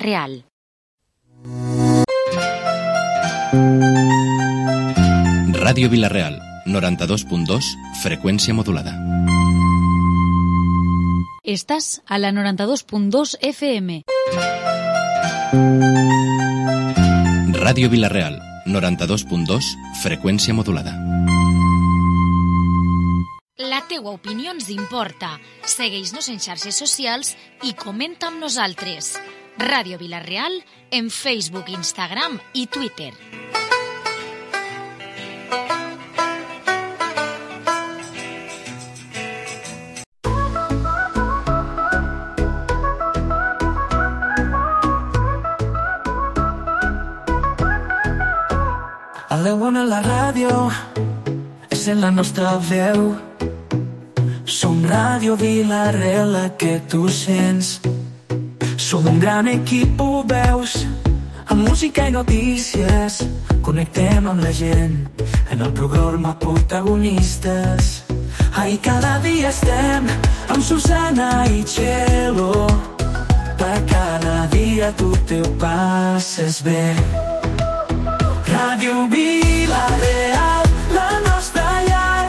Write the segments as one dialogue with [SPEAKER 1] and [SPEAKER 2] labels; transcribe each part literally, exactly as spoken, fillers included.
[SPEAKER 1] Real.
[SPEAKER 2] Ràdio Vila-real, noranta-dos punt dos, freqüència modulada.
[SPEAKER 1] Estàs a la noranta-dos punt dos F M.
[SPEAKER 2] Ràdio Vila-real, noranta-dos punt dos, freqüència modulada.
[SPEAKER 1] La teua opinió ens importa. Segueix-nos en xarxes socials i comenta amb nosaltres. Ràdio Vila-real en Facebook, Instagram i Twitter.
[SPEAKER 3] A la una la ràdio és en la nostra veu. Som Ràdio Vila-real, la que tu sents. Som un gran equip, ho veus, amb música i notícies. Connectem amb la gent en el programa Protagonistes. Ahí cada dia estem amb Susana i Txelo. Per cada dia tu te ho passes bé. Ràdio Vila-real, la nostra llar,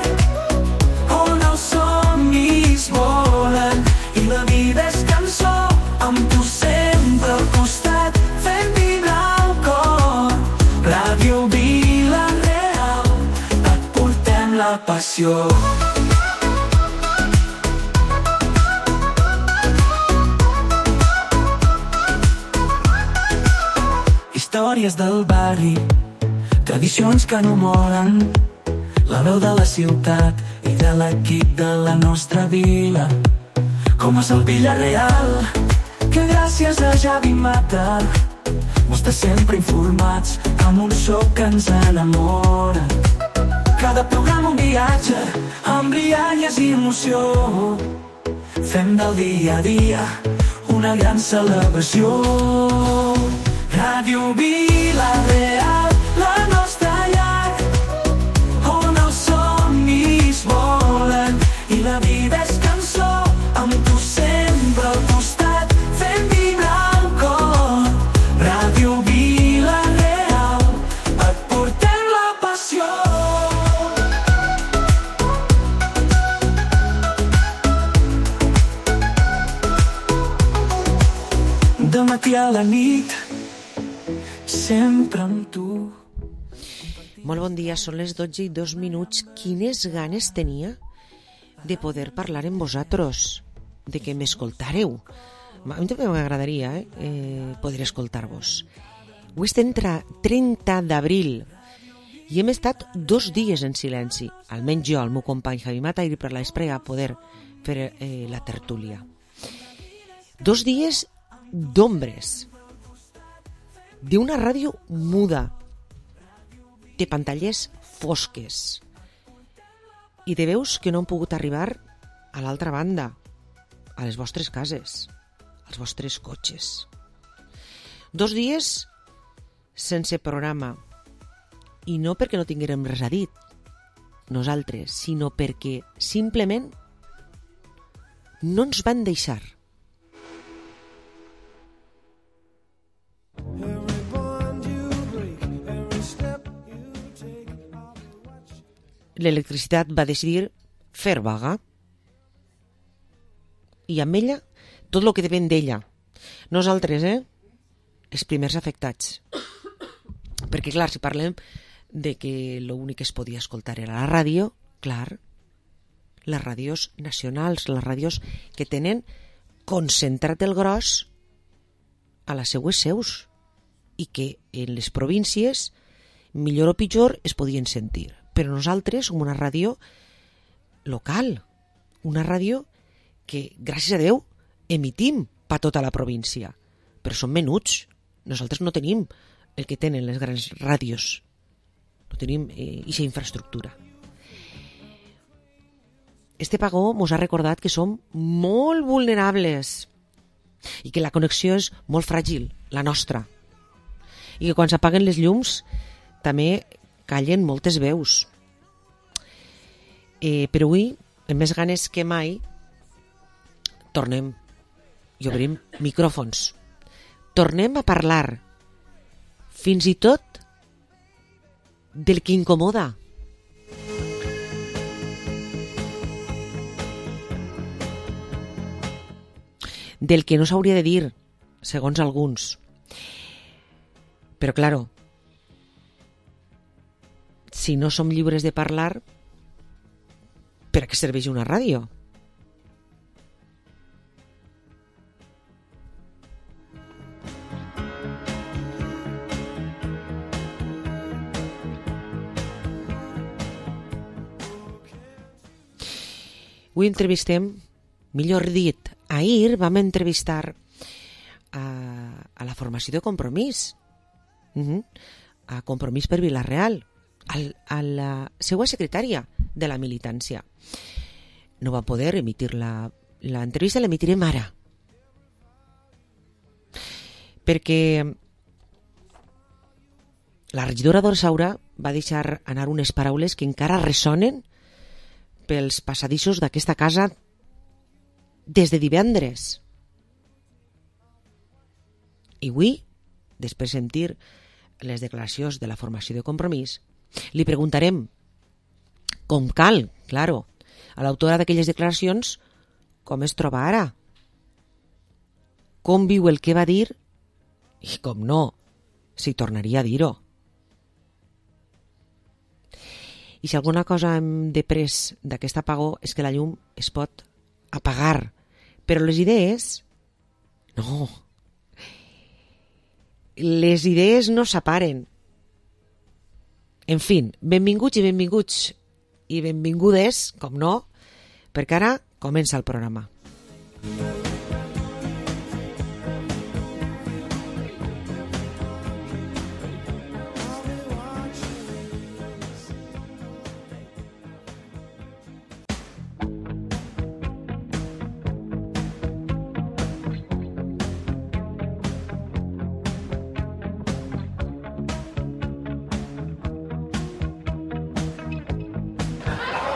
[SPEAKER 3] on els somnis volen i la vida és cançó, amb tu sempre al costat, fent vibrar el cor. Ràdio Vila-real, et portem la passió. Històries del barri, tradicions que no moren, la veu de la ciutat i de l'equip de la nostra vila. Com és el Vila-real, que gràcies a Javi Mata m'està sempre informats amb un so que ens enamora. Cada programa un viatge amb rialles i emoció. Fem del dia a dia una gran celebració. Ràdio Vila-real, la nostra llar, on els somnis volen i la vida és cançó, amb tu sempre al costat, fent vibrar el cor. Ràdio Vila-real, et portem la passió. De matí a la nit, sempre amb tu.
[SPEAKER 4] Molt bon dia, són les dotze i dos minuts. Quines ganes tenia de poder parlar amb vosaltres, de que m'escoltàreu. A mi també m'agradaria eh, eh, poder escoltar-vos. Avui estem trenta d'abril i hem estat dos dies en silenci, almenys jo, el meu company Javi Mata i per l'Espre a poder fer eh, la tertúlia. Dos dies d'ombres, d'una ràdio muda, de pantalles fosques i de veus que no han pogut arribar a l'altra banda, a les vostres cases, als vostres cotxes. Dos dies sense programa, i no perquè no tinguérem res a dir nosaltres, sinó perquè simplement no ens van deixar. L'electricitat va decidir fer vaga i amb ella tot el que depèn d'ella. Nosaltres, eh? Els primers afectats. Perquè, clar, si parlem de que l'únic que es podia escoltar era la ràdio, clar, les ràdios nacionals, les ràdios que tenen concentrat el gros a les seues seus i que en les províncies, millor o pitjor, es podien sentir. Però nosaltres som una ràdio local, una ràdio que, gràcies a Déu, emitim per tota la província. Però som menuts. Nosaltres no tenim el que tenen les grans ràdios. No tenim aquesta eh, infraestructura. Este pagó ens ha recordat que som molt vulnerables i que la connexió és molt fràgil, la nostra. I que quan s'apaguen les llums també callen moltes veus. Eh, però avui, amb més ganes que mai, tornem i obrim micròfons tornem a parlar fins i tot del que incomoda. Del que no s'hauria de dir, segons alguns. Però, claro, si no som lliures de parlar, per a què serveix una ràdio? Avui entrevistem, millor dit, ahir vam entrevistar a, a la formació de Compromís, uh-huh. a Compromís per Vila-real, al, a la seva secretària de la militància. No va poder emitir la, l'entrevista, l'emitirem ara. Perquè la regidora d'Orsaura va deixar anar unes paraules que encara ressonen pels passadissos d'aquesta casa des de divendres. I avui, després de sentir les declaracions de la formació de Compromís, li preguntarem, com cal, claro, a l'autora d'aquelles declaracions, com es troba ara? Com viu el que va dir? I com no, si tornaria a dir-ho. I si alguna cosa hem de pres d'aquest apagó és que la llum es pot apagar. Però les idees, no. Les idees no s'aparen. En fi, benvinguts i benvinguts i benvingudes, com no, perquè ara comença el programa.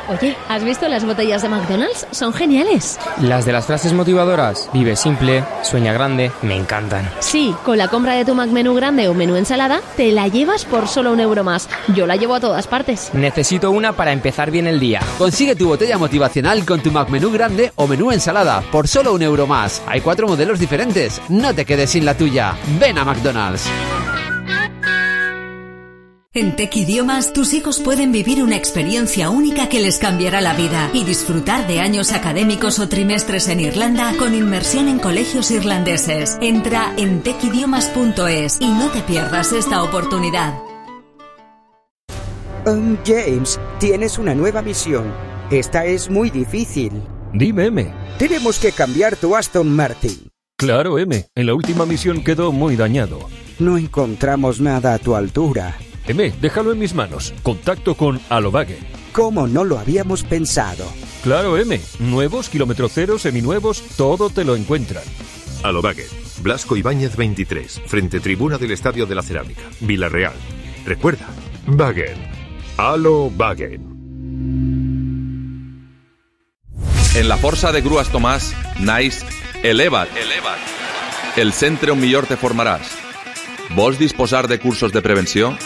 [SPEAKER 5] Oye, ¿has visto las botellas de McDonald's? Son geniales.
[SPEAKER 6] Las de las frases motivadoras, vive simple, sueña grande, me encantan.
[SPEAKER 5] Sí, con la compra de tu McMenú grande o menú ensalada, te la llevas por solo un euro más. Yo la llevo a todas partes.
[SPEAKER 6] Necesito una para empezar bien el día.
[SPEAKER 7] Consigue tu botella motivacional con tu McMenú grande o menú ensalada por solo un euro más. Hay cuatro modelos diferentes. No te quedes sin la tuya. Ven a McDonald's.
[SPEAKER 8] En Tec Idiomas, tus hijos pueden vivir una experiencia única que les cambiará la vida y disfrutar de años académicos o trimestres en Irlanda con inmersión en colegios irlandeses. Entra en tec idiomas punto es y no te pierdas esta oportunidad.
[SPEAKER 9] Um, James, tienes una nueva misión. Esta es muy difícil.
[SPEAKER 10] Dime, M.
[SPEAKER 9] Tenemos que cambiar tu Aston Martin.
[SPEAKER 10] Claro, M. En la última misión quedó muy dañado.
[SPEAKER 9] No encontramos nada a tu altura.
[SPEAKER 10] M, déjalo en mis manos. Contacto con Alobague.
[SPEAKER 9] ¿Cómo no lo habíamos pensado?
[SPEAKER 10] Claro, M. Nuevos, kilómetro cero, seminuevos, todo te lo encuentran.
[SPEAKER 11] Alobague. Blasco Ibáñez veintitrés, frente tribuna del Estadio de la Cerámica, Vila-real. Recuerda, Wagen. Alobague.
[SPEAKER 12] En la Força de Grues Tomàs naix Eleva't. Eleva't. El centre on millor te formaràs. Vols disposar de cursos de prevenció?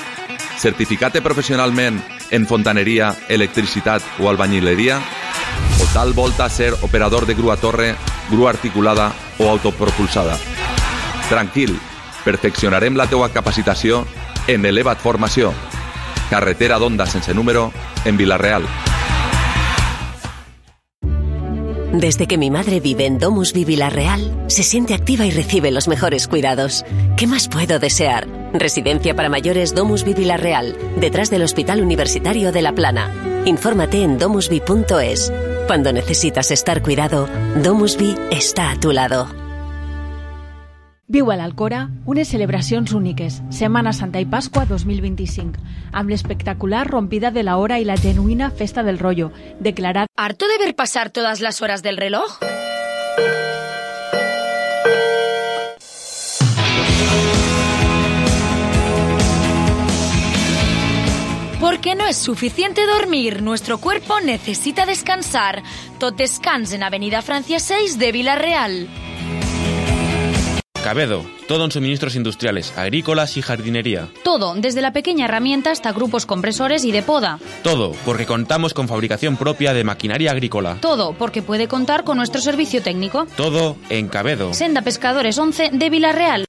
[SPEAKER 12] Certificat-te professionalment en fontaneria, electricitat o albañileria? O tal volta ser operador de grua torre, grua articulada o autopropulsada? Tranquil, perfeccionarem la teua capacitació en Eleva't Formació. Carretera d'Onda sense número en Vila-real.
[SPEAKER 13] Desde que mi madre vive en DomusVi Vila-real, se siente activa y recibe los mejores cuidados. ¿Qué más puedo desear? Residencia para mayores DomusVi Vila-real, detrás del Hospital Universitario de La Plana. Infórmate en domusvi punto es. Cuando necesitas estar cuidado, DomusVi está a tu lado.
[SPEAKER 14] Viu a l'Alcora unes celebracions úniques, Setmana Santa i Pasqua dos mil vint-i-cinc, amb l'espectacular rompida de la hora i la genuïna festa del rollo, declarat...
[SPEAKER 1] ¿Harto de ver pasar todas las horas del reloj? Porque no es suficiente dormir, nuestro cuerpo necesita descansar. Tot descans en Avenida Francia seis de Vila-real.
[SPEAKER 6] Cabedo, todo en suministros industriales, agrícolas y jardinería.
[SPEAKER 1] Todo, desde la pequeña herramienta hasta grupos compresores y de poda.
[SPEAKER 6] Todo, porque contamos con fabricación propia de maquinaria agrícola.
[SPEAKER 1] Todo, porque puede contar con nuestro servicio técnico.
[SPEAKER 6] Todo en Cabedo.
[SPEAKER 1] Senda Pescadores once de Vilarreal.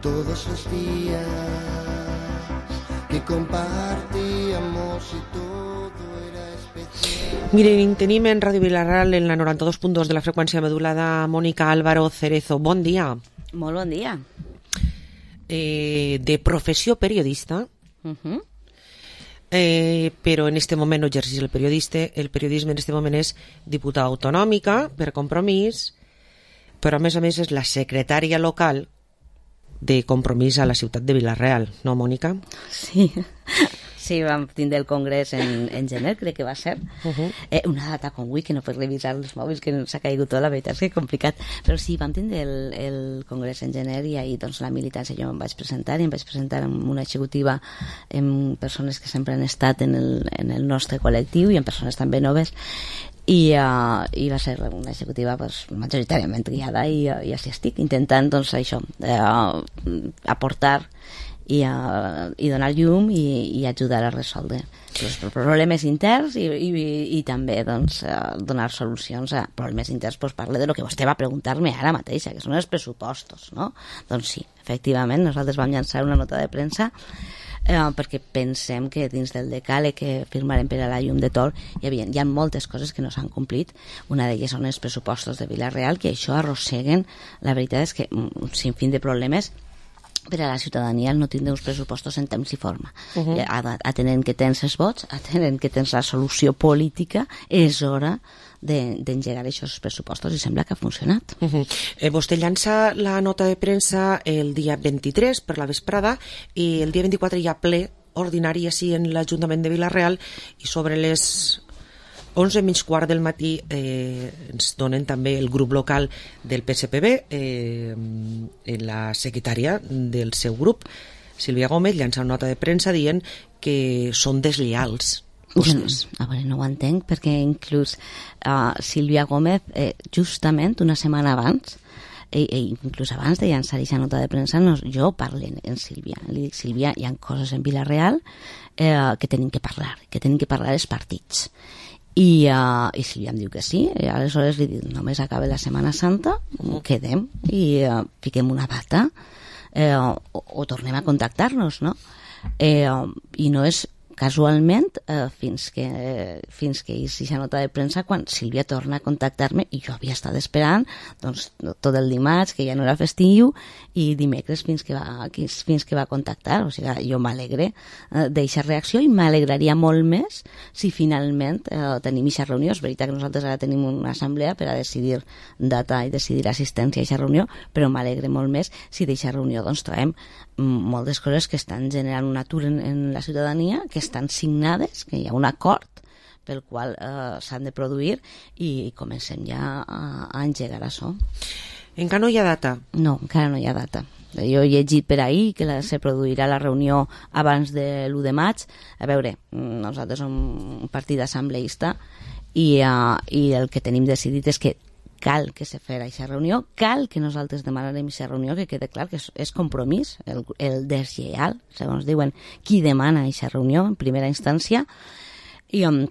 [SPEAKER 15] Todos los días que compartíamos y todo era especial.
[SPEAKER 4] Miren, tenim en Ràdio Vilarreal en la noranta-dos punt dos de la freqüència modulada Mónica Álvaro Cerezo. Bon dia.
[SPEAKER 16] Molt bon dia.
[SPEAKER 4] Eh, de professió periodista,
[SPEAKER 16] Uh-huh.
[SPEAKER 4] eh, però en este moment no exercís el periodista. El periodisme en este moment és diputada autonòmica per Compromís, però a més a més és la secretària local de Compromís a la ciutat de Vilarreal, no, Mònica?
[SPEAKER 16] Sí, sí, vam tindre el congrés en, en gener, crec que va ser. Uh-huh. eh, una data com avui, que no pots revisar els mòbils, que s'ha caigut tot, la veritat és que és complicat. Però sí, vam tindre el, el congrés en gener i ahir doncs, la militància jo em vaig presentar i em vaig presentar amb una executiva amb persones que sempre han estat en el, en el nostre col·lectiu i amb persones també noves. I, uh, i va ser una executiva pues, majoritàriament guiada i, uh, i així estic intentant doncs, això, uh, aportar i, uh, i donar llum i, i ajudar a resoldre els problemes interns i, i, i també doncs, uh, donar solucions a problemes interns. Pues, parle de lo que vostè va preguntar-me ara mateixa, que són els pressupostos, no? Doncs sí, efectivament nosaltres vam llançar una nota de premsa Eh, perquè pensem que dins del decàleg que firmarem per a la llum de Tor hi havia, hi ha moltes coses que no s'han complit. Una d'elles són els pressupostos de Vilarreal, que això arrosseguen, la veritat és que un sinfín de problemes per a la ciutadania el no tindre uns pressupostos en temps i forma. Uh-huh. Atenent que tens els vots, atenent que tens la solució política, és hora d'engegar aquests pressupostos i sembla que ha funcionat.
[SPEAKER 4] Uh-huh. eh, vostè llança la nota de premsa el dia vint-i-tres per la vesprada i el dia vint-i-quatre hi ha ple ordinari així en l'Ajuntament de Vilarreal i sobre les onze menys quart del matí eh, ens donen també el grup local del P S P B, eh, la secretària del seu grup, Sílvia Gómez, llança una nota de premsa dient que són deslleials.
[SPEAKER 16] No, a veure, no ho entenc perquè inclús uh, Sílvia Gómez eh, justament una setmana abans e, e inclús abans de llançar aquesta nota de premsa no, jo parlo en Sílvia, li dic Sílvia, hi ha coses en Vilarreal eh, que tenim que parlar, que tenim que parlar els partits i, uh, i Sílvia em diu que sí i aleshores li dic, només acaba la Setmana Santa quedem i uh, fiquem una data eh, o, o tornem a contactar-nos, no? Eh, i no és casualment eh, fins que eh, fins que hice aquesta nota de premsa quan Sílvia torna a contactar-me i jo havia estat esperant doncs, tot el dimarts que ja no era festiu i dimecres fins que va, fins que va contactar, o sigui, jo m'alegre eh, d'aquesta reacció i m'alegraria molt més si finalment eh, tenim aquesta reunió. És veritat que nosaltres ara tenim una assemblea per a decidir data i decidir assistència a aquesta reunió, però m'alegre molt més si d'aquesta reunió doncs trobem moltes coses que estan generant un atur en, en la ciutadania, que estan signades, que hi ha un acord pel qual eh, s'han de produir i comencem ja a, a engegar això.
[SPEAKER 4] Encara no hi ha data?
[SPEAKER 16] No, encara no hi ha data. Jo he llegit per ahir que la, se produirà la reunió abans de l'u de maig. A veure, nosaltres som un partit assembleista i, uh, i el que tenim decidit és que cal que se fera aquesta reunió, cal que nosaltres demanarem aquesta reunió, que quede clar que és, és compromís, el, el deslleial, segons diuen, qui demana aquesta reunió en primera instància, i, um,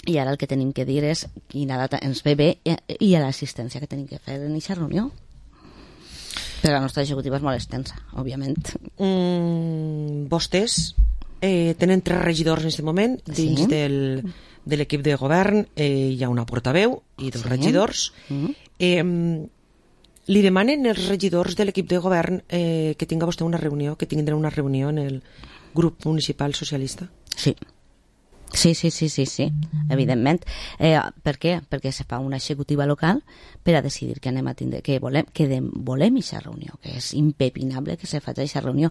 [SPEAKER 16] i ara el que tenim que dir és quina data ens ve bé i, i l'assistència que tenim que fer en aquesta reunió. Però la nostra executiva és molt extensa, òbviament.
[SPEAKER 4] Mm, vostès eh, tenen tres regidors en aquest moment dins sí? del... de l'equip de govern, eh, hi ha una portaveu i dos sí. regidors. Mm-hmm. eh, li demanen els regidors de l'equip de govern eh, que tinga vostè una reunió, que tindrà una reunió en el grup municipal socialista?
[SPEAKER 16] Sí. Sí, sí, sí, sí, sí, evidentment. Eh, per què? Perquè se fa una executiva local per a decidir que anem a tindre, que volem, que de, volem aquesta reunió, que és impepinable que se faci aquesta reunió.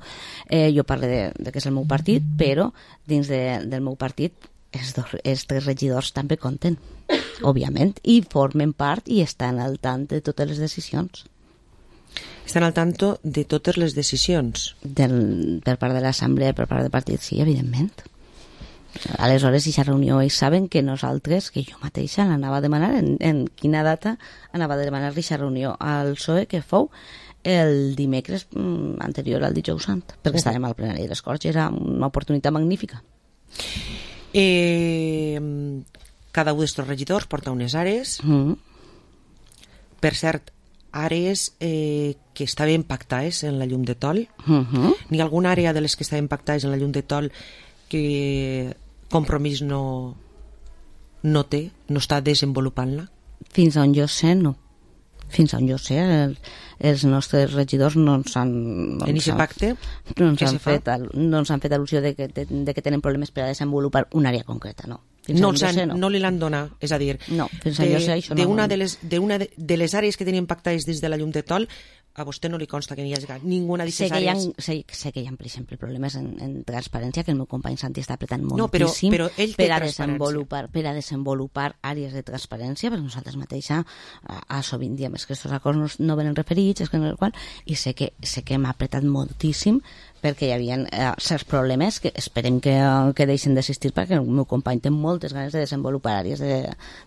[SPEAKER 16] Eh, jo parlo de, de que és el meu partit, però dins de, del meu partit els, dos, els tres regidors també compten, òbviament, i formen part i estan al tant de totes les decisions.
[SPEAKER 4] Estan al tanto de totes les decisions?
[SPEAKER 16] Del, per part de l'assemblea, per part del partit, sí, evidentment. Aleshores, aquesta reunió, ells saben que nosaltres, que jo mateixa l'anava a demanar, en, en quina data anava a demanar aquesta reunió al P S O E, que fou el dimecres mm, anterior al dijous sant, perquè estàvem al plenari de les Corts i era una oportunitat magnífica.
[SPEAKER 4] Eh, cada un d'estos regidors porta unes àrees. Mm. Per cert, àrees eh, que estaven pactades en la llum de tol. Mm-hmm. N'hi ha alguna àrea de les que estaven pactades en la llum de tol que Compromís no, no té, no està desenvolupant-la?
[SPEAKER 16] Fins on jo sé, no. Fins on jo sé, el, els nostres regidors no ens han... No
[SPEAKER 4] en aquest pacte?
[SPEAKER 16] No ens han fet, no ens han fet al·lusió de que, de, de que tenen problemes per a desenvolupar una àrea concreta, no. Fins
[SPEAKER 4] no,
[SPEAKER 16] sé,
[SPEAKER 4] sé,
[SPEAKER 16] no.
[SPEAKER 4] no li l'han donat, és a dir,
[SPEAKER 16] no, fins de, jo sé, això
[SPEAKER 4] de,
[SPEAKER 16] no,
[SPEAKER 4] una de, les, de una de, de les àrees que tenien pactades des de la llum de tol, a vostè no li consta que n'hi hagi ninguna d'aquestes àrees?
[SPEAKER 16] Sé, sé que hi ha, per exemple, problemes en, en transparència, que el meu company Santi està apretant moltíssim
[SPEAKER 4] no, però, però ell té
[SPEAKER 16] per, a desenvolupar, per a desenvolupar àrees de transparència, perquè nosaltres mateixa a, a sovint diem que aquests acords no, no venen referits, és que no el qual, i sé que, sé que m'ha apretat moltíssim perquè hi havia eh, certs problemes que esperem que, que deixen d'existir, perquè el meu company té moltes ganes de desenvolupar àrees de,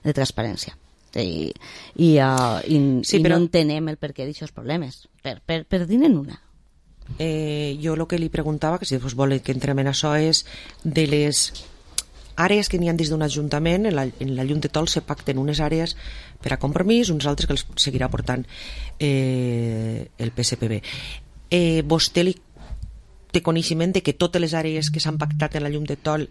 [SPEAKER 16] de transparència. I, i, uh, i, sí, i però... no entenem el per què d'aquests problemes per, per, per dir-ne una.
[SPEAKER 4] eh, jo el que li preguntava, que si vos vol que entrem en això, és de les àrees que n'hi ha dins d'un ajuntament. En la, en la llum de tol se pacten unes àrees per a Compromís, uns altres que els seguirà portant eh, el P S P B. eh, vostè li té coneixement de que totes les àrees que s'han pactat en la llum de tol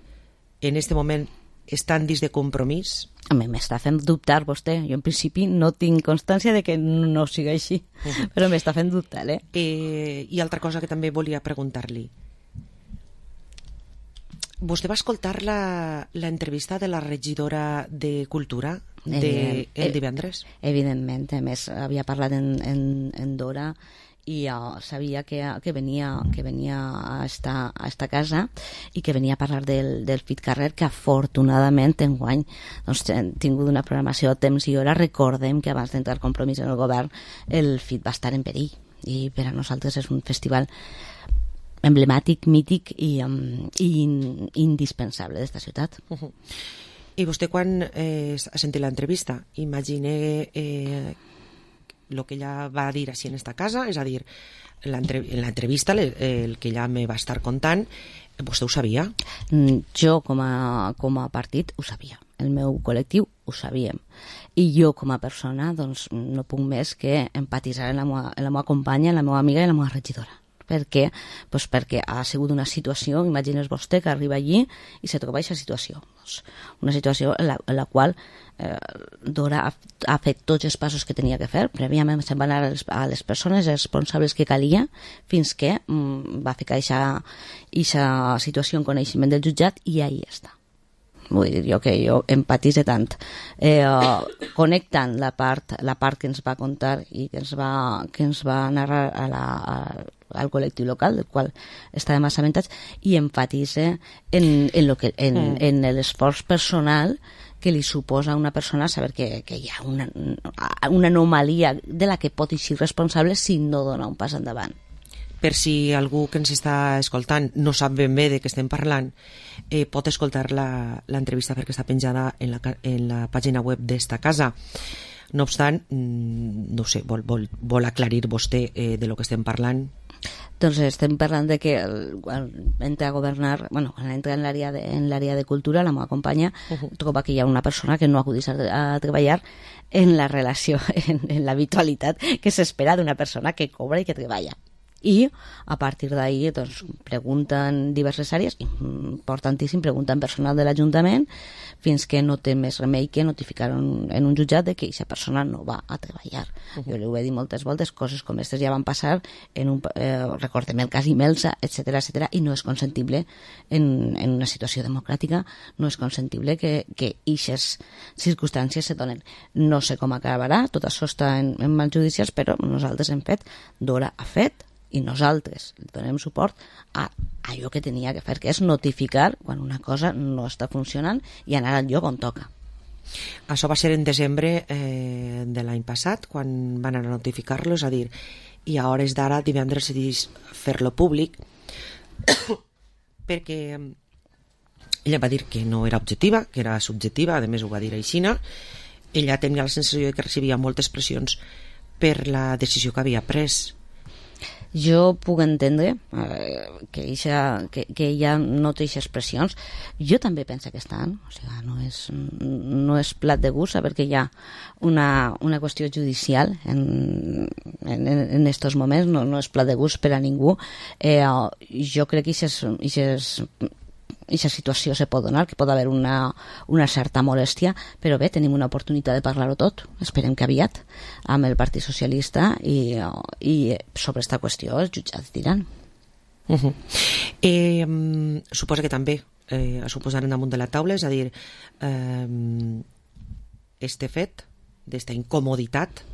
[SPEAKER 4] en aquest moment estan dins de Compromís?
[SPEAKER 16] A mi m'està fent dubtar vostè. Jo en principi no tinc constància de que no sigui així, uh-huh. però m'està fent dubtar, eh?
[SPEAKER 4] eh? I altra cosa que també volia preguntar-li. Vostè va escoltar la, la entrevista de la regidora de Cultura de, el divendres?
[SPEAKER 16] Evidentment, a més havia parlat en, en, en Dora i uh, sabia que, que, venia, que venia a esta, a esta casa i que venia a parlar del, del F I T Carrer, que afortunadament enguany doncs, hem tingut una programació a temps i hora. Recordem que abans d'entrar Compromís en el govern el F I T va estar en perill i per a nosaltres és un festival emblemàtic, mític i, um, i indispensable d'esta ciutat.
[SPEAKER 4] Uh-huh. I vostè quan eh, ha sentit l'entrevista imagine eh, el que ella va dir així en esta casa, és a dir, en l'entrevista el que ella me va estar contant, vostè ho sabia?
[SPEAKER 16] Jo com a, com a partit ho sabia, el meu col·lectiu ho sabíem, i jo com a persona doncs no puc més que empatitzar en la meva, en la meva companya, en la meva amiga i en la meva regidora. Per què? Pues perquè ha sigut una situació, imagines vostè que arriba allí i se troba aquesta situació. Pues una situació en la, en la qual eh, Dora ha, ha fet tots els passos que tenia que fer. Prèviament se'n van anar a les, a les persones responsables que calia fins que mm, va ficar aquesta situació en coneixement del jutjat i ahí està. Vull dir jo que jo empatitze tant eh, uh, connectant la part, la part que ens va contar i que ens va, que ens va narrar a la, a, al col·lectiu local del qual estàvem assabentats i empatitze en, en, lo que, en, mm. en l'esforç personal que li suposa a una persona saber que, que hi ha una, una anomalia de la que pot ser responsable si no dona un pas endavant.
[SPEAKER 4] Per si algú que ens està escoltant no sap ben bé de què estem parlant, eh, pot escoltar l'entrevista perquè està penjada en la, en la pàgina web d'esta casa. No obstant, no sé, vol, vol, vol aclarir vostè eh, de lo que estem parlant?
[SPEAKER 16] Doncs estem parlant de que quan entra a governar, bueno, quan entra en l'àrea de, en l'àrea de cultura, la meva companya uh-huh. troba que hi ha una persona que no acudeix a, a treballar en la relació, en, en l'habitualitat que s'espera d'una persona que cobra i que treballa. i a partir d'ahir doncs, pregunten diverses àrees, importantíssim, pregunten personal de l'Ajuntament fins que no té més remei que notificar en, en un jutjat de que aquesta persona no va a treballar. Uh -huh. Jo li ho he dit moltes voltes, coses com aquestes ja van passar en un, eh, recordem el cas Imelsa, etcètera, etcètera, i no és consentible en, en una situació democràtica, no és consentible que, que ixes circumstàncies se donen. No sé com acabarà, tot això està en, en mans judicials, però nosaltres hem fet, Dora ha fet, i nosaltres donem suport a allò que tenia que fer, que és notificar quan una cosa no està funcionant i anar al lloc on toca.
[SPEAKER 4] Això va ser en desembre eh, de l'any passat, quan van anar a notificar-lo, és a dir, i a hores d'ara divendres decidís fer-lo públic perquè ella va dir que no era objectiva, que era subjectiva, a més ho va dir aixina. Ella tenia la sensació de que recibia moltes pressions per la decisió que havia pres.
[SPEAKER 16] Jo puc entendre eh, que, eixa, que, que ella no té aquestes pressions. Jo també penso que estan, o sigui, no és, no és plat de gust saber que hi ha una, una qüestió judicial en, en, en estos moments, no, no és plat de gust per a ningú. Eh, jo crec que aquestes aquesta situació se pot donar, que pot haver una, una certa molèstia, però bé, tenim una oportunitat de parlar-ho tot, esperem que aviat, amb el Partit Socialista, i, i sobre aquesta qüestió els jutjats diran.
[SPEAKER 4] Uh -huh. eh, um, suposa que també eh, es posaran damunt de la taula, és a dir, eh, este fet d'esta incomoditat,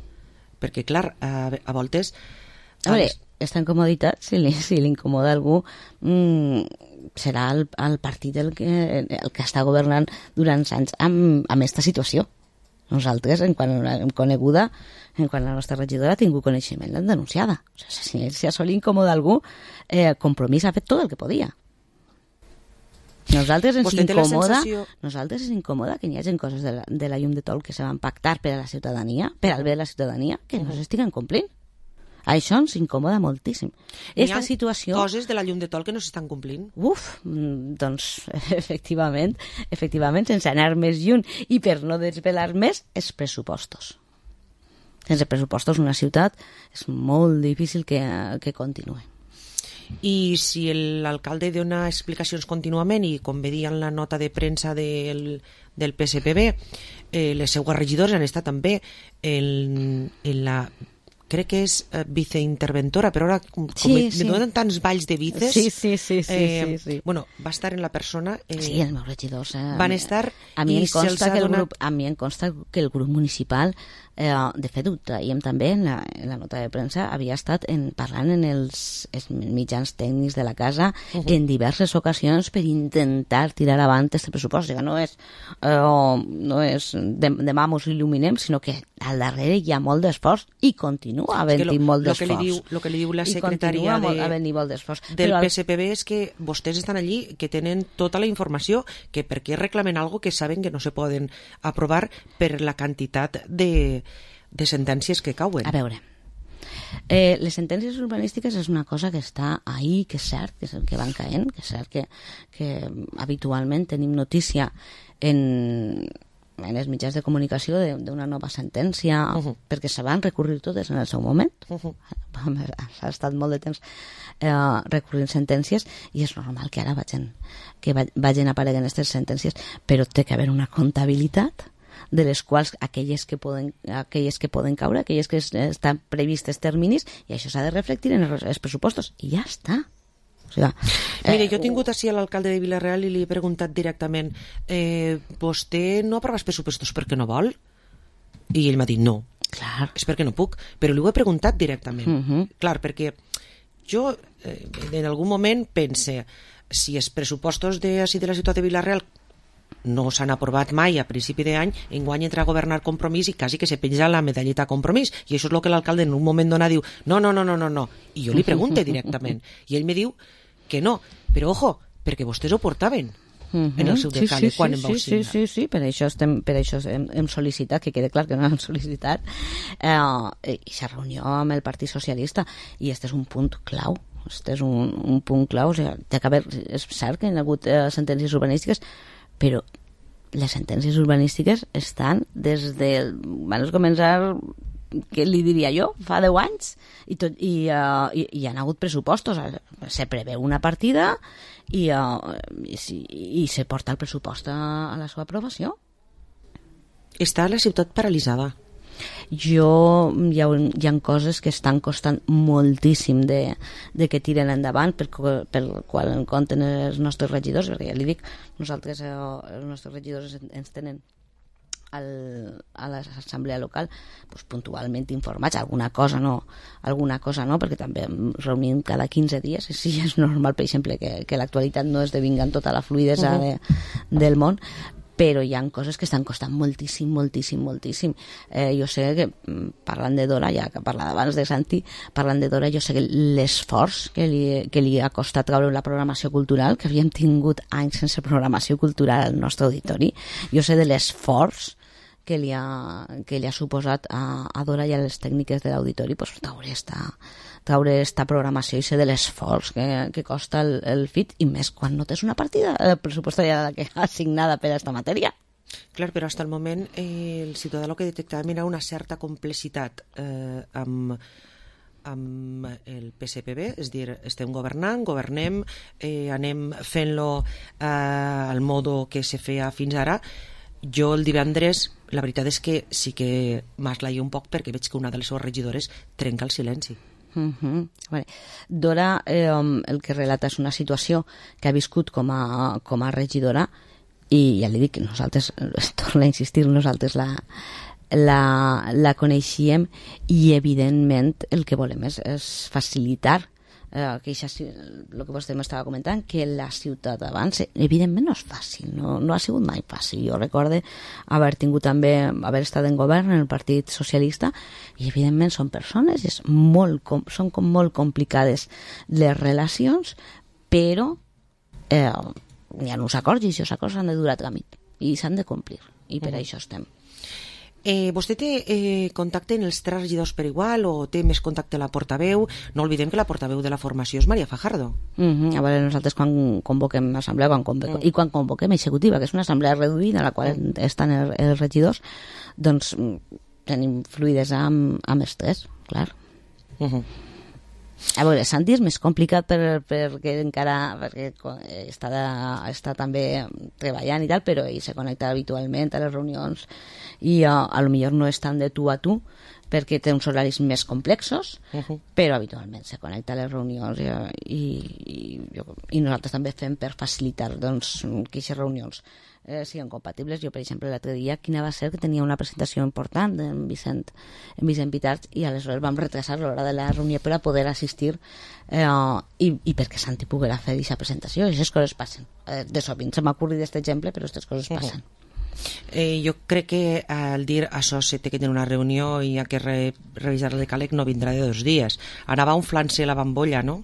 [SPEAKER 4] perquè clar, a, a voltes
[SPEAKER 16] a veure, aquesta incomoditat, si li, si li incomoda algú, mmm, serà el, el partit el que, el que està governant durant anys amb, amb aquesta situació. Nosaltres, en quan hem coneguda, en quan la nostra regidora ha tingut coneixement, l'hem denunciada. O sigui, si a sol incomoda algú, eh, Compromís ha fet tot el que podia. Nosaltres ens incomoda, sensació... nosaltres ens incomoda que hi hagi coses de la, de la llum de tol que se van pactar per a la ciutadania, per al bé de la ciutadania, que no s'estiguen complint. Això ens incomoda moltíssim. Esta situació...
[SPEAKER 4] coses de la llum de tol que no s'estan complint.
[SPEAKER 16] Uf, doncs, efectivament, efectivament, sense anar més lluny i per no desvelar més, els pressupostos. Sense pressupostos una ciutat és molt difícil que, que continuï.
[SPEAKER 4] I si l'alcalde dona explicacions contínuament i com veia en la nota de premsa del, del P S P B, eh, les seues regidors han estat també en, en la... crec que és uh, viceinterventora, però ara com, sí, com sí. me donen tants balls de vices,
[SPEAKER 16] sí, sí, sí, sí,
[SPEAKER 4] eh,
[SPEAKER 16] sí, sí.
[SPEAKER 4] bueno, va estar en la persona eh,
[SPEAKER 16] sí, els meus regidors eh,
[SPEAKER 4] van estar
[SPEAKER 16] a mi,
[SPEAKER 4] i
[SPEAKER 16] em consta que el
[SPEAKER 4] donat...
[SPEAKER 16] grup, a mi em consta que el grup municipal eh, de fet ho traiem també en la, en la nota de premsa, havia estat en, parlant en els, els mitjans tècnics de la casa uh -huh. en diverses ocasions per intentar tirar avant aquest pressupost. O sigui, no és, eh, no és de, demà mos il·luminem, sinó que al darrere hi ha molt d'esforç i continua havent-hi molt d'esforç.
[SPEAKER 4] El que li diu la secretària de, del
[SPEAKER 16] Però
[SPEAKER 4] P S P B és que vostès estan allí, que tenen tota la informació, que per què reclamen algo que saben que no se poden aprovar per la quantitat de, de sentències que cauen.
[SPEAKER 16] A veure, eh, les sentències urbanístiques és una cosa que està ahí, que és cert, que és el que van caent, que és cert que, que habitualment tenim notícia en... en els mitjans de comunicació d'una nova sentència, uh -huh. perquè se van recurrir totes en el seu moment. Uh -huh. Ha estat molt de temps eh, recurrint sentències i és normal que ara vagin, que vagin apareguen aquestes sentències, però té que haver una comptabilitat de les quals aquelles que poden, aquelles que poden caure, aquelles que estan previstes terminis, i això s'ha de reflectir en els pressupostos, i ja està. O sigui,
[SPEAKER 4] eh, Mire, jo he tingut així a l'alcalde de Vila-real i li he preguntat directament eh, vostè no aprova els pressupostos perquè no vol? I ell m'ha dit no.
[SPEAKER 16] Clar.
[SPEAKER 4] És perquè no puc, però li ho he preguntat directament.
[SPEAKER 16] Uh -huh.
[SPEAKER 4] Clar, perquè jo eh, en algun moment pense si els pressupostos de, així de la ciutat de Vila-real no s'han aprovat mai a principi d'any, enguany entra a governar Compromís i quasi que se penja la medalleta Compromís, i això és el que l'alcalde en un moment donat diu, no, no, no, no, no, no. I jo li pregunte directament, i ell me diu que no, però ojo, perquè vostès ho portaven
[SPEAKER 16] uh-huh.
[SPEAKER 4] en el seu decàleg,
[SPEAKER 16] sí, sí,
[SPEAKER 4] quan
[SPEAKER 16] sí,
[SPEAKER 4] em vau
[SPEAKER 16] sí,
[SPEAKER 4] signar.
[SPEAKER 16] Sí, sí, sí, per això, estem, per això hem, hem sol·licitat, que quede clar que no hem sol·licitat, eh, i la reunió amb el Partit Socialista, i este és un punt clau, este és un, un punt clau, o sigui, té que haver, és cert que hi ha hagut eh, sentències urbanístiques, però les sentències urbanístiques estan des de... van començar què li diria jo, fa deu anys, i, tot, i, uh, i, i hi ha hagut pressupostos, se preveu una partida i, uh, i, i se porta el pressupost a, a la seva aprovació.
[SPEAKER 4] Està la ciutat paralitzada.
[SPEAKER 16] Jo, hi ha, hi ha coses que estan costant moltíssim de, de que tiren endavant, per, per qual en compten els nostres regidors, perquè ja li dic, nosaltres, eh, els nostres regidors ens tenen al, a l'assemblea local pues, puntualment informats, alguna cosa no, alguna cosa no, perquè també reunim cada quinze dies, i sí, és normal, per exemple, que, que l'actualitat no esdevinga en tota la fluidesa uh-huh. de, del món, però hi ha coses que estan costant moltíssim, moltíssim, moltíssim. Eh, jo sé que, parlant de Dora, ja que parlava abans de Santi, parlant de Dora, jo sé que l'esforç que li, que li ha costat treure la programació cultural, que havíem tingut anys sense programació cultural al nostre auditori, jo sé de l'esforç que li ha, que li ha suposat a, a Dora i a les tècniques de l'auditori pues, treure esta, treure esta programació i ser de l'esforç que, que costa el, el F I T, i més quan no tens una partida pressupostària que assignada per a aquesta matèria.
[SPEAKER 4] Clar, però fins al moment eh, el ciutadà el que detectàvem era una certa complexitat eh, amb, amb el P S P B, és a dir, estem governant, governem, eh, anem fent-lo eh, al modo que se feia fins ara. Jo el divendres, la veritat és que sí que m'aslaio un poc perquè veig que una de les seves regidores trenca el silenci.
[SPEAKER 16] Uh-huh. Vale. Dora, eh, el que relata és una situació que ha viscut com a, com a regidora, i ja li dic que nosaltres, torno a insistir, nosaltres la, la, la coneixíem, i evidentment el que volem és, és facilitar eh, que això, el que vostè m'estava comentant, que la ciutat avance. Evidentment no és fàcil, no, no ha sigut mai fàcil. Jo recorde haver tingut també, haver estat en govern en el Partit Socialista, i evidentment són persones, és molt, són com molt complicades les relacions, però eh, hi ha uns acords, i aquests acords s'han de dur a tràmit i s'han de complir, i per uh-huh. això estem.
[SPEAKER 4] Eh, vostè té eh, contacte en els tres regidors per igual, o té més contacte a la portaveu? No oblidem que la portaveu de la formació és Maria Fajardo.
[SPEAKER 16] Uh-huh. A veure, nosaltres quan convoquem assemblea quan convoquem, uh-huh. i quan convoquem executiva, que és una assemblea reduïda a la qual uh-huh. estan els, els regidors, doncs tenim fluidesa amb, amb els tres, clar. Uh-huh. A veure, Santi és més complicat per, perquè encara perquè està, de, està també treballant i tal, però ell se connecta habitualment a les reunions i a, a lo millor no és tan de tu a tu perquè té uns horaris més complexos, uh-huh. però habitualment se connecta a les reunions i, i, i, i nosaltres també fem per facilitar doncs, que aquestes reunions eh, siguin compatibles. Jo, per exemple, l'altre dia, quina va ser que tenia una presentació important en Vicent, en Vicent Pitarch, i aleshores vam retrasar l'hora de la reunió per a poder assistir eh, i, i perquè Santi poguera fer aquesta presentació. I aquestes coses passen. Eh, de sovint se m'ha ocorrit aquest exemple, però aquestes coses passen. Uh-huh.
[SPEAKER 4] Eh, jo crec que al dir això se té que tenir una reunió i ha que re, revisar el decàleg no vindrà de dos dies. Anava un flancer la bambolla, no?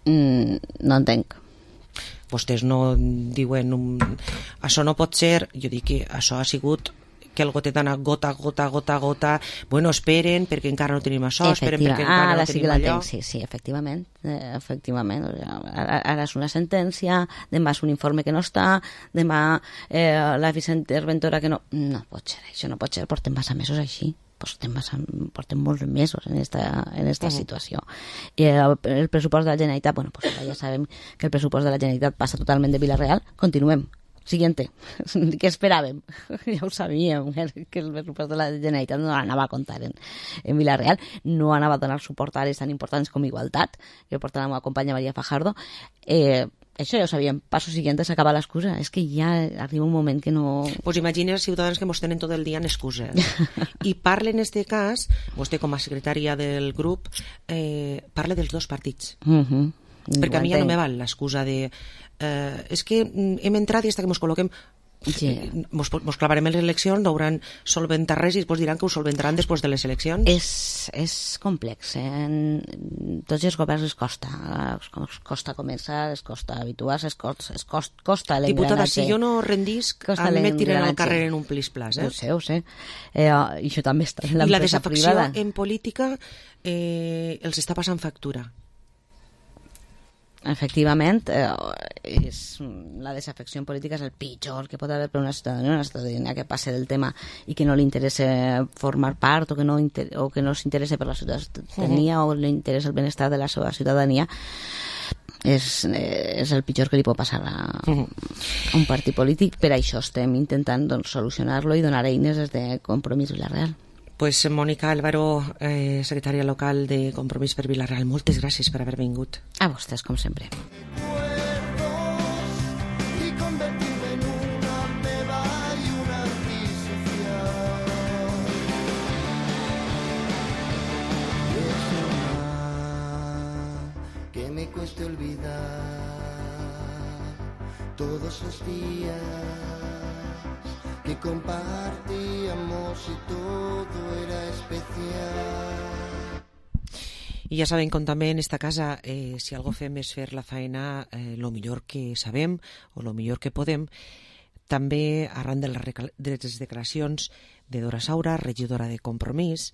[SPEAKER 16] Mm, no entenc.
[SPEAKER 4] Vostès no diuen um, això no pot ser. Jo dic que això ha sigut que el gotet ha anat gota, gota, gota, gota. Bueno, esperen perquè encara no tenim això, esperen perquè encara
[SPEAKER 16] ah,
[SPEAKER 4] no tenim allò.
[SPEAKER 16] Sí, sí, efectivament. Eh, efectivament. Ara, ara és una sentència, demà és un informe que no està, demà eh, la viceïnterventora que no... No pot ser, això no pot ser, portem massa mesos així. Portem, massa, portem molts mesos en esta, en esta uh-huh. situació. I el, el pressupost de la Generalitat, bueno, pues ja sabem que el pressupost de la Generalitat passa totalment de Vila-real. Continuem. Siguiente. Què esperàvem? Ja ho sabíem, que el pressupost de la Generalitat no anava a comptar en, en Vila-real, no anava a donar suport a àrees tan importants com Igualtat, que porta la meva companya Maria Fajardo. Eh, això ja ho sabíem. Passo siguiente s'acaba l'excusa. És que ja arriba un moment que no...
[SPEAKER 4] Pues imagina els ciutadans que mos tenen tot el dia en excuses. I parla en este cas, vostè com a secretària del grup, eh, parla dels dos partits.
[SPEAKER 16] Uh-huh.
[SPEAKER 4] Perquè a mi ja no me val l'excusa de eh, és que hem entrat i fins que mos col·loquem yeah. mos, mos clavarem en les eleccions, no hauran solventat res i després diran que ho solventaran després de les eleccions.
[SPEAKER 16] És, és complex, eh? En tots els governs es costa, es costa començar, es costa habituar-se, es costa, es costa, costa l'engranatge.
[SPEAKER 4] Diputada, si jo no rendisc, a mi me tiren al carrer en un plis-plas. Eh?
[SPEAKER 16] Ho sé, ho sé. Eh, I això també està en
[SPEAKER 4] l'empresa privada. I la desafecció en política eh, els està passant factura.
[SPEAKER 16] efectivament, eh, és, la desafecció política és el pitjor que pot haver per una ciutadania, una ciutadania que passe del tema i que no li interessa formar part o que no, inter o que no s'interessa per la ciutadania uh -huh. o li interessa el benestar de la seva ciutadania. És, és el pitjor que li pot passar a, a un partit polític. Per això estem intentant doncs, solucionar-lo i donar eines des de Compromís Vila-real.
[SPEAKER 4] Pues Mònica Álvaro, eh, secretària local de Compromís per Vila-real, moltes gràcies per haver vingut.
[SPEAKER 16] A vostès, com sempre.
[SPEAKER 15] Que me cueste olvidar todos los días que compartíamos y todo era especial.
[SPEAKER 4] I ja sabem com també en esta casa, eh, si algo fem és fer la feina eh, lo millor que sabem o lo millor que podem. També arran de les, de les declaracions de Dora Saura, regidora de Compromís,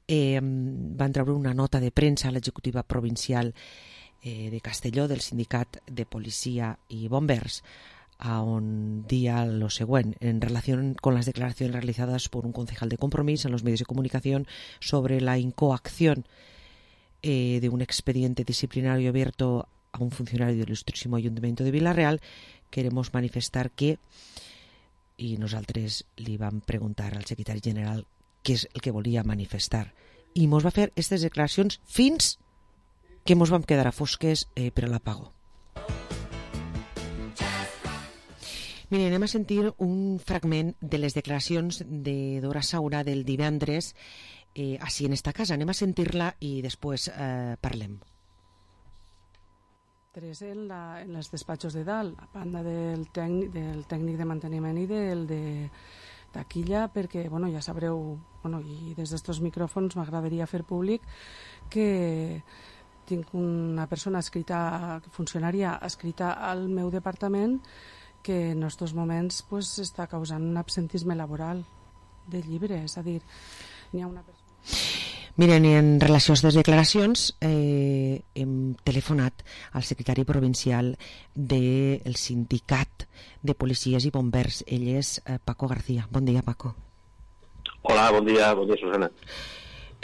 [SPEAKER 4] eh, van treure una nota de premsa a l'executiva provincial eh, de Castelló del sindicat de policia i bombers, a on dia lo següent en relación con las declaraciones realizadas por un concejal de Compromís en los medios de comunicación sobre la incoacción eh, de un expediente disciplinario abierto a un funcionario del Ilustrísimo Ayuntamiento de Vila-real. Queremos manifestar que, i nosaltres li vam preguntar al secretari general què és el que volia manifestar, i mos va fer aquestes declaracions fins que mos vam quedar a fosques eh, per a l'apago. Mira, anem a sentir un fragment de les declaracions de Dora Saura del divendres eh, així en esta casa. Anem a sentir-la i després eh, parlem.
[SPEAKER 17] Tres en, la, en els despatxos de dalt, a banda del tècnic, del tècnic de manteniment i del de taquilla, perquè, bueno, ja sabreu, bueno, i des d'estos micròfons m'agradaria fer públic que tinc una persona escrita, funcionària escrita al meu departament, que en aquests moments pues, està causant un absentisme laboral de llibre, és a dir, n'hi ha una persona...
[SPEAKER 4] Miren, en relació a aquestes declaracions, eh, hem telefonat al secretari provincial del sindicat de policies i bombers. Ell és eh, Paco García. Bon dia, Paco.
[SPEAKER 18] Hola, bon dia, bon dia, Susana.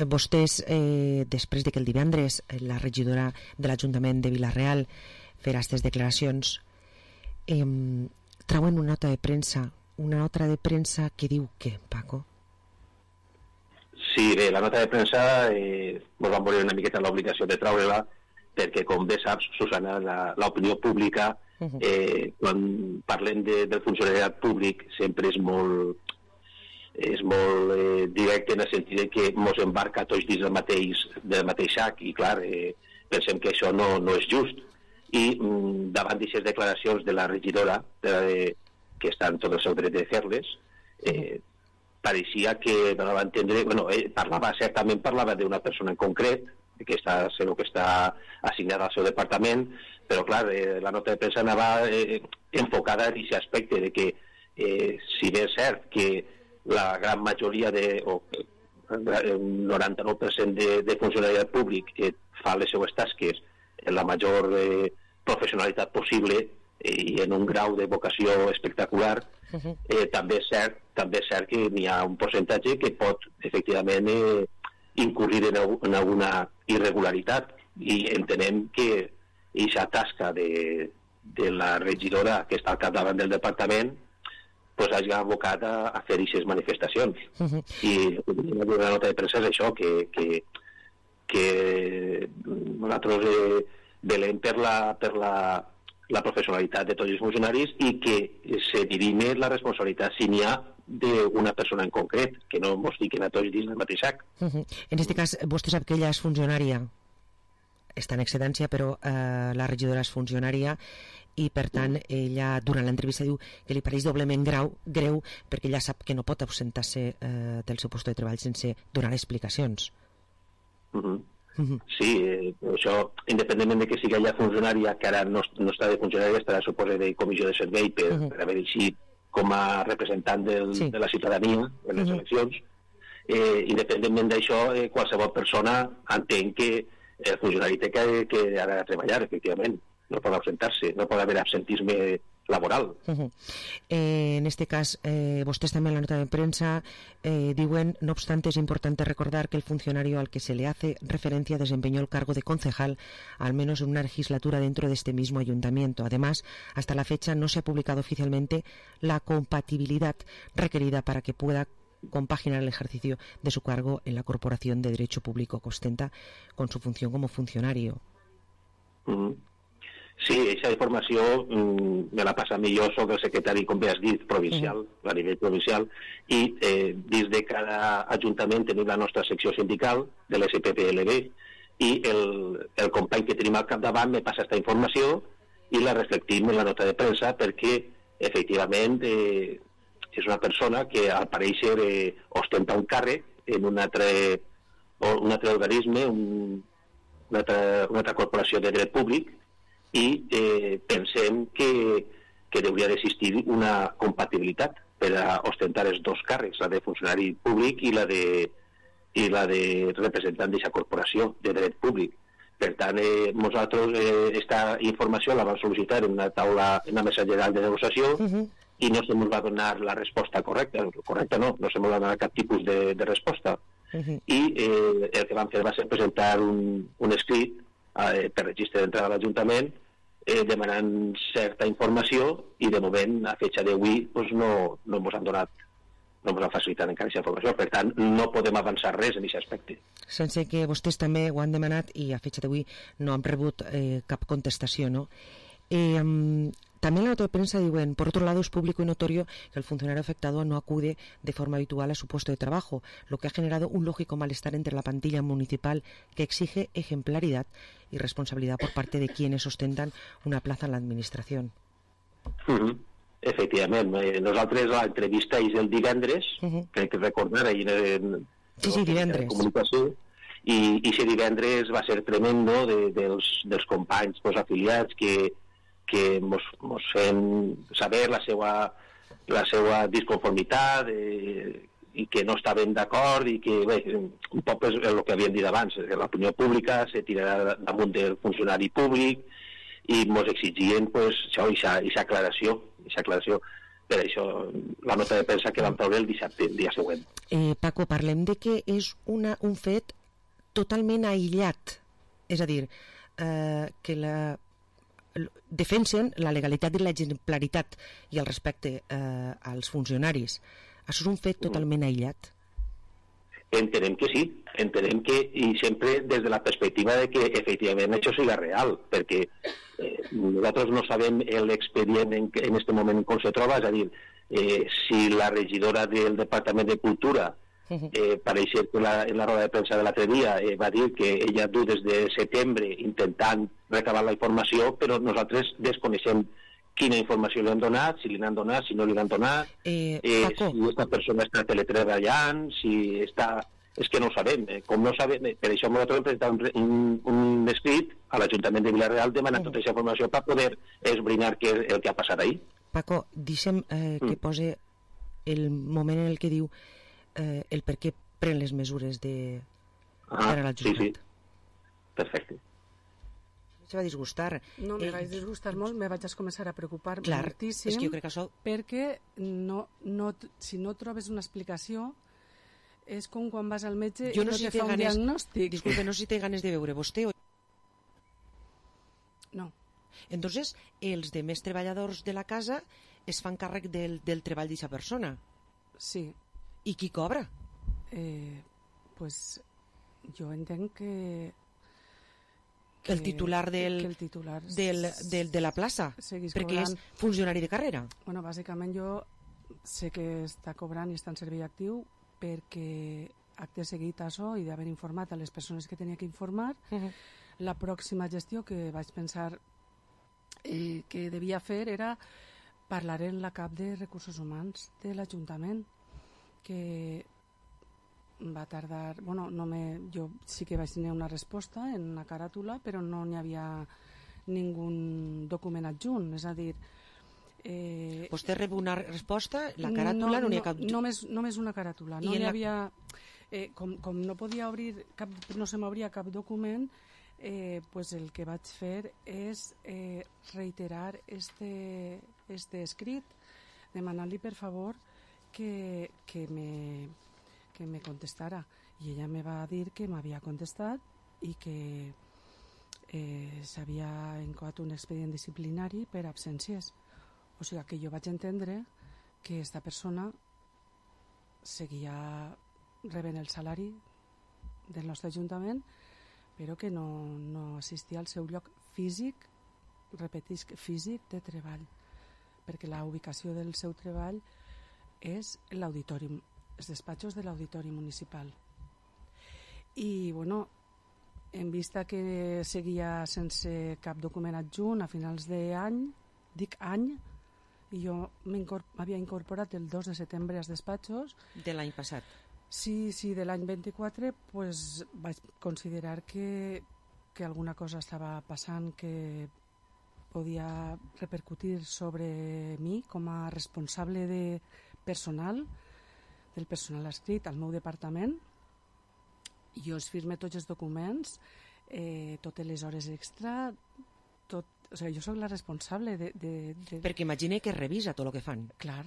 [SPEAKER 4] Vostès, eh, després de que el divendres la regidora de l'Ajuntament de Vila-real farà aquestes declaracions, eh, trauen una nota de premsa, una nota de premsa que diu què, Paco?
[SPEAKER 18] Sí, bé, la nota de premsa eh, ens vam veure una miqueta l'obligació de treure-la perquè, com bé saps, Susana, l'opinió pública, eh, quan parlem de, del funcionariat públic, sempre és molt, és molt eh, directe en el sentit que ens embarca tots dins del mateix, del mateix sac i, clar, eh, pensem que això no, no és just. I mm, davant d'aquestes declaracions de la regidora, de, que està en tot el seu dret de fer-les, eh, pareixia que no va entendre, bueno, eh, parlava, certament parlava d'una persona en concret, que està, segur que està assignada al seu departament, però clar, eh, la nota de premsa anava eh, enfocada en aquest aspecte de que, eh, si bé és cert que la gran majoria de, o un noranta-nou per cent de, de funcionariat públic eh, fa les seues tasques en la major eh, professionalitat possible eh, i en un grau de vocació espectacular, eh, també és cert també és cert que n'hi ha un percentatge que pot efectivament eh, incurrir en, en alguna irregularitat i entenem que aquesta tasca de, de la regidora que està al capdavant del departament pues, hagi abocat a, a fer aquestes manifestacions. Uh -huh. I la nota de premsa és això, que, que, que nosaltres eh, velem per la, per la, la professionalitat de tots els funcionaris i que se dirime la responsabilitat si n'hi ha d'una persona en concret, que no ens fiquen a tots dins del mateix sac.
[SPEAKER 4] Uh -huh. En aquest cas, vostè sap que ella és funcionària, està en excedència, però eh, la regidora és funcionària i, per tant, ella, durant l'entrevista, diu que li pareix doblement grau, greu perquè ella sap que no pot ausentar-se eh, del seu lloc de treball sense donar explicacions.
[SPEAKER 18] Uh -huh. Uh -huh. Sí, eh, això, independentment de que sigui ella funcionària, que ara no, no està de funcionària, estarà, suposa, de comissió de servei per, uh -huh. per haver eixit com a representant del, sí. de la ciutadania en les uh -huh. eleccions, eh, independentment d'això, eh, qualsevol persona entén que el funcionari té que, que ha de treballar, efectivament. no pot ausentar-se, no pot haver absentisme laboral.
[SPEAKER 4] Uh-huh. eh, en este cas, eh, vostès també en la nota de prensa eh, diuen, no obstante, es importante recordar que el funcionario al que se le hace referencia desempeñó el cargo de concejal al menos en una legislatura dentro de este mismo ayuntamiento. Además, hasta la fecha no se ha publicado oficialmente la compatibilidad requerida para que pueda compaginar el ejercicio de su cargo en la corporación de derecho público que ostenta con su función como funcionario.
[SPEAKER 18] Uh-huh. Sí, aquesta informació mm, me la passa millor, soc el secretari, com bé has dit, provincial, uh-huh. a nivell provincial, i eh, dins de cada ajuntament tenim la nostra secció sindical de l'S P P L B, i el, el company que tenim al capdavant me passa aquesta informació i la reflectim en la nota de premsa perquè, efectivament, eh, és una persona que al pareixer eh, ostenta un càrrec en un altre, un altre organisme, un, una, altra, una altra corporació de dret públic, i eh, pensem que, que hauria d'existir una compatibilitat per a ostentar els dos càrrecs, la de funcionari públic i la de, i la de representant d'aquesta corporació de dret públic. Per tant, eh, nosaltres eh, esta informació la vam sol·licitar en una taula, en una mesa general de negociació, uh-huh. i no se ens va donar la resposta correcta, correcta no, no se ens va donar cap tipus de, de resposta. Uh-huh. I eh, el que vam fer va ser presentar un, un escrit eh, per registre d'entrada a l'Ajuntament eh, demanant certa informació i de moment a fecha d'avui pues, no, no ens han donat no ens han facilitat encara aquesta informació, per tant no podem avançar res en aquest aspecte.
[SPEAKER 4] Sense que vostès també ho han demanat i a fecha d'avui no han rebut eh, cap contestació, ¿no? Eh, um, También en la nota de prensa diuen, por otro lado, es público y notorio que el funcionario afectado no acude de forma habitual a su puesto de trabajo, lo que ha generado un lógico malestar entre la plantilla municipal que exige ejemplaridad y responsabilidad por parte de quienes ostentan una plaza en la administración.
[SPEAKER 18] Uh-huh. Efectivament, eh, nosaltres l'entrevista és el divendres, uh-huh. crec que recordar ahir en,
[SPEAKER 4] sí, sí, divendres.
[SPEAKER 18] En comunicació, i aquest divendres va ser tremendo de, dels, dels companys pues, afiliats que que mos, mos fem saber la seva, la seva disconformitat eh, i que no estaven d'acord i que bé, un poc és el que havien dit abans, l'opinió pública se tirarà damunt del funcionari públic i mos exigien pues, això, aquesta aclaració, aclaració per això la nota de premsa que vam treure el dissabte, el dia següent.
[SPEAKER 4] Eh, Paco, parlem de que és una, un fet totalment aïllat, és a dir, eh, que la defensen la legalitat i l'exemplaritat i el respecte eh, als funcionaris. Això és un fet totalment aïllat?
[SPEAKER 18] Entenem que sí, entenem que, i sempre des de la perspectiva de que efectivament això siga real, perquè eh, nosaltres no sabem l'expedient en, en este moment com se troba, és a dir, eh, si la regidora del Departament de Cultura Eh, pareix que la, en la roda de premsa de l'altre dia eh, va dir que ella du des de setembre intentant recabar la informació, però nosaltres desconeixem quina informació li han donat, si li han donat, si no li han donat,
[SPEAKER 4] eh,
[SPEAKER 18] eh, si aquesta persona està teletreballant, si està... És que no ho sabem, eh, com no ho sabem, eh, per això nosaltres hem presentat un, un, un escrit a l'Ajuntament de Vila-real demanant uh-huh. tota aquesta informació per poder esbrinar què és el que ha passat ahir.
[SPEAKER 4] Paco, deixem eh, que mm. pose el moment en el que diu Eh, el per què pren les mesures de
[SPEAKER 18] ah, per a l'adjudicat. Sí, sí. Perfecte.
[SPEAKER 4] Se va disgustar.
[SPEAKER 17] No, me eh, vaig disgustar molt, me vaig començar a preocupar
[SPEAKER 4] clar,
[SPEAKER 17] moltíssim,
[SPEAKER 4] és que jo crec que això...
[SPEAKER 17] perquè no, no, si no trobes una explicació és com quan vas al metge
[SPEAKER 4] jo
[SPEAKER 17] i no,
[SPEAKER 4] no si
[SPEAKER 17] te fa un
[SPEAKER 4] ganes,
[SPEAKER 17] diagnòstic.
[SPEAKER 4] Disculpe, no sé si té ganes de veure vostè o...
[SPEAKER 17] No.
[SPEAKER 4] Entonces, els demés treballadors de la casa es fan càrrec del, del treball d'aquesta persona.
[SPEAKER 17] Sí.
[SPEAKER 4] I qui cobra?
[SPEAKER 17] Eh, pues jo entenc que,
[SPEAKER 4] que el titular del,
[SPEAKER 17] que el titular
[SPEAKER 4] del, del, de la plaça, perquè cobrant. És funcionari de carrera.
[SPEAKER 17] Bueno, bàsicament jo sé que està cobrant i està en servei actiu perquè acte seguit això i d'haver informat a les persones que tenia que informar. Uh-huh. La pròxima gestió que vaig pensar eh, que devia fer era parlar en la cap de recursos humans de l'Ajuntament, que va tardar, bueno, no me, jo sí que vaig tenir una resposta en una caràtula, però no n'hi havia ningú document adjunt, és a dir...
[SPEAKER 4] Eh, Vostè rep una resposta, la caràtula no, no n'hi ha cap...
[SPEAKER 17] Només, només una caràtula, no n'hi havia... Eh, com, com no podia obrir cap, no se m'obria cap document, eh, pues el que vaig fer és eh, reiterar este, este escrit, demanant-li per favor que, que, me, que me contestara. I ella me va dir que m'havia contestat i que eh, s'havia encoat un expedient disciplinari per absències. O sigui que jo vaig entendre que esta persona seguia rebent el salari del nostre ajuntament, però que no, no assistia al seu lloc físic, repetisc, físic de treball, perquè la ubicació del seu treball és l'auditori, els despatxos de l'auditori municipal. I, bueno, en vista que seguia sense cap document adjunt a finals d'any, dic any, i jo m'havia incorporat el dos de setembre als despatxos.
[SPEAKER 4] De l'any passat?
[SPEAKER 17] Sí, sí, de l'any vint-i-quatre, pues, vaig considerar que, que alguna cosa estava passant que podia repercutir sobre mi com a responsable de personal, del personal adscrit al meu departament. Jo es firme tots els documents, eh, totes les hores extra, tot, o sigui, jo soc la responsable de, de, de...
[SPEAKER 4] Perquè imagine que revisa tot el que fan.
[SPEAKER 17] Clar,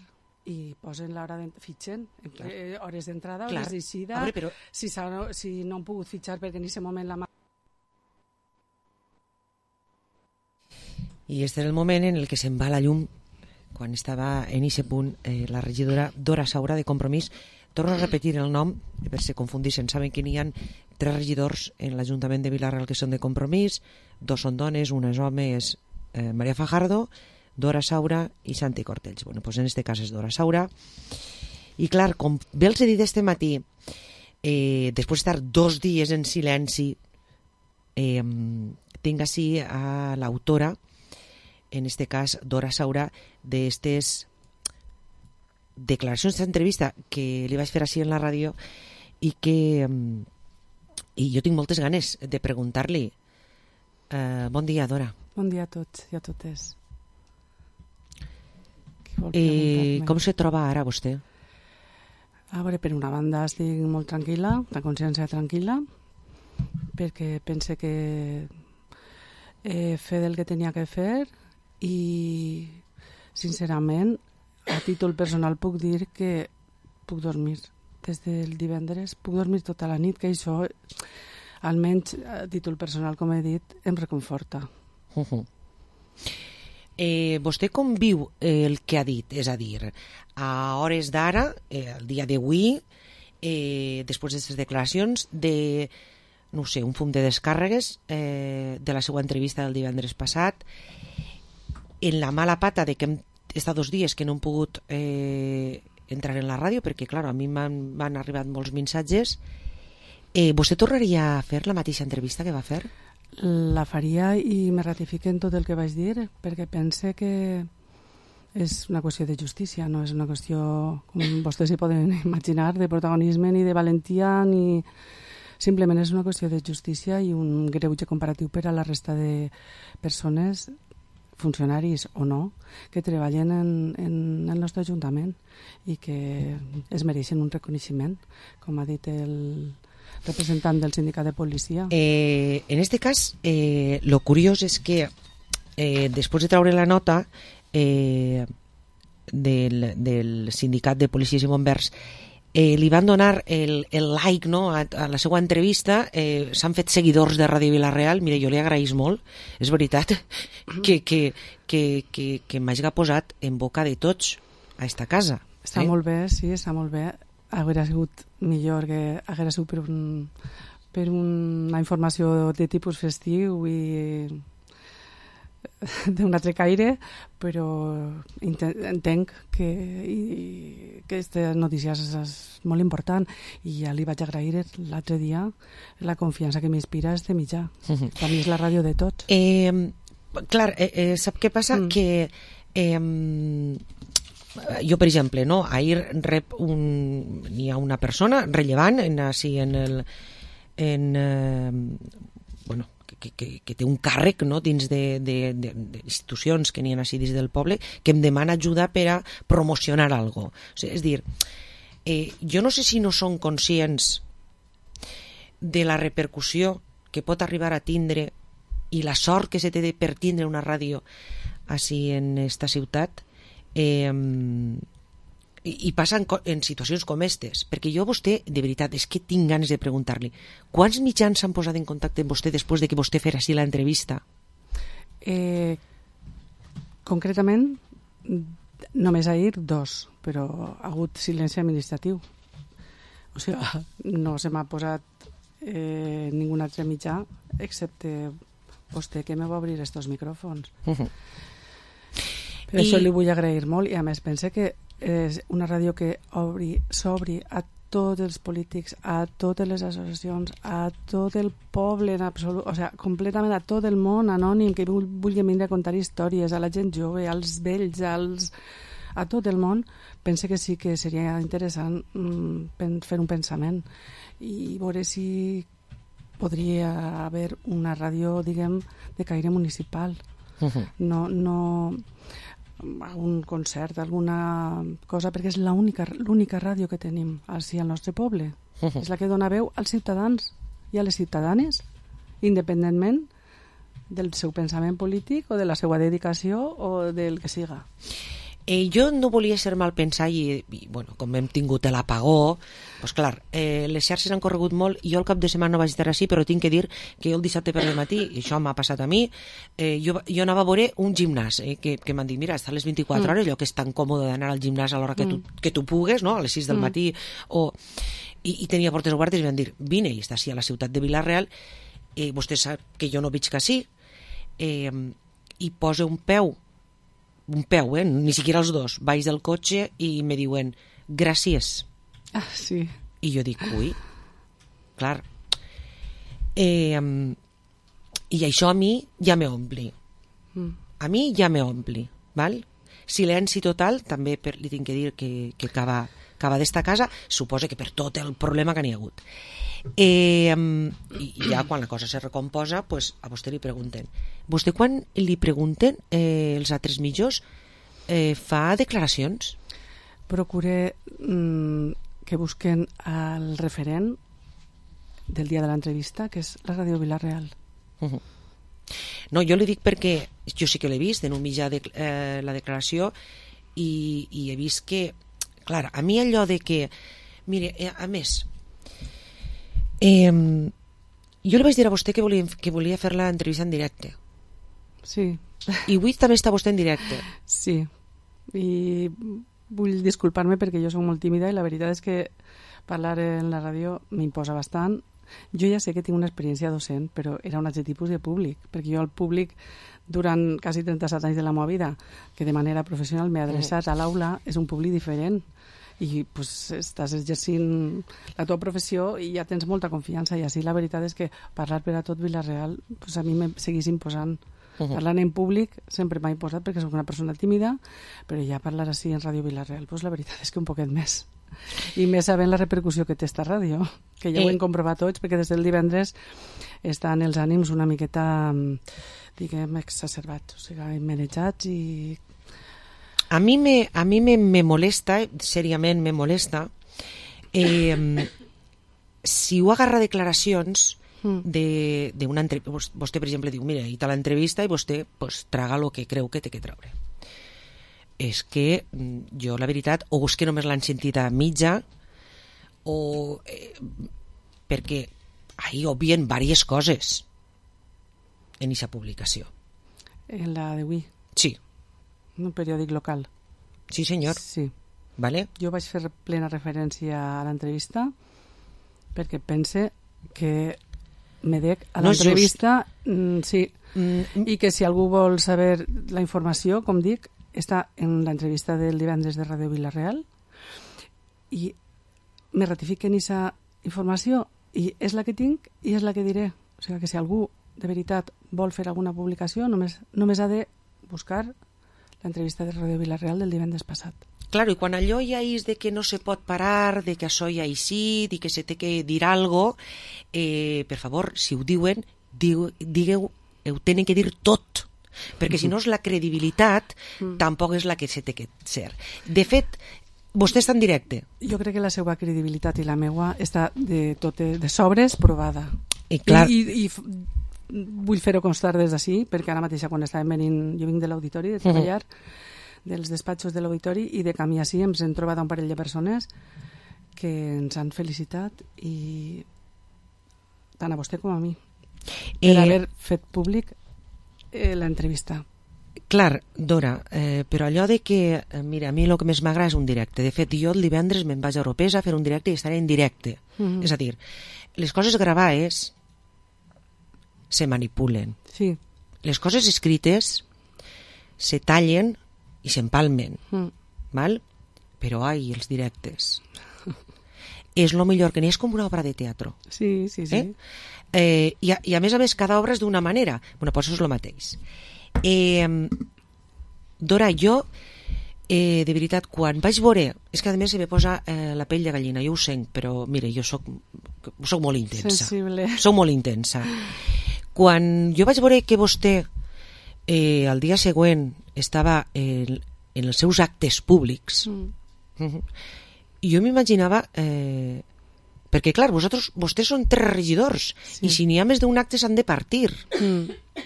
[SPEAKER 17] i posen l'hora de... fitxen, eh, hores d'entrada,
[SPEAKER 4] Clar.
[SPEAKER 17] hores d'eixida,
[SPEAKER 4] però...
[SPEAKER 17] si, si no han pogut fitxar perquè en aquest moment la...
[SPEAKER 4] I este és el moment en el que se'n va la llum, quan estava en aquest punt eh, la regidora Dora Saura de Compromís. Torno a repetir el nom, per si confundissin. Saben que n'hi ha tres regidors en l'Ajuntament de Vila-real que són de Compromís, dos són dones, una és home, és eh, Maria Fajardo, Dora Saura i Santi Cortells. Bueno, doncs en este cas és Dora Saura. I clar, com bé els he dit este matí, eh, després d'estar dos dies en silenci, eh, tinc així a l'autora, en este cas Dora Saura, d'estes declaracions d'entrevista que li vaig fer així en la ràdio i que i jo tinc moltes ganes de preguntar-li. Uh, bon dia, Dora.
[SPEAKER 17] Bon dia a tots i a totes.
[SPEAKER 4] Eh, com se troba ara vostè?
[SPEAKER 17] A veure, per una banda estic molt tranquil·la, la consciència tranquil·la, perquè pense que he fet el que tenia que fer i, sincerament, a títol personal puc dir que puc dormir des del divendres, puc dormir tota la nit, que això, almenys a títol personal, com he dit, em reconforta.
[SPEAKER 4] Uh -huh. eh, vostè com viu el que ha dit? És a dir, a hores d'ara, eh, el dia d'avui, eh, després d'aquestes declaracions, de, no sé, un fum de descàrregues eh, de la seva entrevista del divendres passat, en la mala pata de que hem estat dos dies que no hem pogut eh, entrar en la ràdio, perquè, clar, a mi m'han arribat molts missatges. Eh, vostè tornaria a fer la mateixa entrevista que va fer?
[SPEAKER 17] La faria i me ratifique en tot el que vaig dir, perquè pense que és una qüestió de justícia, no és una qüestió, com vostès s'hi poden imaginar, de protagonisme ni de valentia, ni... simplement és una qüestió de justícia i un greuge comparatiu per a la resta de persones, funcionaris o no, que treballen en, en el nostre Ajuntament i que es mereixen un reconeixement, com ha dit el representant del sindicat de policia.
[SPEAKER 4] Eh, en este cas, eh, lo curiós és que eh, després de traure la nota eh, del, del sindicat de policies i bombers, eh, li van donar el, el like, no, a, a la seva entrevista. Eh, s'han fet seguidors de Ràdio Vila-real. Mira, jo li agraïs molt, és veritat, que, que, que, que, que m'hagi posat en boca de tots a esta casa.
[SPEAKER 17] Està eh? molt bé, sí, està molt bé. Hauria sigut millor que hagués sigut per, un, per una informació de tipus festiu i d'un altre caire, però entenc que, i, que aquesta notícia és, és molt important i ja li vaig agrair l'altre dia la confiança que m'inspira este mitjà. Uh-huh. A mi és la ràdio de tots.
[SPEAKER 4] Eh, clar, eh, eh, sap què passa? Mm. Que eh, jo, per exemple, no, ahir rep un, hi ha una persona rellevant en, així, en el en, eh, bueno, que, que, que té un càrrec, no, dins d'institucions que n'hi ha així dins del poble, que em demana ajuda per a promocionar alguna cosa. O sigui, és dir, eh, jo no sé si no són conscients de la repercussió que pot arribar a tindre i la sort que se té per tindre una ràdio així en esta ciutat, eh, i, i passa en, en situacions com aquestes, perquè jo a vostè, de veritat, és que tinc ganes de preguntar-li, quants mitjans s'han posat en contacte amb vostè després de que vostè fera així l'entrevista?
[SPEAKER 17] Eh, concretament, només ahir dos, però ha hagut silenci administratiu. O sigui, no se m'ha posat eh, ningú altre mitjà, excepte vostè, que me va obrir estos micròfons. Uh-huh. Per I... això li vull agrair molt, i a més pense que és una ràdio que obri, s'obri a tots els polítics, a totes les associacions, a tot el poble en absolut, o sigui, completament a tot el món anònim que vulgui vindre a contar històries, a la gent jove, als vells, als... a tot el món. Pense que sí que seria interessant mm, fer un pensament i veure si podria haver una ràdio, diguem, de caire municipal. Uh-huh. No, no un concert, alguna cosa, perquè és l'única l'única ràdio que tenim així al nostre poble. Uh-huh. És la que dona veu als ciutadans i a les ciutadanes, independentment del seu pensament polític o de la seva dedicació o del que siga.
[SPEAKER 4] Eh, jo no volia ser mal pensar i, i bueno, com hem tingut l'apagó, doncs clar, eh, les xarxes han corregut molt i jo el cap de setmana no vaig estar així, però tinc que dir que jo el dissabte per al matí, i això m'ha passat a mi, eh, jo, jo anava a veure un gimnàs, eh, que, que m'han dit, mira, està a les vint-i-quatre hores, allò que és tan còmode d'anar al gimnàs a l'hora que, mm. tu, que tu pugues, no? A les sis del mm. matí, o... I, i tenia portes obertes i van dir, vine, i està així a la ciutat de Vila-real, eh, vostè sap que jo no veig que sí, eh, i posa un peu, un peu, eh? Ni siquiera els dos, baix del cotxe i me diuen gràcies.
[SPEAKER 17] Ah, sí.
[SPEAKER 4] I jo dic, ui, clar. Eh, I això a mi ja me ompli. Mm. A mi ja me ompli, val? Silenci total, també per, li tinc que dir que, que acaba, acaba d'esta casa, suposa que per tot el problema que n'hi ha hagut. Eh, i ja quan la cosa se recomposa, pues, a vostè li pregunten. Vostè quan li pregunten eh, els altres mitjos eh, fa declaracions?
[SPEAKER 17] Procuré mm, que busquen el referent del dia de l'entrevista, que és la Ràdio Vila-real.
[SPEAKER 4] Uh-huh. No, jo li dic perquè jo sí que l'he vist en un mitjà de, eh, la declaració i, i he vist que, clar, a mi allò de que mire, eh, a més eh, jo li vaig dir a vostè que volia, que volia fer l'entrevista en directe.
[SPEAKER 17] Sí.
[SPEAKER 4] I avui també està vostè en directe.
[SPEAKER 17] Sí, i vull disculpar-me perquè jo soc molt tímida i la veritat és que parlar en la ràdio m'imposa bastant. Jo ja sé que tinc una experiència docent, però era un altre tipus de públic, perquè jo al públic durant quasi trenta-set anys de la meva vida, que de manera professional m'he adreçat a l'aula, és un públic diferent i pues, estàs exercint la teva professió i ja tens molta confiança, i així la veritat és que parlar per a tot Vila-real pues, a mi me seguís imposant. Uh-huh. Parlant en públic sempre m'ha imposat perquè soc una persona tímida, però ja parlar així en Ràdio Vila-real pues, la veritat és que un poquet més. I més sabent la repercussió que té esta ràdio, que ja ho hem comprovat tots, perquè des del divendres estan els ànims una miqueta, diguem, exacerbats, o sigui, manejats i...
[SPEAKER 4] A mi me, a mi me, me molesta, seriament me molesta, eh, si ho agarra declaracions de, de una entrevista, vostè per exemple diu, mira, hi ha l'entrevista i vostè pues, traga el que creu que té que treure. És que jo, la veritat, o és que només l'han sentit a mitja, o eh, perquè ahí obvien diverses coses en aquesta publicació.
[SPEAKER 17] En la d'avui?
[SPEAKER 4] Sí.
[SPEAKER 17] En un periòdic local?
[SPEAKER 4] Sí, senyor.
[SPEAKER 17] Sí.
[SPEAKER 4] Vale.
[SPEAKER 17] Jo vaig fer plena referència a l'entrevista perquè pense que me dec a
[SPEAKER 4] no
[SPEAKER 17] l'entrevista, mm, sí, mm. i que si algú vol saber la informació, com dic, està en l'entrevista del divendres de Ràdio Vila-real i me ratifiquen aquesta informació i és la que tinc i és la que diré. O sigui que si algú de veritat vol fer alguna publicació només, només ha de buscar l'entrevista de Ràdio Vila-real del divendres passat.
[SPEAKER 4] Claro, i quan allò ja és de que no se pot parar, de que això ja així, de que se té que dir algo, eh, per favor, si ho diuen, diu, digueu, ho tenen que dir tot, perquè si no és la credibilitat, mm. tampoc és la que se té que ser. De fet, vostè està en directe.
[SPEAKER 17] Jo crec que la seva credibilitat i la meua està de, tot, de sobres provada.
[SPEAKER 4] I, clar...
[SPEAKER 17] I, i, i vull fer-ho constar des d'ací, perquè ara mateixa quan estàvem venint, jo vinc de l'auditori, de treballar, uh-huh. dels despatxos de l'auditori, i de camí així ens hem trobat un parell de persones que ens han felicitat, i tant a vostè com a mi, per eh... haver fet públic eh, l'entrevista.
[SPEAKER 4] Clar, Dora, eh, però allò de que, eh, mira, a mi el que més m'agrada és un directe. De fet, jo el divendres me'n vaig a Europesa a fer un directe i estaré en directe. Mm-hmm. És a dir, les coses gravades se manipulen.
[SPEAKER 17] Sí.
[SPEAKER 4] Les coses escrites se tallen i s'empalmen. Mm. Val? Però, ai, els directes. És el millor, que n'hi és com una obra de teatre.
[SPEAKER 17] Sí, sí, sí.
[SPEAKER 4] Eh? Eh, i, a, I a més a més, cada obra és d'una manera. Bueno, doncs és el mateix. Eh, Dora, jo eh, de veritat, quan vaig veure, és que a més se me posa eh, la pell de gallina, jo ho sent, però mire, jo soc, soc molt intensa.
[SPEAKER 17] Sensible.
[SPEAKER 4] Soc molt intensa. Quan jo vaig veure que vostè eh, el dia següent estava en, en els seus actes públics, mm. jo m'imaginava eh, perquè clar, vosaltres, vostès són tres regidors, sí. I si n'hi ha més d'un acte s'han de partir. Mm.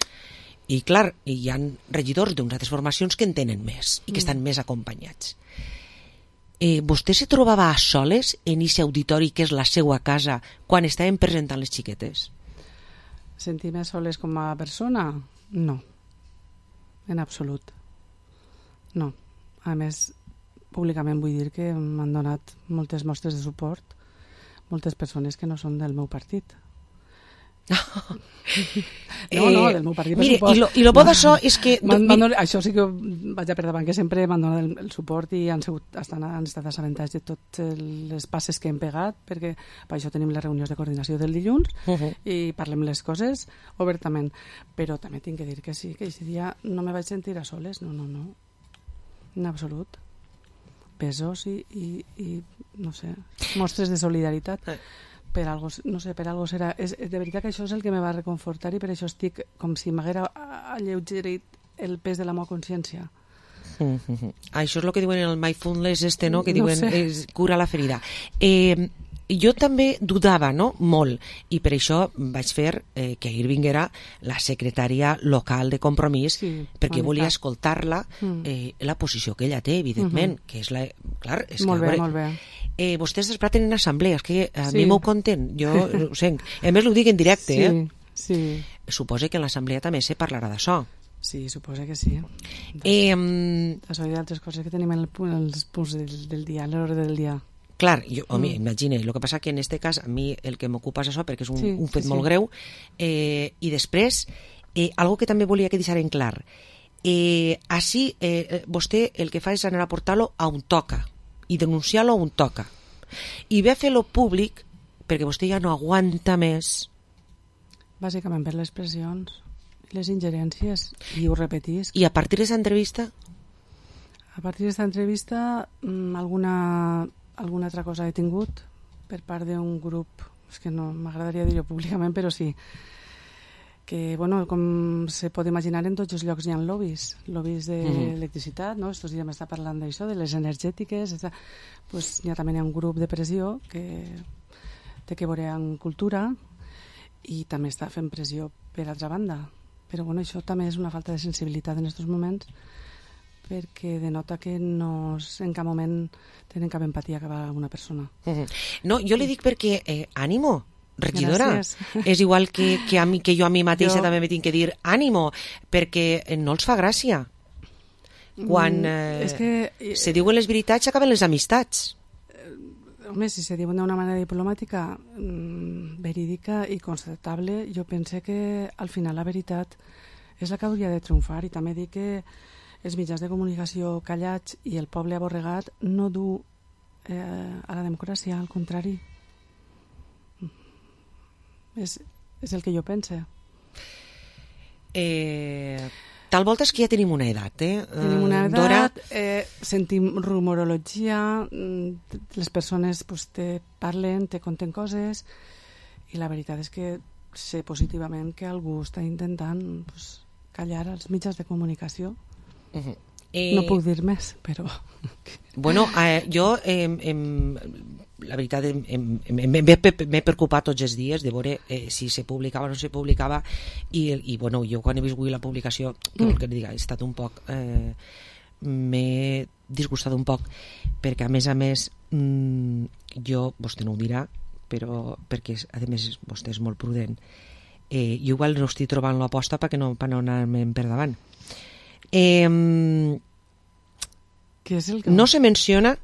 [SPEAKER 4] I clar, hi ha regidors d'unes altres formacions que en tenen més i que mm. estan més acompanyats. Eh, vostè se trobava a soles en aquest auditori que és la seva casa quan estàvem presentant les xiquetes?
[SPEAKER 17] Sentir-me soles com a persona? No. En absolut. No. A més, públicament vull dir que m'han donat moltes mostres de suport moltes persones que no són del meu partit. No, no, del meu partit, per
[SPEAKER 4] mire,
[SPEAKER 17] suport.
[SPEAKER 4] I lo, i lo bo d'això és que...
[SPEAKER 17] Man, man, això sí que vaig a per davant, que sempre m'han donat el, el suport i han, sigut, estan, han estat assabentats de totes les passes que hem pegat, perquè per això tenim les reunions de coordinació del dilluns uh-huh. i parlem les coses obertament. Però també tinc que dir que sí, que aquest dia no me vaig sentir a soles, no, no, no. En absolut. Pesos i, i, i no sé, mostres de solidaritat. Per algo, no sé, per algo serà. És, de veritat que això és el que me va reconfortar i per això estic com si m'haguera alleugerit el pes de la meva consciència.
[SPEAKER 4] Mm-hmm. Això és el que diuen el mindfulness este, no? Que
[SPEAKER 17] no
[SPEAKER 4] diuen
[SPEAKER 17] sé.
[SPEAKER 4] és, cura la ferida. Eh, jo també dudava, no? Molt, i per això vaig fer eh, que ahir vinguera la secretària local de Compromís, sí, perquè bonica. Volia escoltar-la eh, la posició que ella té, evidentment, uh-huh. que és la... Clar, és
[SPEAKER 17] molt
[SPEAKER 4] que,
[SPEAKER 17] bé,
[SPEAKER 4] veure,
[SPEAKER 17] molt bé.
[SPEAKER 4] Eh, vostès després tenen assemblea, és que a
[SPEAKER 17] sí.
[SPEAKER 4] mi m'ho conten, jo ho sent. A més, ho dic en directe,
[SPEAKER 17] sí,
[SPEAKER 4] eh?
[SPEAKER 17] Sí.
[SPEAKER 4] Suposa que en l'assemblea també se parlarà d'això.
[SPEAKER 17] Sí, suposa que sí.
[SPEAKER 4] Eh,
[SPEAKER 17] D'això i d'altres coses que tenim en el, els punts del, del dia, a l'hora del dia.
[SPEAKER 4] Clar, jo, home,
[SPEAKER 17] mm.
[SPEAKER 4] imagina, el que passa que en este cas a mi el que m'ocupa és això, perquè és un,
[SPEAKER 17] sí,
[SPEAKER 4] un fet
[SPEAKER 17] sí,
[SPEAKER 4] molt
[SPEAKER 17] sí.
[SPEAKER 4] greu, eh, i després, eh, algo que també volia que deixaren clar, eh, així eh, vostè el que fa és anar a portar-lo a un toca, i denunciar-lo a un toca, i ve a fer-lo públic perquè vostè ja no aguanta més.
[SPEAKER 17] Bàsicament per les pressions, les ingerències, i ho repetís.
[SPEAKER 4] I a partir d'aquesta entrevista?
[SPEAKER 17] A partir d'aquesta entrevista, alguna... alguna altra cosa he tingut per part d'un grup, és que no m'agradaria dir-ho públicament, però sí que, bueno, com se pot imaginar, en tots els llocs hi ha lobbies lobbies d'electricitat, no? Estos dies m'està parlant d'això, de les energètiques, està... pues, hi ha també un grup de pressió que té que veure amb cultura i també està fent pressió per altra banda, però bueno, això també és una falta de sensibilitat en aquests moments, perquè denota que no en cap moment tenen cap empatia cap a una persona.
[SPEAKER 4] No, jo li dic perquè eh, ànimo, regidora.
[SPEAKER 17] Gràcies.
[SPEAKER 4] És igual que, que, a mi, que jo a mi mateixa
[SPEAKER 17] jo...
[SPEAKER 4] també me tinc que dir ànimo, perquè no els fa gràcia. Quan eh,
[SPEAKER 17] és que...
[SPEAKER 4] se diuen les veritats s'acaben les amistats.
[SPEAKER 17] Home, si se diuen d'una manera diplomàtica, mmm, verídica i constatable, jo pense que al final la veritat és la que hauria de triomfar, i també dic que els mitjans de comunicació callats i el poble aborregat no du eh, a la democràcia, al contrari. És, és el que jo pense.
[SPEAKER 4] Eh, tal volta és que ja tenim una edat, eh?
[SPEAKER 17] Tenim una edat, Dora... eh, sentim rumorologia, les persones pues, te parlen, te conten coses, i la veritat és que sé positivament que algú està intentant pues, callar els mitjans de comunicació.
[SPEAKER 4] Uh-huh.
[SPEAKER 17] Eh, no puc dir més, però...
[SPEAKER 4] Bueno, eh, jo, eh, eh, la veritat, m'he preocupat tots els dies de veure eh, si se publicava o no se publicava, i, i bueno, jo quan he vist avui la publicació, que vol que et diga, he estat un poc... Eh, m'he disgustat un poc, perquè a més a més mmm, jo, vostè no ho dirà, però perquè a més vostè és molt prudent, eh, jo igual no estic trobant l'aposta perquè no, per no anar-me'n per davant. Eh,
[SPEAKER 17] Què és el que...
[SPEAKER 4] No se menciona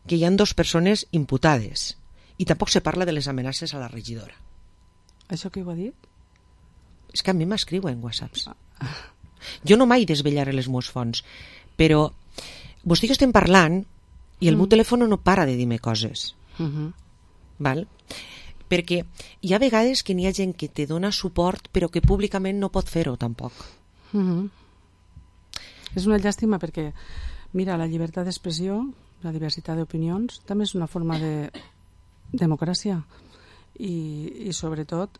[SPEAKER 4] que hi ha dues persones imputades i tampoc se parla de les amenaces a la regidora.
[SPEAKER 17] Això que ho ha dit?
[SPEAKER 4] És que a mi m'escriuen whatsapps. Jo no mai desvetllaré les meves fonts, però vostè que estem parlant i el mm. meu telèfon no para de dir-me coses.
[SPEAKER 17] Uh-huh.
[SPEAKER 4] Val? Perquè hi ha vegades que n'hi ha gent que te dona suport però que públicament no pot fer-ho tampoc.
[SPEAKER 17] Uh-huh. És una llàstima perquè, mira, la llibertat d'expressió, la diversitat d'opinions, també és una forma de democràcia i, i sobretot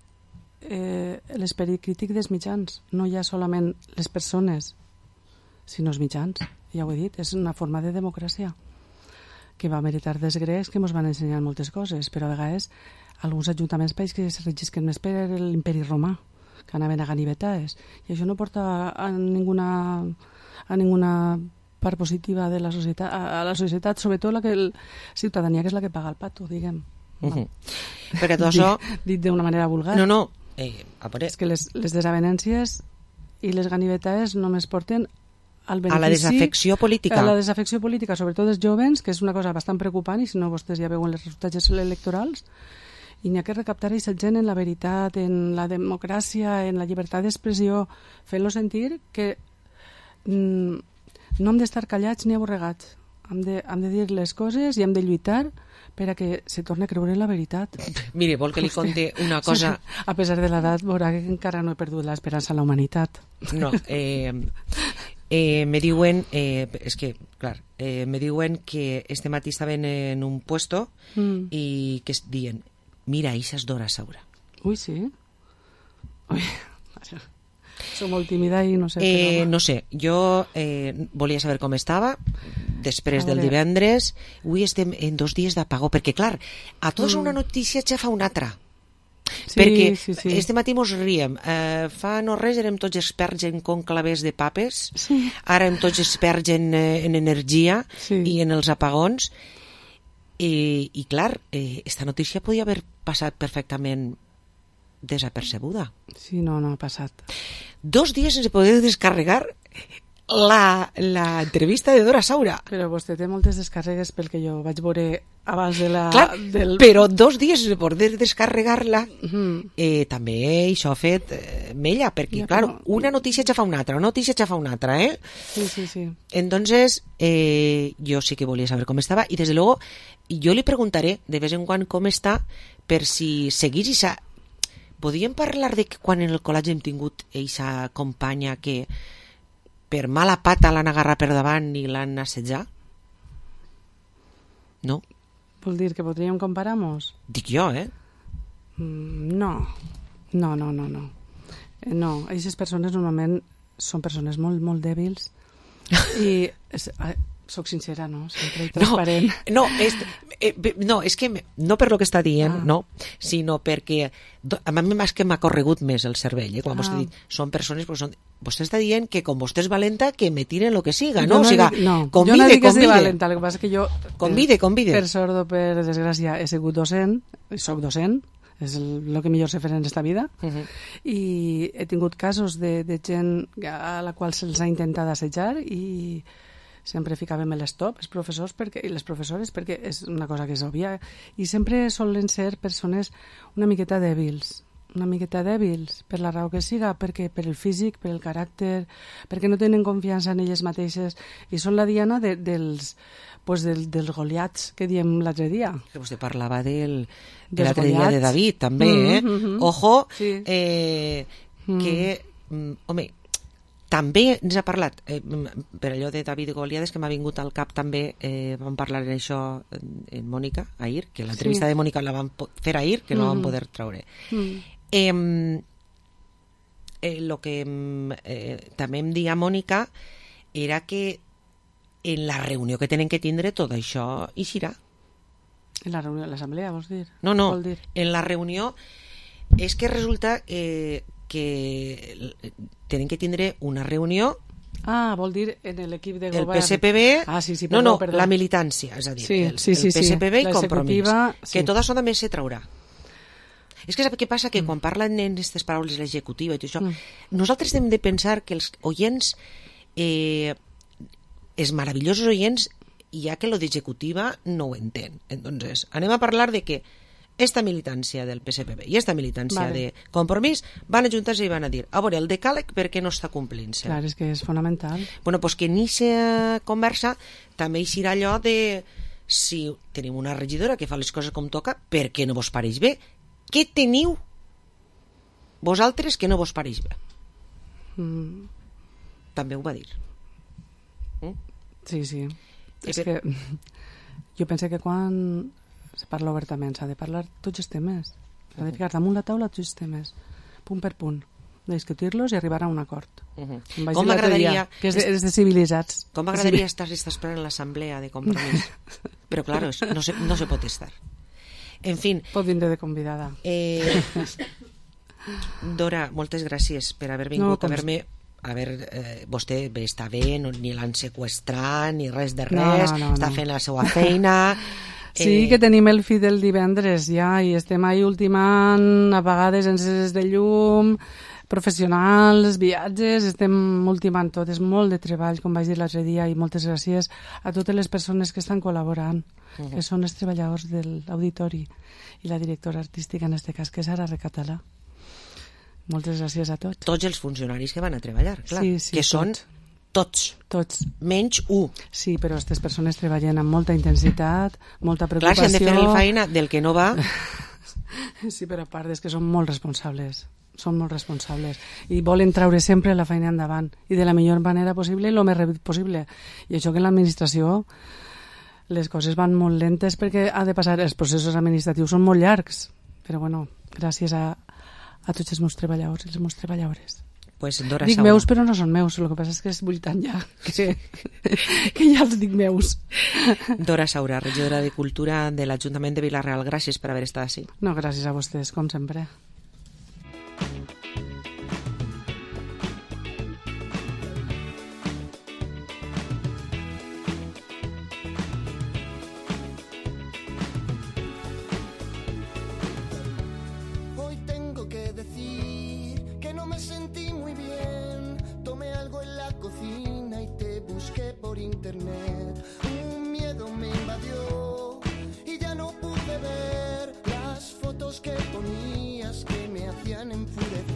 [SPEAKER 17] eh, l'esperit crític dels mitjans. No hi ha solament les persones, sinó els mitjans. Ja ho he dit, és una forma de democràcia que va meritar dels grecs, que ens van ensenyar moltes coses, però a vegades alguns ajuntaments país que es regisquen més per l'imperi romà, que anaven a ganivetades, i això no porta a ninguna, a ninguna part positiva de la societat, a la societat, sobretot la que el, ciutadania, que és la que paga el pato, diguem. No.
[SPEAKER 4] Uh-huh. Perquè tot això...
[SPEAKER 17] Dit, dit d'una manera vulgar.
[SPEAKER 4] No, no. Eh, a veure...
[SPEAKER 17] És que les, les desavenències i les ganivetades només porten al benefici...
[SPEAKER 4] A la desafecció política.
[SPEAKER 17] A la desafecció política, sobretot dels jovens, que és una cosa bastant preocupant, i si no vostès ja veuen els resultats electorals, i n'hi ha que recaptar aquesta gent en la veritat, en la democràcia, en la llibertat d'expressió, fent-lo sentir que... Mm, no hem d'estar callats ni aborregats, hem de, hem de dir les coses i hem de lluitar per a que se torni a creure la veritat.
[SPEAKER 4] Mire, vol que li conti una cosa...
[SPEAKER 17] A pesar de l'edat, veurà que encara no he perdut l'esperança en la humanitat.
[SPEAKER 4] No, eh, eh, me diuen, eh, és que, clar, eh, me diuen que este matí estaven en un puesto mm. i que es diuen, mira, això és Dora Saura.
[SPEAKER 17] Ui, sí? Ui, soc molt tímida i no sé...
[SPEAKER 4] Eh, no sé, jo eh, volia saber com estava després del divendres. Avui estem en dos dies d'apagó, perquè clar, a tots mm. una notícia ja fa una altra. Sí, perquè
[SPEAKER 17] sí, sí.
[SPEAKER 4] este matí mos riem, eh, fa no res érem tots experts en conclaves de papes,
[SPEAKER 17] sí.
[SPEAKER 4] Ara hem tots experts en, en energia
[SPEAKER 17] sí.
[SPEAKER 4] i en els apagons, i, i clar, eh, esta notícia podia haver passat perfectament desapercebuda.
[SPEAKER 17] Sí, no, no ha passat.
[SPEAKER 4] Dos dies sense poder descarregar la, la entrevista de Dora Saura.
[SPEAKER 17] Però vostè té moltes descàrregues pel que jo vaig veure abans de la...
[SPEAKER 4] Clar,
[SPEAKER 17] del...
[SPEAKER 4] però dos dies sense poder descarregar-la,
[SPEAKER 17] mm.
[SPEAKER 4] eh, també això ha fet eh, mella, perquè,
[SPEAKER 17] ja,
[SPEAKER 4] clar,
[SPEAKER 17] però...
[SPEAKER 4] una notícia ja fa una altra, una notícia ja fa una altra, eh?
[SPEAKER 17] Sí, sí, sí.
[SPEAKER 4] Entonces, eh, yo sí que volia saber com estava, i desde luego, jo li preguntaré de vez en quan com està, per si seguís i sa... Podríem parlar de que quan en el col·legi hem tingut eixa companya que per mala pata l'han agarrat per davant i l'han assetjat? No?
[SPEAKER 17] Vol dir que podríem comparar-nos?
[SPEAKER 4] Dic jo, eh?
[SPEAKER 17] Mm, no. No, no, no, no. Eh, no, aquestes persones normalment són persones molt, molt dèbils i... És, eh, soc sincera, no? Sempre transparent.
[SPEAKER 4] No, no, és, eh, no, és que no per lo que està dient, ah. no, sinó perquè a mi més que m'ha corregut més el cervell, eh, quan ah. vostè ha dit, són persones, però són, vostè està dient que com vostè és valenta, que me tiren lo que siga, no?
[SPEAKER 17] no
[SPEAKER 4] o sigui,
[SPEAKER 17] no,
[SPEAKER 4] convide,
[SPEAKER 17] jo no dic que
[SPEAKER 4] convide.
[SPEAKER 17] sigui valenta, el que passa que jo...
[SPEAKER 4] Convide, convide.
[SPEAKER 17] Per sort o per desgràcia he sigut docent, soc docent, és el, el que millor sé fer en esta vida,
[SPEAKER 4] uh-huh.
[SPEAKER 17] i he tingut casos de, de gent a la qual se'ls ha intentat assetjar i sempre ficàvem l'stop, els professors perquè, i les professores, perquè és una cosa que és òbvia, i sempre solen ser persones una miqueta dèbils, una miqueta dèbils, per la raó que siga, perquè per el físic, per el caràcter, perquè no tenen confiança en elles mateixes, i són la diana de, dels, pues del, dels goliats que diem l'altre dia.
[SPEAKER 4] Que vostè parlava del, de l'altre dia de David, també, eh? Mm-hmm. Ojo,
[SPEAKER 17] sí.
[SPEAKER 4] eh, que, mm. home, també ens ha parlat, eh, per allò de David i Goliades, que m'ha vingut al cap també, eh, vam parlar d'això en, en Mònica, ahir, que l'entrevista sí. de Mònica la vam fer ahir, que no mm. vam poder traure.
[SPEAKER 17] Mm.
[SPEAKER 4] Eh, eh, lo que eh, també em dia Mònica era que en la reunió que tenen que tindre tot això eixirà.
[SPEAKER 17] En la reunió de l'assemblea, vols dir?
[SPEAKER 4] No, no,
[SPEAKER 17] Vol dir?
[SPEAKER 4] en la reunió és que resulta eh, que tenen que tindre una reunió.
[SPEAKER 17] Ah, vol dir en l'equip de govern.
[SPEAKER 4] El P S P B,
[SPEAKER 17] ah, sí, sí,
[SPEAKER 4] no,
[SPEAKER 17] perdó,
[SPEAKER 4] no,
[SPEAKER 17] perdó.
[SPEAKER 4] la militància, és a dir,
[SPEAKER 17] sí,
[SPEAKER 4] el,
[SPEAKER 17] sí, sí,
[SPEAKER 4] el P S P B
[SPEAKER 17] sí.
[SPEAKER 4] i Compromís,
[SPEAKER 17] sí.
[SPEAKER 4] que tot això també se traurà. És que sap què passa? Que mm. quan parlen en aquestes paraules l'executiva i tot això, mm. nosaltres hem de pensar que els oients, eh, els meravellosos oients, ja que lo d'executiva no ho entén. Entonces, anem a parlar de que esta militància del P S P B i esta militància vale. de Compromís van ajuntar-se i van a dir, a veure, el decàleg per què no està complint-se?
[SPEAKER 17] Clar, és que és fonamental.
[SPEAKER 4] Bueno, pues que en aquesta conversa també eixirà allò de si tenim una regidora que fa les coses com toca, per què no vos pareix bé? Què teniu vosaltres que no vos pareix bé? Mm. També ho va dir.
[SPEAKER 17] Mm? Sí, sí. És que... que jo penso que quan se parla obertament s'ha de parlar tots els temes. S'ha de ficar damunt la taula tots els temes, punt per punt, de discutir-los i arribar a un acord.
[SPEAKER 4] Uh -huh. Com m'agradaria...
[SPEAKER 17] Que és de, és de civilitzats.
[SPEAKER 4] Com m'agradaria estar esperant l'assemblea de Compromís. Però, claro, no se, no se pot estar. En fin...
[SPEAKER 17] Pot vindre de convidada.
[SPEAKER 4] Eh, Dora, moltes gràcies per haver vingut, no, a haver-me... A veure, eh, vostè bé, està bé, no, ni l'han seqüestrat, ni res de res, no, no, no, està no. fent la seva feina...
[SPEAKER 17] Sí, eh... que tenim el fi del divendres ja, i estem ahí ultimant, a vegades enceses de llum, professionals, viatges, estem ultimant tot, és molt de treball, com vaig dir l'altre dia, i moltes gràcies a totes les persones que estan col·laborant, uh -huh. que són els treballadors de l'auditori i la directora artística, en este cas, que és Sara Recatalà. Moltes gràcies a tots.
[SPEAKER 4] Tots els funcionaris que van a treballar, clar,
[SPEAKER 17] sí, sí,
[SPEAKER 4] que són tots,
[SPEAKER 17] tots,
[SPEAKER 4] menys u.
[SPEAKER 17] Sí, però aquestes persones treballen amb molta intensitat, molta preocupació.
[SPEAKER 4] Clar, si han de fer la feina del que no va.
[SPEAKER 17] Sí, però a part és que són molt responsables, són molt responsables i volen traure sempre la feina endavant i de la millor manera possible i el més ràpid possible. I això que en l'administració les coses van molt lentes perquè ha de passar, els processos administratius són molt llargs, però bueno, gràcies a a tots els meus treballadors i les meves treballadores.
[SPEAKER 4] Pues Dora
[SPEAKER 17] dic
[SPEAKER 4] Saura.
[SPEAKER 17] Meus, però no són meus, el que passa és que és vull tant ja que, que ja els dic meus.
[SPEAKER 4] Dora Saura, regidora de Cultura de l'Ajuntament de Vila-real, gràcies per haver estat així.
[SPEAKER 17] No, gràcies a vostès, com sempre.
[SPEAKER 15] Internet, un miedo me invadió y ya no pude ver las fotos que ponías que me hacían enfurecer.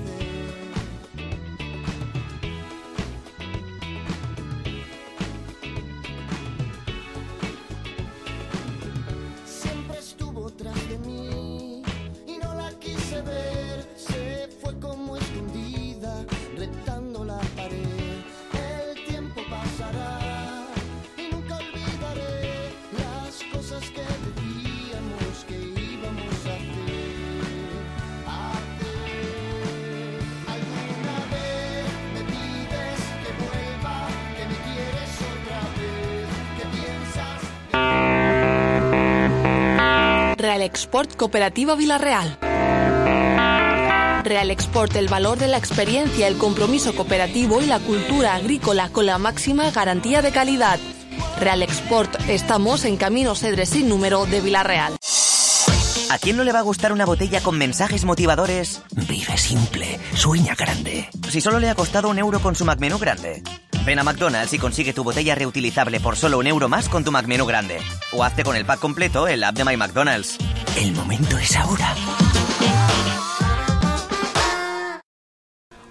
[SPEAKER 15] Siempre estuvo tras de mí y no la quise ver, se fue como escondida, retando la pared. El tiempo pasará. Que decíamos que íbamos a hacer, hacer. Alguna vez me pides que vuelva, que me quieres otra vez, que piensas.
[SPEAKER 19] Real Export Cooperativa Vila-real. Real Export, el valor de la experiencia, el compromiso cooperativo y la cultura agrícola con la máxima garantía de calidad. Real Export, estamos en Camino Cedres sin número de Vila-real.
[SPEAKER 20] ¿A quién no le va a gustar una botella con mensajes motivadores? Vive simple, sueña grande. Si solo le ha costado un euro con su McMenú grande. Ven a McDonald's y consigue tu botella reutilizable por solo un euro más con tu McMenú grande. O hazte con el pack completo en la app de My McDonald's. El momento es ahora.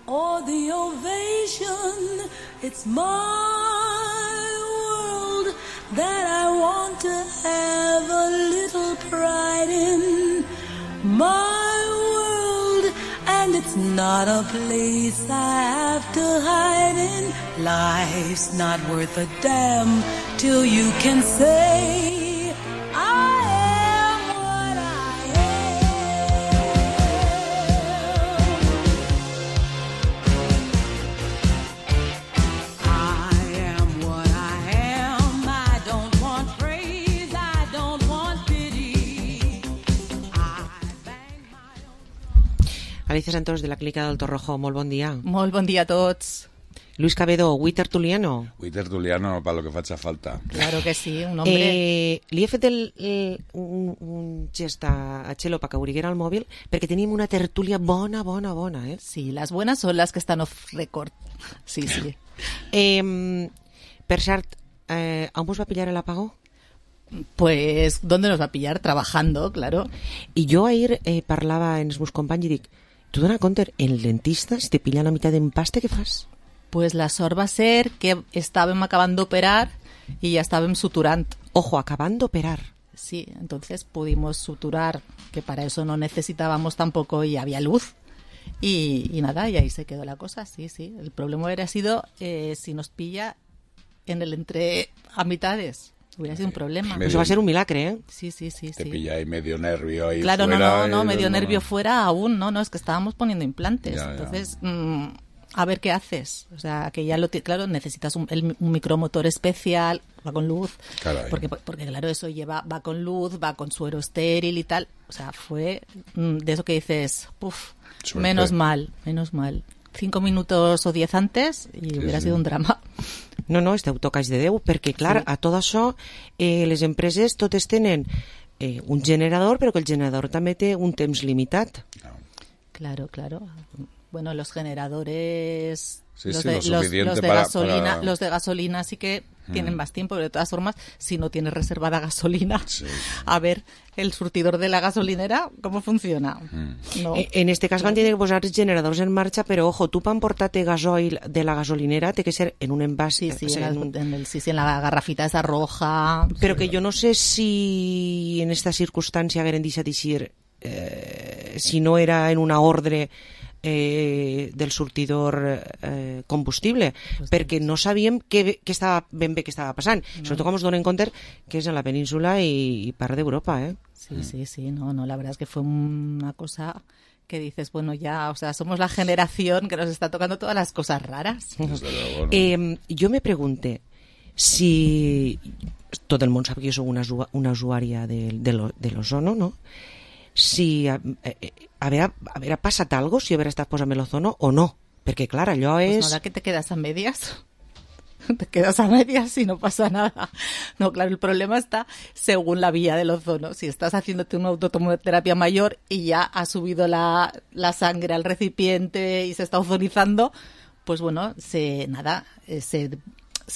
[SPEAKER 21] Oh, the ovation, it's my that I want to have a little pride in, my world, and it's not a place I have to hide in. Life's not worth a damn till you can say I am what I am. I am what I am.
[SPEAKER 4] Alicia Santos, de la Clínica del Torrojo, molt bon dia.
[SPEAKER 2] Molt bon dia a tots.
[SPEAKER 4] Luis Cabedo, avui tertuliano.
[SPEAKER 22] Avui tertuliano para lo que faci falta.
[SPEAKER 2] Claro que sí, un hombre...
[SPEAKER 4] Eh, li he fet el, el, un, un gest a, a Txelo perquè obriguera el mòbil perquè tenim una tertúlia bona, bona, bona, eh?
[SPEAKER 2] Sí, las buenas son las que están off record. Sí, sí.
[SPEAKER 4] Eh, per cert, eh, on vos va pillar el apagó?
[SPEAKER 2] Pues, ¿dónde nos va a pillar? Trabajando, claro.
[SPEAKER 4] I jo ahir eh, parlava amb els meus companys i dic, tu dona compte, el dentista, si te pilla la meitat d'empaste, què fas?
[SPEAKER 2] Pues la sort va ser que estàvem acabant d'operar y ya estàvem suturant.
[SPEAKER 4] Ojo, acabant d'operar.
[SPEAKER 2] Sí, entonces pudimos suturar, que para eso no necesitábamos tampoco y había luz. Y, y nada, y ahí se quedó la cosa, sí, sí. El problema hubiera sido eh, si nos pilla en el entre a mitades. Hubiera sido un problema.
[SPEAKER 4] Medio, eso va a ser un milagre, ¿eh?
[SPEAKER 2] Sí, sí, sí.
[SPEAKER 22] Te
[SPEAKER 2] sí.
[SPEAKER 22] pilla ahí medio nervio ahí
[SPEAKER 2] claro,
[SPEAKER 22] fuera.
[SPEAKER 2] Claro, no, no, no,
[SPEAKER 22] y
[SPEAKER 2] medio
[SPEAKER 22] no,
[SPEAKER 2] nervio
[SPEAKER 22] no.
[SPEAKER 2] fuera aún, no, no, es que estábamos poniendo implantes.
[SPEAKER 22] Ya,
[SPEAKER 2] entonces,
[SPEAKER 22] ya.
[SPEAKER 2] Mmm, a ver qué haces. O sea, que ya lo t- claro, necesitas un, el, un micromotor especial, va con luz.
[SPEAKER 22] Caray.
[SPEAKER 2] Porque, porque claro, eso lleva, va con luz, va con suero estéril y tal. O sea, fue mmm, de eso que dices, puf, menos mal, menos mal. Cinco minutos o diez antes y sí, hubiera sí. sido un drama.
[SPEAKER 4] No, no, esteu tocats de Déu, perquè, clar, sí. a tot això, eh, les empreses totes tenen eh, un generador, però que el generador també té un temps limitat.
[SPEAKER 2] Claro, claro. Bueno, los generadores,
[SPEAKER 22] sí,
[SPEAKER 2] los,
[SPEAKER 22] sí,
[SPEAKER 2] de,
[SPEAKER 22] lo
[SPEAKER 2] los, los, de
[SPEAKER 22] para,
[SPEAKER 2] gasolina,
[SPEAKER 22] para...
[SPEAKER 2] los de gasolina sí que mm. tienen más tiempo, pero de todas formas, si no tienes reservada gasolina, sí. a ver, el surtidor de la gasolinera, ¿cómo funciona?
[SPEAKER 22] Mm.
[SPEAKER 2] No.
[SPEAKER 4] En este cas van tenir que posar generadors en marxa, però ojo, tu per emportar-te gasoil de la gasolinera té que ser en un envàs.
[SPEAKER 2] Sí, sí,
[SPEAKER 4] o sea,
[SPEAKER 2] en,
[SPEAKER 4] en, un...
[SPEAKER 2] en, el, sí, sí, en la garrafita esa roja.
[SPEAKER 4] Però
[SPEAKER 2] sí.
[SPEAKER 4] que jo no sé si en esta circumstància hagueren deixat d'eixir eh, si no era en una ordre Eh, del sortidor eh, combustible, pues perquè no sabíem què, què estava ben bé què estava passant. No. Sobretot com ens donen compte que és en la península i, i part d'Europa, ¿eh?
[SPEAKER 2] Sí, sí, sí, no, no, la verdad es que fue una cosa que dices, bueno, ya, o sea, somos la generación que nos está tocando todas las cosas raras.
[SPEAKER 4] Luego, ¿no? eh, jo me pregunte si tot el món sap que jo soc una, una usuària de, de, lo, de l'ozono, no? Si eh, eh, haver, haver passat algo, si haver estat posant l'ozono o no, perquè clar, allò és...
[SPEAKER 2] Pues no, que te quedas a medias, te quedas a medias y no pasa nada. No, claro, el problema está según la vía del ozono. Si estás haciéndote una autotomoterapia mayor y ya ha subido la, la sangre al recipiente y se está ozonizando, pues bueno, se nada, se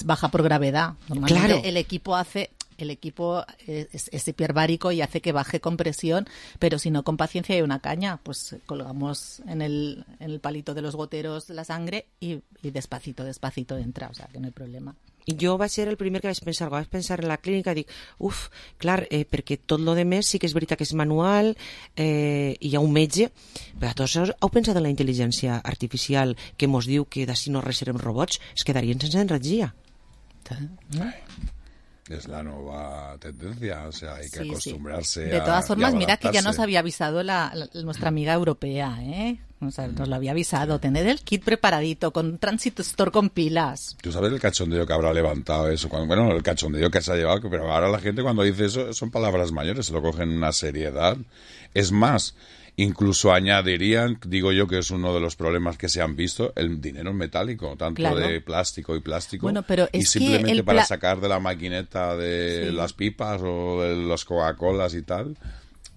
[SPEAKER 2] baja por gravedad. Normalmente
[SPEAKER 4] claro.
[SPEAKER 2] el equipo hace... El equipo es, es hiperbárico y hace que baje con presión, pero si no, con paciencia y una caña, pues colgamos en el, en el palito de los goteros la sangre y, y despacito, despacito entra, o sea, que no hay problema.
[SPEAKER 4] Jo vaig ser el primer que vaig pensar, vaig pensar en la clínica, dic, uf, clar, eh, perquè tot lo de més sí que és veritat que és manual, eh, hi ha un metge, però tots heu pensat en la intel·ligència artificial que mos diu que d'ací no res serem robots, es quedarien sense energia.
[SPEAKER 22] ¿No? Es la nueva tendencia, o sea, hay que sí, acostumbrarse
[SPEAKER 2] sí. De todas
[SPEAKER 22] a,
[SPEAKER 2] formas, mira que ya nos había avisado la, la, nuestra amiga europea, ¿eh? O sea, nos lo había avisado, tener el kit preparadito, con transistor con pilas.
[SPEAKER 22] Tú sabes el cachondeo que habrá levantado eso, cuando, bueno, el cachondeo que se ha llevado, pero ahora la gente cuando dice eso son palabras mayores, se lo cogen en una seriedad. Es más, incluso añadirían, digo yo que es uno de los problemas que se han visto, el dinero metálico, tanto claro. de plástico y plástico,
[SPEAKER 2] bueno, pero es
[SPEAKER 22] y simplemente
[SPEAKER 2] que
[SPEAKER 22] para
[SPEAKER 2] pla-
[SPEAKER 22] sacar de la maquineta de sí. las pipas o de las Coca-Colas y tal,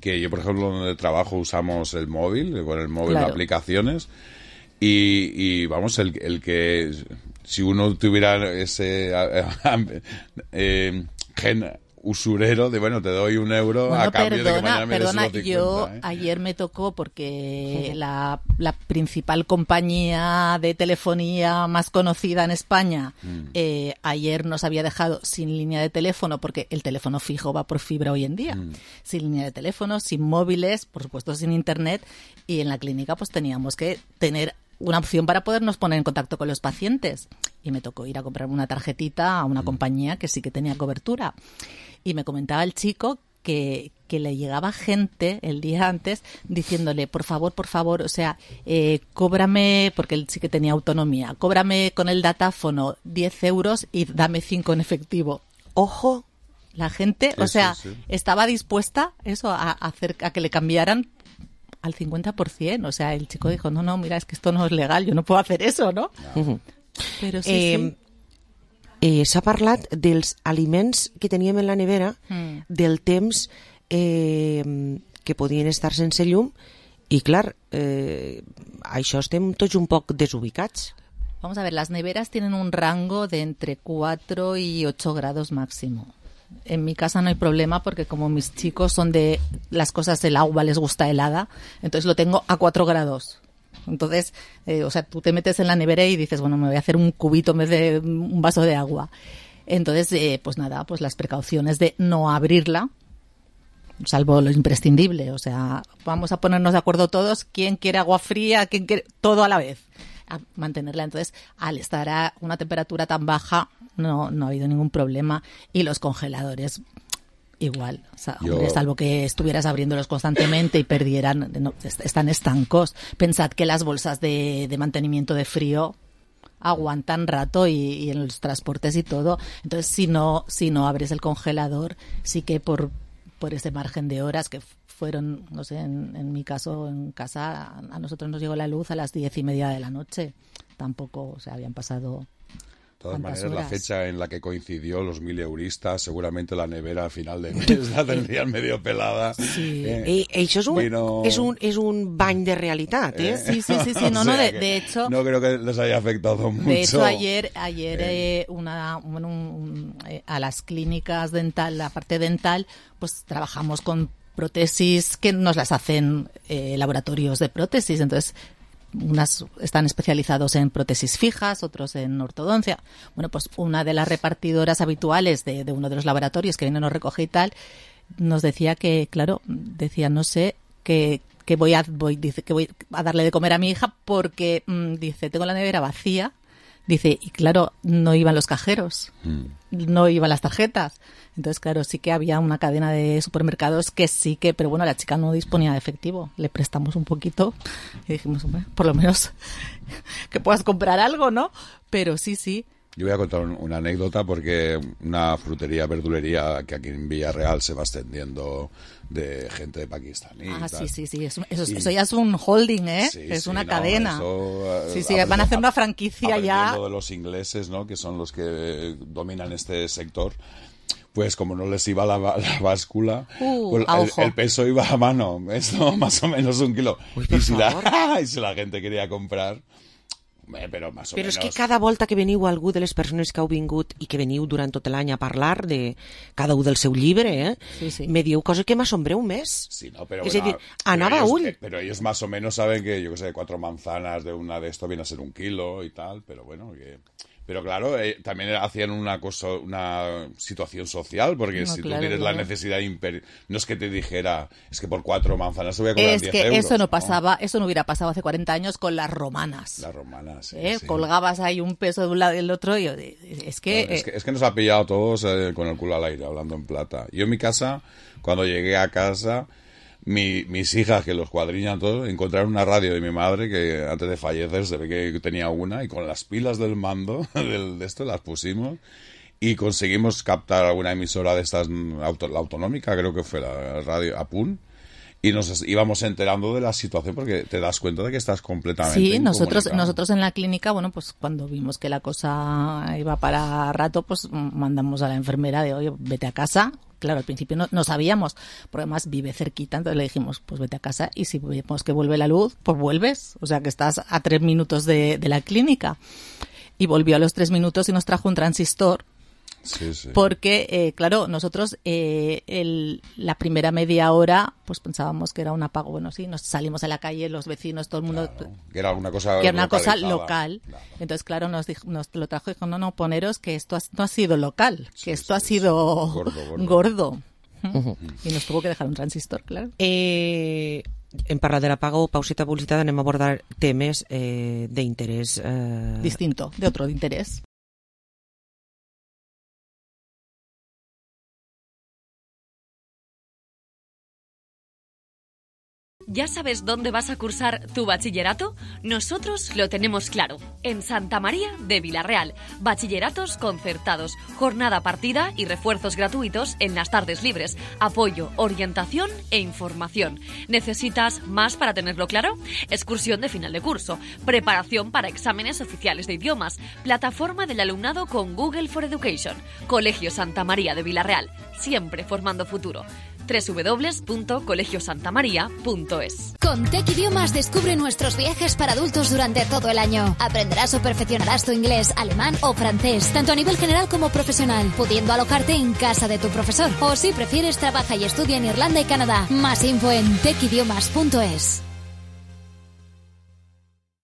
[SPEAKER 22] que yo por ejemplo donde trabajo usamos el móvil, con el móvil claro. aplicaciones, y, y vamos, el, el que si uno tuviera ese eh, eh, gen usurero de, bueno, te doy un euro
[SPEAKER 2] bueno,
[SPEAKER 22] a cambio
[SPEAKER 2] perdona,
[SPEAKER 22] de que mañana me des
[SPEAKER 2] perdona,
[SPEAKER 22] unos cincuenta.
[SPEAKER 2] Yo
[SPEAKER 22] ¿eh?
[SPEAKER 2] ayer me tocó porque sí. la, la principal compañía de telefonía más conocida en España mm. eh, ayer nos había dejado sin línea de teléfono, porque el teléfono fijo va por fibra hoy en día, mm. sin línea de teléfono, sin móviles, por supuesto sin internet, y en la clínica pues teníamos que tener una opción para podernos poner en contacto con los pacientes. Y me tocó ir a comprar una tarjetita a una mm. compañía que sí que tenía cobertura. Y me comentaba el chico que, que le llegaba gente el día antes diciéndole, por favor, por favor, o sea, eh, cóbrame, porque él sí que tenía autonomía, cóbrame con el datáfono diez euros y dame cinco en efectivo. Ojo, la gente, sí, o sea, sí, sí. estaba dispuesta eso a, a hacer a que le cambiaran al cincuenta por ciento. O sea, el chico dijo, no, no, mira, es que esto no es legal, yo no puedo hacer eso, ¿no?
[SPEAKER 4] Uh-huh.
[SPEAKER 2] Però sí,
[SPEAKER 4] eh,
[SPEAKER 2] sí.
[SPEAKER 4] Eh, s'ha parlat dels aliments que teníem en la nevera,
[SPEAKER 2] Mm.
[SPEAKER 4] del temps eh, que podien estar sense llum, i clar, eh, això estem tots un poc desubicats.
[SPEAKER 2] Vamos a ver, las neveras tienen un rango de entre cuatro y ocho grados máximo. En mi casa no hay problema porque como mis chicos son de las cosas del agua, les gusta helada, entonces lo tengo a cuatro grados. Entonces, eh, o sea, tú te metes en la nevera y dices, bueno, me voy a hacer un cubito en vez de un vaso de agua. Entonces, eh, pues nada, pues las precauciones de no abrirla, salvo lo imprescindible. O sea, vamos a ponernos de acuerdo todos, quién quiere agua fría, quién quiere todo a la vez. A mantenerla. Entonces, al estar a una temperatura tan baja, no, no ha habido ningún problema. Y los congeladores, igual. O sea,
[SPEAKER 22] Yo...
[SPEAKER 2] hombre, salvo que estuvieras abriéndolos constantemente y perdieran, no, están estancos. Pensad que las bolsas de, de mantenimiento de frío aguantan rato y, y en los transportes y todo. Entonces, si no, si no abres el congelador, sí que por, por ese margen de horas que fueron, no sé, en, en mi caso, en casa, a nosotros nos llegó la luz a las diez y media de la noche. Tampoco, o sea, habían pasado...
[SPEAKER 22] De todas maneras,
[SPEAKER 2] horas?
[SPEAKER 22] la fecha en la que coincidió los mileuristas, seguramente la nevera al final de mes la tendrían medio pelada.
[SPEAKER 2] Sí.
[SPEAKER 22] Eh,
[SPEAKER 4] I això és un,
[SPEAKER 22] vino...
[SPEAKER 4] és un, és un bany de realitat, eh?
[SPEAKER 2] Sí, sí, sí, sí. No,
[SPEAKER 22] O
[SPEAKER 2] no,
[SPEAKER 22] sea
[SPEAKER 2] de,
[SPEAKER 22] que
[SPEAKER 2] de hecho...
[SPEAKER 22] No creo que les haya afectado mucho.
[SPEAKER 2] De hecho, ayer, ayer eh, una, bueno, un, un, eh, a las clínicas dental, la parte dental, pues trabajamos con prótesis que nos las hacen eh, laboratorios de prótesis. Entonces, unas están especializados en prótesis fijas, otros en ortodoncia. Bueno, pues una de las repartidoras habituales de, de uno de los laboratorios que viene, nos recoge y tal, nos decía que, claro, decía, no sé, que, que voy a voy, dice, que voy a darle de comer a mi hija porque, mmm, dice, tengo la nevera vacía. Dice, y claro, no iban los cajeros, mm. no iban las tarjetas. Entonces, claro, sí que había una cadena de supermercados que sí que, pero bueno, la chica no disponía de efectivo. Le prestamos un poquito y dijimos, hombre, por lo menos que puedas comprar algo, ¿no? Pero sí, sí.
[SPEAKER 22] Yo voy a contar un, una anécdota porque una frutería, verdulería que aquí en Villarreal se va extendiendo de gente de Pakistán.
[SPEAKER 2] Ah, sí, sí, sí. Eso, eso, y, eso ya es un holding, ¿eh? Sí, es sí, una no, cadena.
[SPEAKER 22] Eso,
[SPEAKER 2] sí, sí, van a hacer una franquicia ya.
[SPEAKER 22] de los ingleses, ¿no? Que son los que dominan este sector. Pues como no les iba la, la báscula,
[SPEAKER 2] uh,
[SPEAKER 22] pues el, el peso iba a mano. Esto más o menos un kilo.
[SPEAKER 4] Uy,
[SPEAKER 22] y, si la, y si la gente quería comprar... Bé, però més o
[SPEAKER 4] però
[SPEAKER 22] menos...
[SPEAKER 4] és que cada volta que veniu algú de les persones que heu vingut i que veniu durant tot l'any a parlar de cada un del seu llibre, eh?
[SPEAKER 2] Sí, sí.
[SPEAKER 4] Me dieu coses que m'assombreu més.
[SPEAKER 22] Sí, no, pero
[SPEAKER 4] és
[SPEAKER 22] bueno,
[SPEAKER 4] a dir, anava
[SPEAKER 22] ellos,
[SPEAKER 4] ull.
[SPEAKER 22] Eh, pero ellos más o menos saben que, yo qué sé, cuatro manzanas de una de esto viene a ser un kilo y tal, pero bueno, que... Pero claro, eh, también hacían una cosa, una situación social, porque
[SPEAKER 2] no,
[SPEAKER 22] si
[SPEAKER 2] claro,
[SPEAKER 22] tú tienes
[SPEAKER 2] claro.
[SPEAKER 22] la necesidad imper... no es que te dijera, es que por cuatro manzanas te voy a cobrar
[SPEAKER 2] es
[SPEAKER 22] diez
[SPEAKER 2] que
[SPEAKER 22] euros.
[SPEAKER 2] Eso no pasaba, ¿no? Eso no hubiera pasado hace cuarenta años con las romanas.
[SPEAKER 22] Las romanas, sí,
[SPEAKER 2] ¿Eh?
[SPEAKER 22] sí.
[SPEAKER 2] Colgabas ahí un peso de un lado y del otro y es que...
[SPEAKER 22] No, es que, es que nos ha pillado a todos eh, con el culo al aire, hablando en plata. Yo en mi casa, cuando llegué a casa... Mi, mis hijas, que los cuadriñan todos, encontraron una radio de mi madre que antes de fallecer se ve que tenía una y con las pilas del mando del, de esto las pusimos y conseguimos captar alguna emisora de estas, auto, la autonómica creo que fue la radio Apun, y nos íbamos enterando de la situación porque te das cuenta de que estás completamente
[SPEAKER 2] Sí, nosotros nosotros en la clínica, bueno, pues cuando vimos que la cosa iba para rato, pues mandamos a la enfermera de, oye, vete a casa. Claro, al principio no, no sabíamos, porque además vive cerquita, entonces le dijimos, pues vete a casa y si vemos que vuelve la luz, pues vuelves. O sea, que estás a tres minutos de, de la clínica. Y volvió a los tres minutos y nos trajo un transistor.
[SPEAKER 22] Sí, sí.
[SPEAKER 2] Porque, eh, claro, nosotros eh, el, la primera media hora pues pensábamos que era un apago. Bueno, sí, nos salimos a la calle, los vecinos, todo el mundo...
[SPEAKER 22] Claro, que era una cosa
[SPEAKER 2] que era una cosa
[SPEAKER 22] localizada.
[SPEAKER 2] local. Claro. Entonces, claro, nos, dijo, nos lo trajo y dijo, no, no, poneros que esto ha, no ha sido local,
[SPEAKER 22] sí,
[SPEAKER 2] que esto
[SPEAKER 22] sí,
[SPEAKER 2] ha sido
[SPEAKER 22] sí. gordo. gordo.
[SPEAKER 2] gordo. Uh-huh. Y nos tuvo que dejar un transistor, claro.
[SPEAKER 4] Eh, en parlar de l'apagó, pauseta publicitat, anem a abordar temes eh, d'interès... Eh...
[SPEAKER 2] Distinto, de otro de interés.
[SPEAKER 3] ¿Ya sabes dónde vas a cursar tu bachillerato? Nosotros lo tenemos claro. En Santa María de Vilarreal. Bachilleratos concertados, jornada partida y refuerzos gratuitos en las tardes libres. Apoyo, orientación e información. ¿Necesitas más para tenerlo claro? Excursión de final de curso. Preparación para exámenes oficiales de idiomas. Plataforma del alumnado con Google for Education. Colegio Santa María de Vilarreal. Siempre formando futuro. doble u doble u doble u punto colegio santa maría punto es.
[SPEAKER 5] Con Tech Idiomas descubre nuestros viajes para adultos durante todo el año. Aprenderás o perfeccionarás tu inglés, alemán o francés, tanto a nivel general como profesional, pudiendo alojarte en casa de tu profesor. O si prefieres, trabaja y estudia en Irlanda y Canadá. Más info en tech idiomas punto es.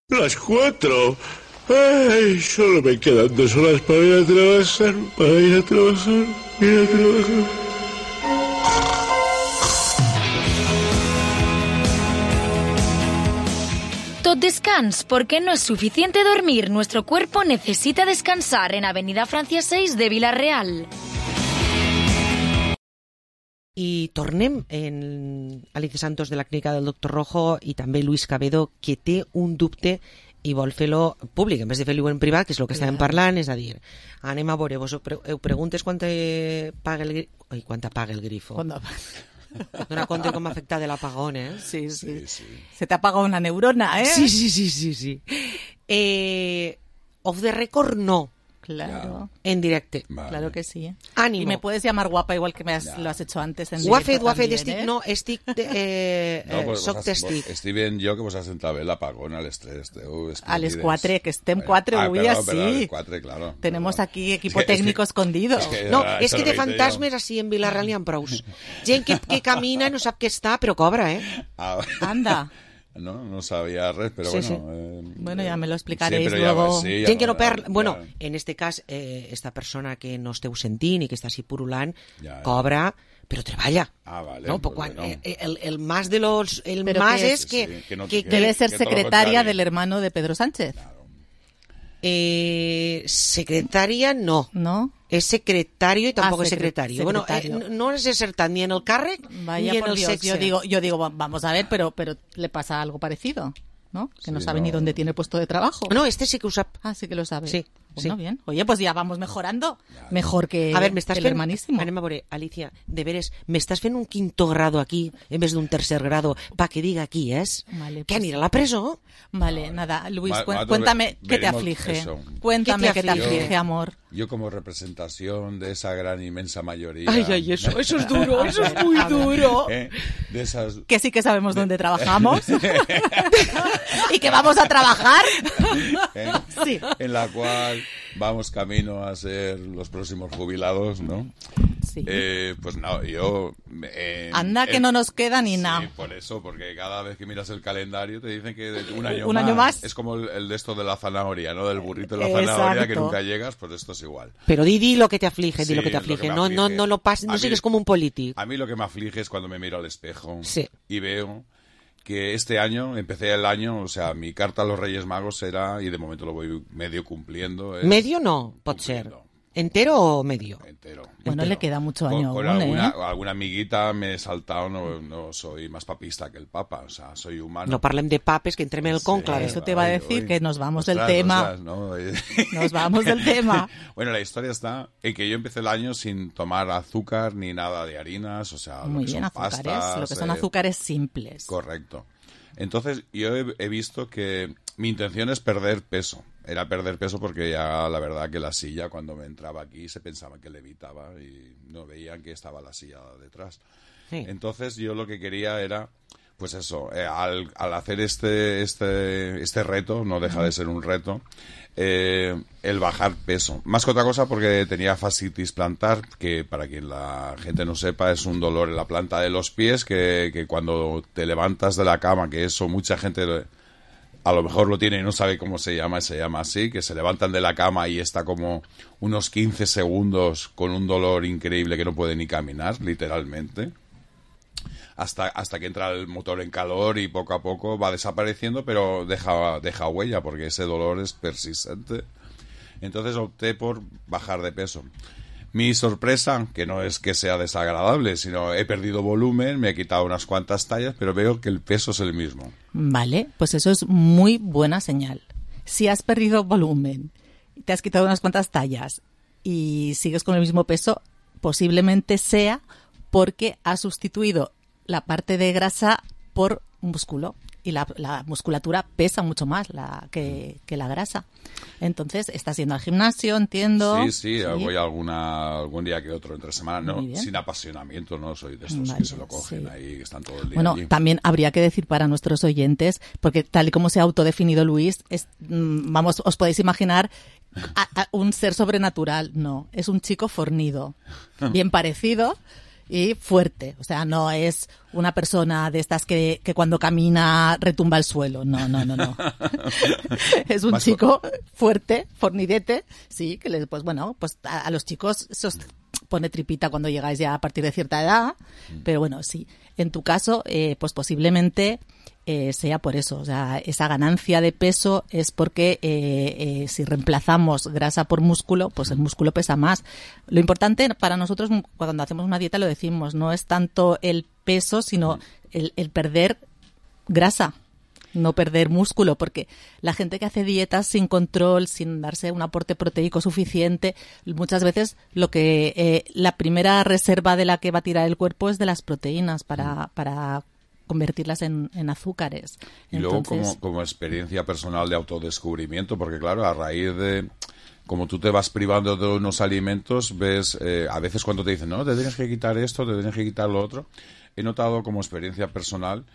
[SPEAKER 23] Las cuatro. Ay, solo me quedan dos horas para ir a trabajar, para ir a trabajar, ir a trabajar.
[SPEAKER 1] Tot descans, porque no es suficiente dormir. Nuestro cuerpo necesita descansar en Avenida Francia seis de Vilarreal.
[SPEAKER 4] I tornem en Alicia Santos de la clínica del doctor Rojo i també Luis Cabedo, que té un dubte i vol fer-lo públic, en vez de fer-lo en privat, que és el que estàvem parlant, és a dir, anem a veure, vos ho preguntes quan te paga el grifo, ai, quan te paga el grifo.
[SPEAKER 2] Quan
[SPEAKER 4] Dona compte com afecta de l'apagón, eh?
[SPEAKER 2] Sí, sí, sí. Se te apaga una neurona, eh?
[SPEAKER 4] Sí, sí, sí, sí, sí. Eh, off the record, no.
[SPEAKER 2] Claro.
[SPEAKER 4] En directe.
[SPEAKER 2] Vale. Claro que sí.
[SPEAKER 4] Ánimo.
[SPEAKER 2] Y me puedes llamar guapa igual que me has, lo has hecho antes en
[SPEAKER 4] directe. Ho ha fet, ho ha fet,
[SPEAKER 2] también,
[SPEAKER 4] estic,
[SPEAKER 2] eh?
[SPEAKER 4] no, estic, eh,
[SPEAKER 22] no, pues
[SPEAKER 4] soc
[SPEAKER 22] vos has,
[SPEAKER 4] testic.
[SPEAKER 22] Vos, estic ben jo que vos has sentat bé l'apagón a les tres. Teu,
[SPEAKER 2] a les quatre, que estem quatre
[SPEAKER 22] ah,
[SPEAKER 2] avui
[SPEAKER 22] perdón,
[SPEAKER 2] así.
[SPEAKER 22] Perdón, a les quatre, claro.
[SPEAKER 2] Tenemos
[SPEAKER 22] perdón.
[SPEAKER 2] aquí equipo
[SPEAKER 22] es que,
[SPEAKER 2] técnico
[SPEAKER 22] es que,
[SPEAKER 2] escondido.
[SPEAKER 22] Es que,
[SPEAKER 4] no,
[SPEAKER 22] ja,
[SPEAKER 4] és que de fantasmes
[SPEAKER 22] jo.
[SPEAKER 4] així en Vilarreal n'hi ha prous. Gent que, que camina i no sap què està, però cobra, eh?
[SPEAKER 22] Ah,
[SPEAKER 2] Anda.
[SPEAKER 22] No, no sabía res, pero
[SPEAKER 4] sí,
[SPEAKER 22] bueno...
[SPEAKER 4] Sí.
[SPEAKER 22] Eh,
[SPEAKER 2] bueno, ya me lo explicaréis
[SPEAKER 22] sí,
[SPEAKER 2] luego.
[SPEAKER 22] Ja, sí, ja
[SPEAKER 4] Gent que no
[SPEAKER 22] ja,
[SPEAKER 4] perd...
[SPEAKER 22] Ja,
[SPEAKER 4] bueno,
[SPEAKER 22] ja.
[SPEAKER 4] en este cas, eh, esta persona que no esteu sentint i que està així purulant,
[SPEAKER 22] ja, ja.
[SPEAKER 4] cobra, però treballa.
[SPEAKER 22] Ah, vale.
[SPEAKER 4] No,
[SPEAKER 22] pues
[SPEAKER 4] quan,
[SPEAKER 22] bueno.
[SPEAKER 4] eh, el, el más de los... El
[SPEAKER 2] pero
[SPEAKER 4] más
[SPEAKER 2] que,
[SPEAKER 4] es que...
[SPEAKER 22] Sí, que, no,
[SPEAKER 4] que,
[SPEAKER 22] que
[SPEAKER 2] debe ser
[SPEAKER 22] que
[SPEAKER 2] secretaria del hermano de Pedro Sánchez.
[SPEAKER 22] Claro.
[SPEAKER 4] Eh, secretaria, no.
[SPEAKER 2] ¿No?
[SPEAKER 4] Es secretario y tampoco
[SPEAKER 2] ah,
[SPEAKER 4] es secretario.
[SPEAKER 2] secretario.
[SPEAKER 4] Bueno, eh, no es acertat ni en el càrrec
[SPEAKER 2] Vaya
[SPEAKER 4] ni en
[SPEAKER 2] por
[SPEAKER 4] el
[SPEAKER 2] Dios.
[SPEAKER 4] sexe.
[SPEAKER 2] Yo digo, yo digo, vamos a ver, pero, pero le pasa algo parecido, ¿no? Que
[SPEAKER 22] sí,
[SPEAKER 2] no sabe
[SPEAKER 22] no.
[SPEAKER 2] ni dónde tiene puesto de trabajo.
[SPEAKER 4] No, este sí que ho sap.
[SPEAKER 2] Ah, sí que lo sabe.
[SPEAKER 4] Sí,
[SPEAKER 2] bueno,
[SPEAKER 4] sí.
[SPEAKER 2] bien. Oye, pues ya vamos mejorando. Mejor que
[SPEAKER 4] a ver, me estás
[SPEAKER 2] el
[SPEAKER 4] fent...
[SPEAKER 2] hermanísimo.
[SPEAKER 4] Anem a veure, Alicia, de veres, m'estàs fent un quinto grado aquí en vez d'un tercer grado para que diga aquí és?
[SPEAKER 2] Vale,
[SPEAKER 4] ¿Qué,
[SPEAKER 2] pues...
[SPEAKER 4] anirà a la presó?
[SPEAKER 2] Vale, nada, Luis,
[SPEAKER 22] Ma-
[SPEAKER 2] cu
[SPEAKER 22] ma-
[SPEAKER 2] cuéntame qué te
[SPEAKER 22] veremos
[SPEAKER 2] aflige.
[SPEAKER 22] eso.
[SPEAKER 2] Cuéntame
[SPEAKER 4] ¿Qué
[SPEAKER 2] qué
[SPEAKER 4] te
[SPEAKER 2] te
[SPEAKER 4] aflige?
[SPEAKER 2] aflige, amor.
[SPEAKER 22] Yo como representación de esa gran inmensa mayoría...
[SPEAKER 4] Ay, ay, eso, eso es duro, eso es muy duro.
[SPEAKER 22] ¿Eh? De esas...
[SPEAKER 2] Que sí que sabemos dónde trabajamos. Y que vamos a trabajar.
[SPEAKER 22] ¿Eh?
[SPEAKER 2] Sí.
[SPEAKER 22] En la cual vamos camino a ser los próximos jubilados, ¿no?
[SPEAKER 2] Sí.
[SPEAKER 22] Eh, pues no, yo... Eh,
[SPEAKER 2] Anda que
[SPEAKER 22] el-
[SPEAKER 2] no nos queda ni
[SPEAKER 22] Sí,
[SPEAKER 2] nada.
[SPEAKER 22] por eso, porque cada vez que miras el calendario te dicen que de- un año,
[SPEAKER 2] Un
[SPEAKER 22] más,
[SPEAKER 2] año más.
[SPEAKER 22] es como el, el de esto de la zanahoria, ¿no? Del burrito de la
[SPEAKER 2] Exacto.
[SPEAKER 22] zanahoria que nunca llegas, pues esto es igual.
[SPEAKER 4] Pero di, di lo que te aflige, di
[SPEAKER 22] Sí,
[SPEAKER 4] lo que te
[SPEAKER 22] lo que
[SPEAKER 4] aflige.
[SPEAKER 22] me
[SPEAKER 4] No, no,
[SPEAKER 22] aflige.
[SPEAKER 4] no lo pases,
[SPEAKER 22] A
[SPEAKER 4] no
[SPEAKER 22] mí-
[SPEAKER 4] sigues como un político.
[SPEAKER 22] A mí lo que me aflige es cuando me miro al espejo
[SPEAKER 4] Sí.
[SPEAKER 22] y veo que este año, empecé el año, o sea, mi carta a los Reyes Magos era, y de momento lo voy medio cumpliendo. es-
[SPEAKER 4] Medio no, pot ser. Entero o medio?
[SPEAKER 22] Entero.
[SPEAKER 2] Bueno, le queda mucho
[SPEAKER 22] Con,
[SPEAKER 2] año
[SPEAKER 22] con
[SPEAKER 2] aún,
[SPEAKER 22] alguna,
[SPEAKER 2] ¿eh?
[SPEAKER 22] alguna amiguita me he saltado, no, no soy más papista que el Papa, o sea, soy humano.
[SPEAKER 4] No parlem de papes, que entrem en el conclave.
[SPEAKER 2] Eso te va a decir que nos vamos del
[SPEAKER 22] Ostras,
[SPEAKER 2] tema.
[SPEAKER 22] ostras, ¿no?
[SPEAKER 2] Nos vamos del tema.
[SPEAKER 22] Bueno, la historia está en que yo empecé el año sin tomar azúcar ni nada de harinas, o sea,
[SPEAKER 2] Muy
[SPEAKER 22] lo que
[SPEAKER 2] bien,
[SPEAKER 22] son
[SPEAKER 2] azúcares.
[SPEAKER 22] pastas,
[SPEAKER 2] Lo que son
[SPEAKER 22] eh,
[SPEAKER 2] azúcares simples.
[SPEAKER 22] Correcto. Entonces, yo he, he visto que mi intención es perder peso. Era perder peso porque ya la verdad que la silla, cuando me entraba aquí, se pensaba que levitaba y no veían que estaba la silla detrás.
[SPEAKER 4] Sí.
[SPEAKER 22] Entonces, yo lo que quería era, pues eso, eh, al, al hacer este, este, este reto, no deja de ser un reto, eh, el bajar peso. Más que otra cosa porque tenía fascitis plantar, que para quien la gente no sepa es un dolor en la planta de los pies que, que cuando te levantas de la cama, que eso mucha gente a lo mejor lo tiene y no sabe cómo se llama, se llama así, que se levantan de la cama y está como unos quince segundos con un dolor increíble que no puede ni caminar, literalmente. Hasta, hasta que entra el motor en calor y poco a poco va desapareciendo, pero deja, deja huella porque ese dolor es persistente. Entonces opté por bajar de peso. Mi sorpresa, que no es que sea desagradable, sino he perdido volumen, me he quitado unas cuantas tallas, pero veo que el peso es el mismo.
[SPEAKER 2] Vale, pues eso es muy buena señal. Si has perdido volumen, te has quitado unas cuantas tallas y sigues con el mismo peso, posiblemente sea porque has sustituido la parte de grasa por músculo. Y la, la musculatura pesa mucho más la, que, que la grasa. Entonces, estás yendo al gimnasio, entiendo.
[SPEAKER 22] Sí, sí, sí. Voy alguna, algún día que otro entre semana, no, sin apasionamiento, no soy de estos vale, que se lo cogen sí. ahí, que están todo el día
[SPEAKER 2] Bueno,
[SPEAKER 22] allí.
[SPEAKER 2] También habría que decir para nuestros oyentes, porque tal y como se ha autodefinido Luis, es, vamos, os podéis imaginar a, a un ser sobrenatural. No, es un chico fornido, bien parecido y fuerte. O sea, no es una persona de estas que, que cuando camina retumba el suelo. No, no, no, no. Es un Más chico por... fuerte, fornidete, sí, que les, pues bueno, pues a, a los chicos se os pone tripita cuando llegáis ya a partir de cierta edad, mm. pero bueno, sí. En tu caso, eh, pues posiblemente eh, sea por eso. O sea, esa ganancia de peso es porque eh, eh, si reemplazamos grasa por músculo, pues el músculo pesa más. Lo importante para nosotros, cuando hacemos una dieta, lo decimos, no es tanto el peso, sino el, el perder grasa, no perder músculo, porque la gente que hace dietas sin control, sin darse un aporte proteico suficiente, muchas veces lo que eh, la primera reserva de la que va a tirar el cuerpo es de las proteínas para, para convertirlas en, en azúcares.
[SPEAKER 22] Y Entonces, luego como, como experiencia personal de autodescubrimiento, porque claro, a raíz de... Como tú te vas privando de unos alimentos, ves, eh, a veces cuando te dicen, no, te tienes que quitar esto, te tienes que quitar lo otro, he notado como experiencia personal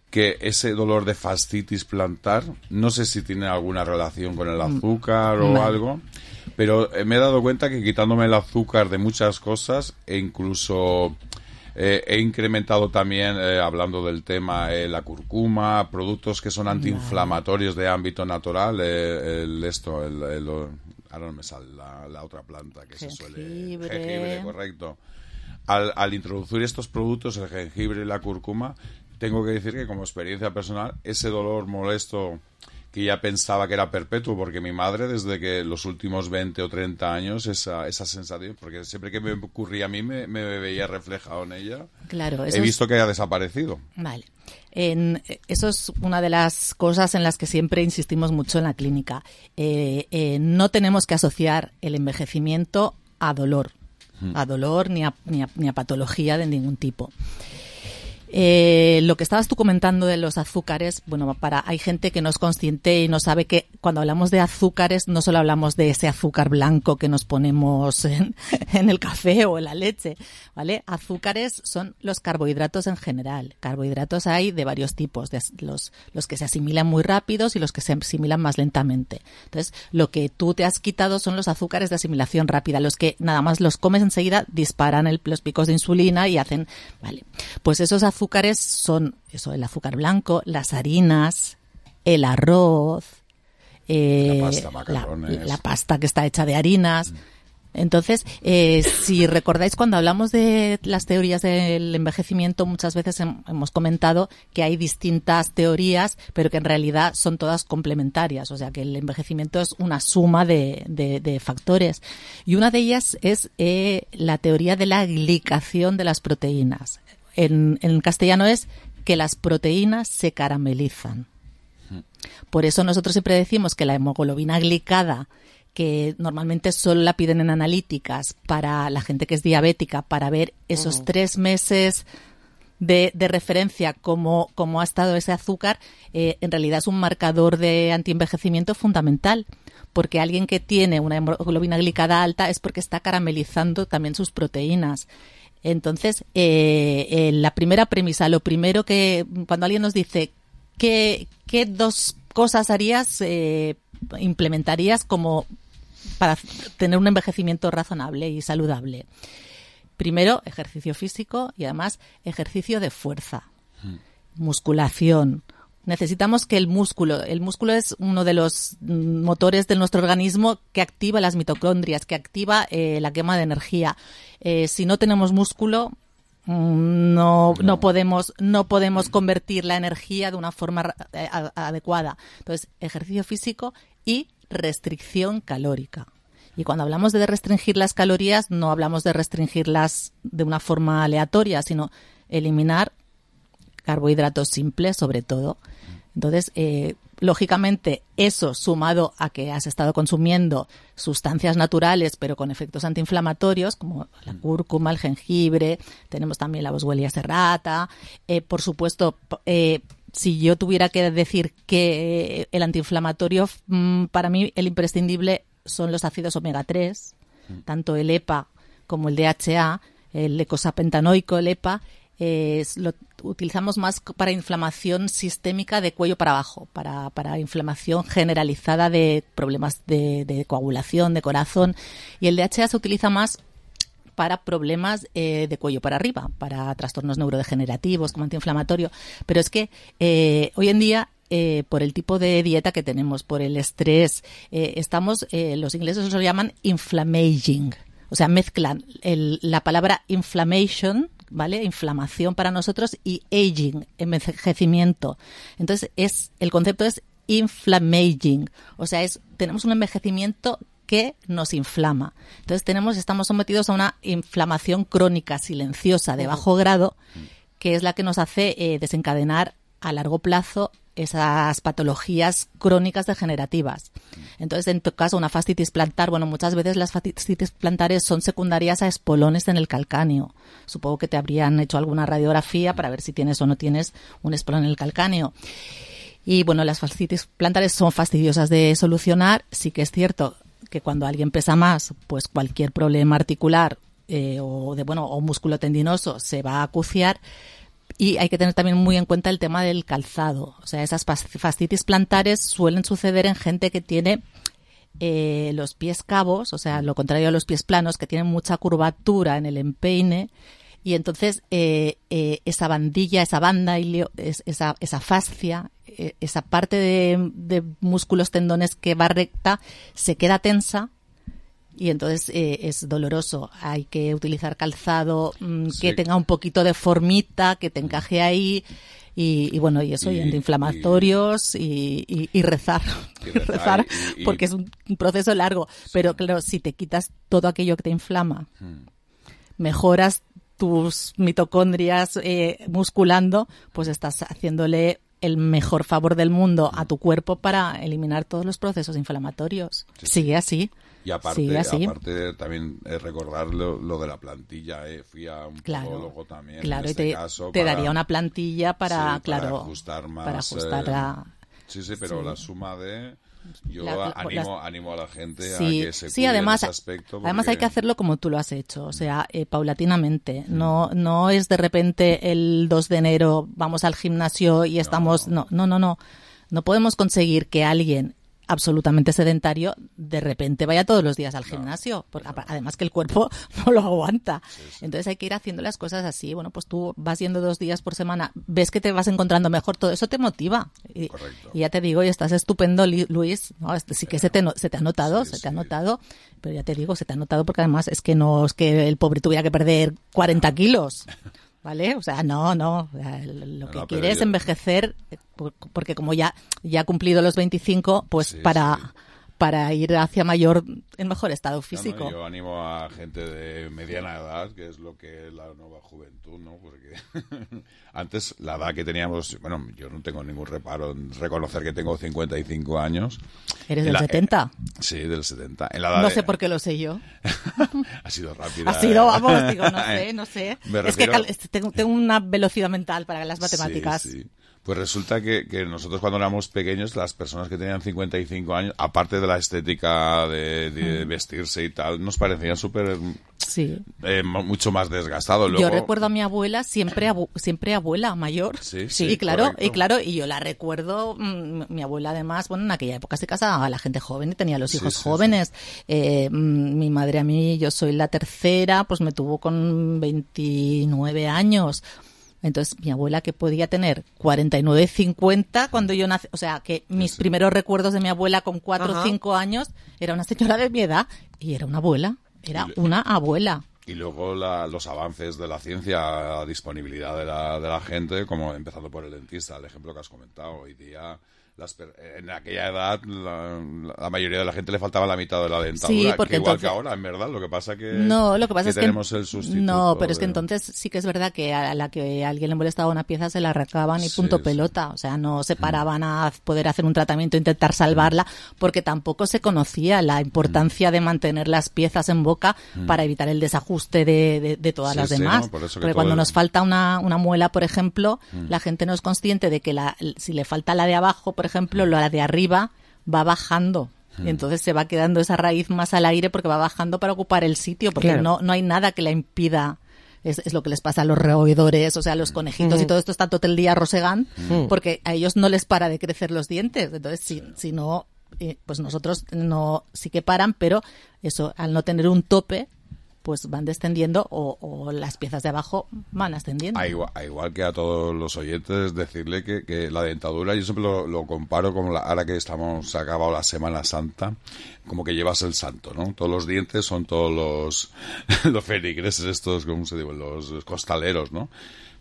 [SPEAKER 22] que ese dolor de fascitis plantar, no sé si tiene alguna relación con el azúcar o
[SPEAKER 2] no.
[SPEAKER 22] algo, pero me he dado cuenta que quitándome el azúcar de muchas cosas, e incluso eh, he incrementado también, eh, hablando del tema, eh, la cúrcuma, productos que son antiinflamatorios de ámbito natural, eh, el esto, el... el, el ahora no me sale la, la otra planta que jengibre. se suele... Jengibre, correcto. Al, al introducir estos productos, el jengibre y la cúrcuma, tengo que decir que como experiencia personal, ese dolor molesto que ya pensaba que era perpetuo, porque mi madre, desde que los últimos veinte o treinta años, esa, esa sensación, porque siempre que me ocurría a mí, me, me veía reflejado en ella.
[SPEAKER 2] Claro,
[SPEAKER 22] he visto es... que ha desaparecido.
[SPEAKER 2] Vale. En, eso es una de las cosas en las que siempre insistimos mucho en la clínica. Eh, eh, no tenemos que asociar el envejecimiento a dolor, hmm. a dolor ni a, ni a, ni a patología de ningún tipo. Eh, lo que estabas tú comentando de los azúcares, bueno, para hay gente que no es consciente y no sabe que cuando hablamos de azúcares no solo hablamos de ese azúcar blanco que nos ponemos en, en el café o en la leche, ¿vale? Azúcares son los carbohidratos en general. Carbohidratos hay de varios tipos, de los, los que se asimilan muy rápidos y los que se asimilan más lentamente. Entonces, lo que tú te has quitado son los azúcares de asimilación rápida, los que nada más los comes enseguida disparan el, los picos de insulina y hacen, vale, pues esos azúcares azúcares son eso, el azúcar blanco, las harinas, el arroz, eh,
[SPEAKER 22] la, pasta, macarrones.
[SPEAKER 2] la, la pasta que está hecha de harinas. Mm. Entonces, eh, si recordáis cuando hablamos de las teorías del envejecimiento, muchas veces hem, hemos comentado que hay distintas teorías, pero que en realidad son todas complementarias. O sea, que el envejecimiento es una suma de, de, de factores. Y una de ellas es eh, la teoría de la glicación de las proteínas. En, en castellano es que las proteínas se caramelizan. Por eso nosotros siempre decimos que la hemoglobina glicada, que normalmente solo la piden en analíticas para la gente que es diabética, para ver esos uh-huh. tres meses de, de referencia cómo, cómo ha estado ese azúcar, eh, en realidad es un marcador de antienvejecimiento fundamental. Porque alguien que tiene una hemoglobina glicada alta es porque está caramelizando también sus proteínas. Entonces, eh, eh, la primera premisa, lo primero que cuando alguien nos dice ¿qué, qué dos cosas harías, eh, implementarías como para tener un envejecimiento razonable y saludable? Primero, ejercicio físico y además ejercicio de fuerza, mm. musculación. Necesitamos que el músculo, el músculo es uno de los motores de nuestro organismo que activa las mitocondrias, que activa eh, la quema de energía. Eh, si no tenemos músculo, no, no. no podemos, no podemos convertir la energía de una forma eh, a, adecuada. Entonces, ejercicio físico y restricción calórica. Y cuando hablamos de restringir las calorías, no hablamos de restringirlas de una forma aleatoria, sino eliminar carbohidratos simples, sobre todo. Entonces, eh, lógicamente, eso sumado a que has estado consumiendo sustancias naturales, pero con efectos antiinflamatorios, como la cúrcuma, el jengibre, tenemos también la Boswellia serrata. Eh, por supuesto, eh, si yo tuviera que decir que el antiinflamatorio, mmm, para mí el imprescindible son los ácidos omega tres, tanto el E P A como el D H A, el eicosapentanoico, el E P A, eh, lo utilizamos más para inflamación sistémica de cuello para abajo, para, para inflamación generalizada de problemas de, de coagulación, de corazón, y el D H A se utiliza más para problemas eh, de cuello para arriba, para trastornos neurodegenerativos como antiinflamatorio. Pero es que eh, hoy en día, eh, por el tipo de dieta que tenemos, por el estrés, eh, estamos, eh, los ingleses lo llaman inflammaging, o sea, mezclan el, la palabra inflammation, ¿vale? Inflamación para nosotros, y aging, envejecimiento. Entonces, es el concepto es inflammaging, o sea, es tenemos un envejecimiento que nos inflama. Entonces tenemos, estamos sometidos a una inflamación crónica silenciosa de bajo grado, que es la que nos hace eh, desencadenar a largo plazo esas patologías crónicas degenerativas. Entonces, en tu caso, una fascitis plantar, bueno, muchas veces las fascitis plantares son secundarias a espolones en el calcáneo. Supongo que te habrían hecho alguna radiografía para ver si tienes o no tienes un espolón en el calcáneo. Y bueno, las fascitis plantares son fastidiosas de solucionar. Sí que es cierto que cuando alguien pesa más, pues cualquier problema articular eh, o de bueno o músculo tendinoso se va a acuciar. Y hay que tener también muy en cuenta el tema del calzado. O sea, esas fascitis plantares suelen suceder en gente que tiene eh, los pies cabos, o sea, lo contrario a los pies planos, que tienen mucha curvatura en el empeine. Y entonces eh, eh, esa bandilla, esa banda, esa, esa fascia, eh, esa parte de, de músculos tendones que va recta, se queda tensa y entonces eh, es doloroso. Hay que utilizar calzado mmm, sí. que tenga un poquito de formita, que te encaje ahí. Y, y bueno, y eso, y, y antiinflamatorios y, y, y rezar, y rezar, rezar y, y, porque es un proceso largo. Sí. Pero claro, si te quitas todo aquello que te inflama, hmm. mejoras tus mitocondrias eh, musculando, pues estás haciéndole el mejor favor del mundo a tu cuerpo para eliminar todos los procesos inflamatorios. Sí, Sigue sí. así.
[SPEAKER 22] Y aparte,
[SPEAKER 2] Sigue así.
[SPEAKER 22] aparte también eh, recordar lo, lo de la plantilla. Eh. Fui a un
[SPEAKER 2] claro,
[SPEAKER 22] podólogo también.
[SPEAKER 2] Claro,
[SPEAKER 22] en este
[SPEAKER 2] y te,
[SPEAKER 22] caso,
[SPEAKER 2] te
[SPEAKER 22] para,
[SPEAKER 2] daría una plantilla para,
[SPEAKER 22] sí,
[SPEAKER 2] claro,
[SPEAKER 22] para ajustar más.
[SPEAKER 2] Para ajustar
[SPEAKER 22] eh,
[SPEAKER 2] a...
[SPEAKER 22] Sí, sí, pero
[SPEAKER 2] sí.
[SPEAKER 22] la suma de... Yo
[SPEAKER 2] la,
[SPEAKER 22] animo,
[SPEAKER 2] las...
[SPEAKER 22] animo a la gente
[SPEAKER 2] sí,
[SPEAKER 22] a que se
[SPEAKER 2] sí,
[SPEAKER 22] cuide
[SPEAKER 2] además,
[SPEAKER 22] en ese aspecto. Porque...
[SPEAKER 2] Además hay que hacerlo como tú lo has hecho, o sea, eh, paulatinamente. Mm. No no es de repente el dos de enero vamos al gimnasio y estamos... No, no, no, no. No podemos conseguir que alguien absolutamente sedentario de repente vaya todos los días al gimnasio, no, porque no. además que el cuerpo no lo aguanta. Sí, sí. Entonces hay que ir haciendo las cosas así. Bueno, pues tú vas yendo dos días por semana, ves que te vas encontrando mejor, todo eso te motiva. Y, y ya te digo, y estás estupendo, Luis. No, sí que se te, se te ha notado, sí, se te sí. ha notado, pero ya te digo, se te ha notado porque además es que no es que el pobre tuviera que perder cuarenta kilos. ¿Vale? O sea, no, no. Lo que no, quiere es yo... envejecer, porque como ya, ya ha cumplido los veinticinco, pues sí, para, sí. para ir hacia mayor, en mejor estado físico.
[SPEAKER 22] No, no, yo animo a gente de mediana edad, que es lo que es la nueva juventud, ¿no? Porque antes la edad que teníamos, bueno, yo no tengo ningún reparo en reconocer que tengo cincuenta y cinco años.
[SPEAKER 2] ¿Eres del la, setenta?
[SPEAKER 22] Eh, sí, del setenta. En la edad
[SPEAKER 2] no
[SPEAKER 22] de...
[SPEAKER 2] sé por qué lo sé yo.
[SPEAKER 22] Ha sido rápida.
[SPEAKER 2] Ha sido, vamos, digo, no sé, no sé.
[SPEAKER 22] Me
[SPEAKER 2] es
[SPEAKER 22] refiero...
[SPEAKER 2] que tengo, tengo una velocidad mental para las matemáticas.
[SPEAKER 22] Sí, sí. Pues resulta que, que nosotros cuando éramos pequeños, las personas que tenían cincuenta y cinco años, aparte de la estética de, de vestirse y tal, nos parecían súper...
[SPEAKER 2] Sí.
[SPEAKER 22] Eh, mucho más desgastados. Luego...
[SPEAKER 2] Yo recuerdo a mi abuela siempre abu siempre abuela mayor.
[SPEAKER 22] Sí,
[SPEAKER 2] sí, y claro, correcto. y claro, y yo la recuerdo, mmm, mi abuela además, bueno, en aquella época se casaba a la gente joven y tenía los hijos sí, sí, jóvenes. Sí. Eh, mi madre a mí, yo soy la tercera, pues me tuvo con veintinueve años. Entonces, mi abuela, que podía tener cuarenta y nueve, cincuenta cuando yo nací, o sea, que mis sí. primeros recuerdos de mi abuela con cuatro o cinco años, era una señora de mi edad y era una abuela, era le... una abuela.
[SPEAKER 22] Y luego la, los avances de la ciencia, la disponibilidad de la, de la gente, como empezando por el dentista, el ejemplo que has comentado, hoy día Las per- en aquella edad la, la mayoría de la gente le faltaba la mitad de la dentadura,
[SPEAKER 2] Sí, porque
[SPEAKER 22] que igual
[SPEAKER 2] entonces-
[SPEAKER 22] que ahora, en verdad. Lo que pasa que
[SPEAKER 2] No, lo que pasa
[SPEAKER 22] que
[SPEAKER 2] es que
[SPEAKER 22] tenemos el sustituto.
[SPEAKER 2] no, pero es que
[SPEAKER 22] de-
[SPEAKER 2] entonces sí que es verdad que a la que a alguien le molestaba una pieza se la arrancaban y punto pelota, o sea, no se paraban a poder hacer un tratamiento, intentar salvarla, porque tampoco se conocía la importancia de mantener las piezas en boca
[SPEAKER 22] Mm.
[SPEAKER 2] para evitar el desajuste de, de, de todas
[SPEAKER 22] Sí,
[SPEAKER 2] las
[SPEAKER 22] sí,
[SPEAKER 2] demás.
[SPEAKER 22] ¿no? Por eso que
[SPEAKER 2] Porque
[SPEAKER 22] todo
[SPEAKER 2] cuando
[SPEAKER 22] el-
[SPEAKER 2] nos falta una, una muela, por ejemplo,
[SPEAKER 22] Mm.
[SPEAKER 2] la gente no es consciente de que la, si le falta la de abajo, por ejemplo, la de arriba va bajando. Y entonces se va quedando esa raíz más al aire porque va bajando para ocupar el sitio, porque
[SPEAKER 4] Claro.
[SPEAKER 2] no, no hay nada que la impida. Es, es lo que les pasa a los roedores, o sea, a los conejitos
[SPEAKER 4] Mm.
[SPEAKER 2] y todo esto está todo el día rosegan,
[SPEAKER 4] Mm.
[SPEAKER 2] porque a ellos no les para de crecer los dientes. Entonces, si, si no, eh, pues nosotros no, sí que paran, pero eso, al no tener un tope, pues van descendiendo o, o las piezas de abajo van ascendiendo.
[SPEAKER 22] A igual, a igual que a todos los oyentes, decirle que, que la dentadura, yo siempre lo, lo comparo con la, ahora que estamos, se ha acabado la Semana Santa, como que llevas el santo, ¿no? Todos los dientes son todos los, los feligreses estos, ¿cómo se dice? Los costaleros, ¿no?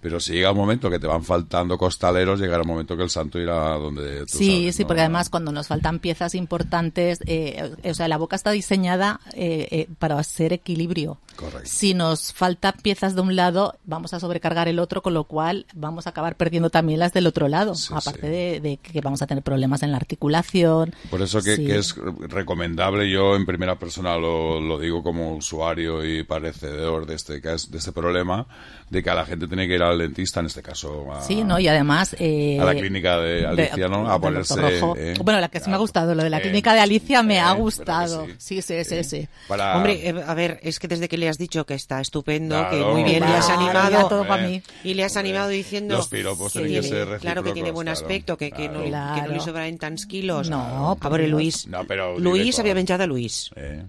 [SPEAKER 22] Pero si llega un momento que te van faltando costaleros, llegará un momento que el santo irá donde tú
[SPEAKER 2] Sí,
[SPEAKER 22] sabes,
[SPEAKER 2] sí,
[SPEAKER 22] ¿no?
[SPEAKER 2] porque además cuando nos faltan piezas importantes, eh, o sea, la boca está diseñada eh, eh, para ser equilibrio.
[SPEAKER 22] Correcto.
[SPEAKER 2] Si nos faltan piezas de un lado, vamos a sobrecargar el otro, con lo cual vamos a acabar perdiendo también las del otro lado, aparte de, de que vamos a tener problemas en la articulación.
[SPEAKER 22] Por eso que,
[SPEAKER 2] Sí.
[SPEAKER 22] que es recomendable, yo en primera persona lo, lo digo como usuario y padecedor de este, cas- de este problema, de que a la gente tiene que ir al dentista, en este caso a,
[SPEAKER 2] Sí, ¿no? Y además... eh,
[SPEAKER 22] a la clínica de Alicia, ¿no? A
[SPEAKER 2] del
[SPEAKER 22] ponerse...
[SPEAKER 2] Doctor Rojo.
[SPEAKER 22] eh,
[SPEAKER 2] Bueno, la que sí me ha gustado, lo de la
[SPEAKER 22] eh,
[SPEAKER 2] clínica de Alicia me
[SPEAKER 22] eh,
[SPEAKER 2] ha
[SPEAKER 22] ¿verdad que
[SPEAKER 2] gustado. Sí, sí, sí, sí.
[SPEAKER 22] Para-
[SPEAKER 4] Hombre, eh, a ver, es que desde que le has dicho que está estupendo,
[SPEAKER 22] Claro,
[SPEAKER 4] que muy bien, le has
[SPEAKER 22] claro,
[SPEAKER 4] animado
[SPEAKER 22] ya todo pa' mí.
[SPEAKER 4] y le has animado diciendo
[SPEAKER 22] Los piropos
[SPEAKER 4] que
[SPEAKER 22] tienen que
[SPEAKER 4] tiene-
[SPEAKER 22] ser
[SPEAKER 4] claro que tiene
[SPEAKER 22] recíprocos,
[SPEAKER 4] buen
[SPEAKER 22] claro,
[SPEAKER 4] aspecto, que, que, no,
[SPEAKER 22] claro.
[SPEAKER 4] que no le
[SPEAKER 2] Claro.
[SPEAKER 4] sobran tants quilos.
[SPEAKER 2] No,
[SPEAKER 4] a veure, Luis.
[SPEAKER 22] No, però
[SPEAKER 4] Luis
[SPEAKER 22] diré
[SPEAKER 4] havia
[SPEAKER 22] tot.
[SPEAKER 4] menjat a Luis.
[SPEAKER 22] Eh,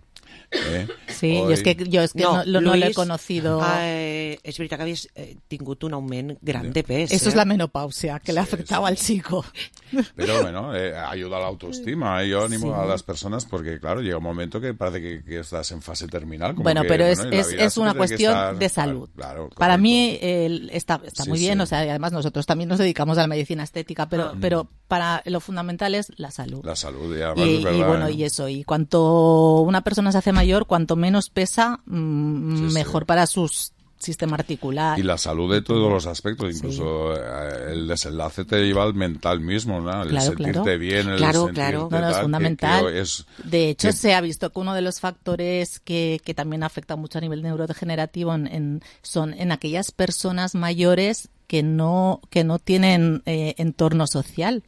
[SPEAKER 22] eh,
[SPEAKER 2] Sí,
[SPEAKER 22] hoy-
[SPEAKER 2] yo es que, yo es que no, lo- no lo he
[SPEAKER 4] Luis,
[SPEAKER 2] conocido.
[SPEAKER 4] Eh, és veritat que havies eh, tingut un augment gran de pes.
[SPEAKER 2] Eso
[SPEAKER 4] eh?
[SPEAKER 2] es la menopausia que le afectaba al chico.
[SPEAKER 22] Pero bueno, eh, ayuda a la autoestima. eh. Yo animo
[SPEAKER 2] Sí.
[SPEAKER 22] a las personas porque, claro, llega un momento que parece que, que estás en fase terminal. como
[SPEAKER 2] Bueno,
[SPEAKER 22] que,
[SPEAKER 2] pero es,
[SPEAKER 22] bueno, y la
[SPEAKER 2] es,
[SPEAKER 22] vida
[SPEAKER 2] es
[SPEAKER 22] siempre
[SPEAKER 2] una
[SPEAKER 22] tiene que
[SPEAKER 2] cuestión
[SPEAKER 22] estar-
[SPEAKER 2] de salud.
[SPEAKER 22] Claro,
[SPEAKER 2] Para mí el- está, está
[SPEAKER 22] Sí,
[SPEAKER 2] muy bien,
[SPEAKER 22] sí.
[SPEAKER 2] o sea, y además nosotros también nos dedicamos a la medicina estética, pero,
[SPEAKER 22] Ah.
[SPEAKER 2] pero para lo fundamental es la salud.
[SPEAKER 22] La salud, y además
[SPEAKER 2] Y,
[SPEAKER 22] es
[SPEAKER 2] y
[SPEAKER 22] verdad,
[SPEAKER 2] bueno,
[SPEAKER 22] ¿eh?
[SPEAKER 2] y eso, y cuanto una persona se hace mayor, cuanto menos pesa, mm,
[SPEAKER 22] Sí, sí.
[SPEAKER 2] mejor para su sistema articular.
[SPEAKER 22] Y la salud de todos los aspectos, incluso eh, el desenlace te lleva al mental mismo, ¿no? El
[SPEAKER 2] Claro,
[SPEAKER 22] sentirte
[SPEAKER 2] claro.
[SPEAKER 22] bien, el
[SPEAKER 2] Claro,
[SPEAKER 22] sentirte
[SPEAKER 2] claro. No, no, es
[SPEAKER 22] tal, que-
[SPEAKER 2] fundamental.
[SPEAKER 22] que es-
[SPEAKER 2] De hecho,
[SPEAKER 22] que-
[SPEAKER 2] se ha visto que uno de los factores que, que también afecta mucho a nivel neurodegenerativo en, en- son en aquellas personas mayores que no, que no tienen eh, entorno social.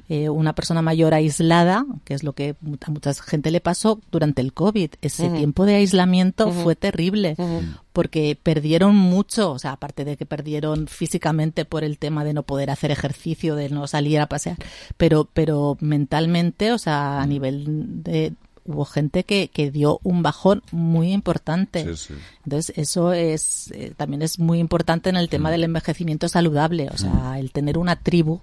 [SPEAKER 2] Eh, una persona mayor aislada, que es lo que a mucha gente le pasó durante el COVID. Ese
[SPEAKER 4] Ujú.
[SPEAKER 2] tiempo de aislamiento
[SPEAKER 4] Ujú.
[SPEAKER 2] fue terrible,
[SPEAKER 4] Ujú.
[SPEAKER 2] porque perdieron mucho, o sea, aparte de que perdieron físicamente por el tema de no poder hacer ejercicio, de no salir a pasear, pero, pero mentalmente, o sea, a nivel de... Hubo gente que, que dio un bajón muy importante.
[SPEAKER 22] Sí, sí.
[SPEAKER 2] Entonces, eso es eh, también es muy importante en el tema del envejecimiento saludable, o sea, el tener una tribu.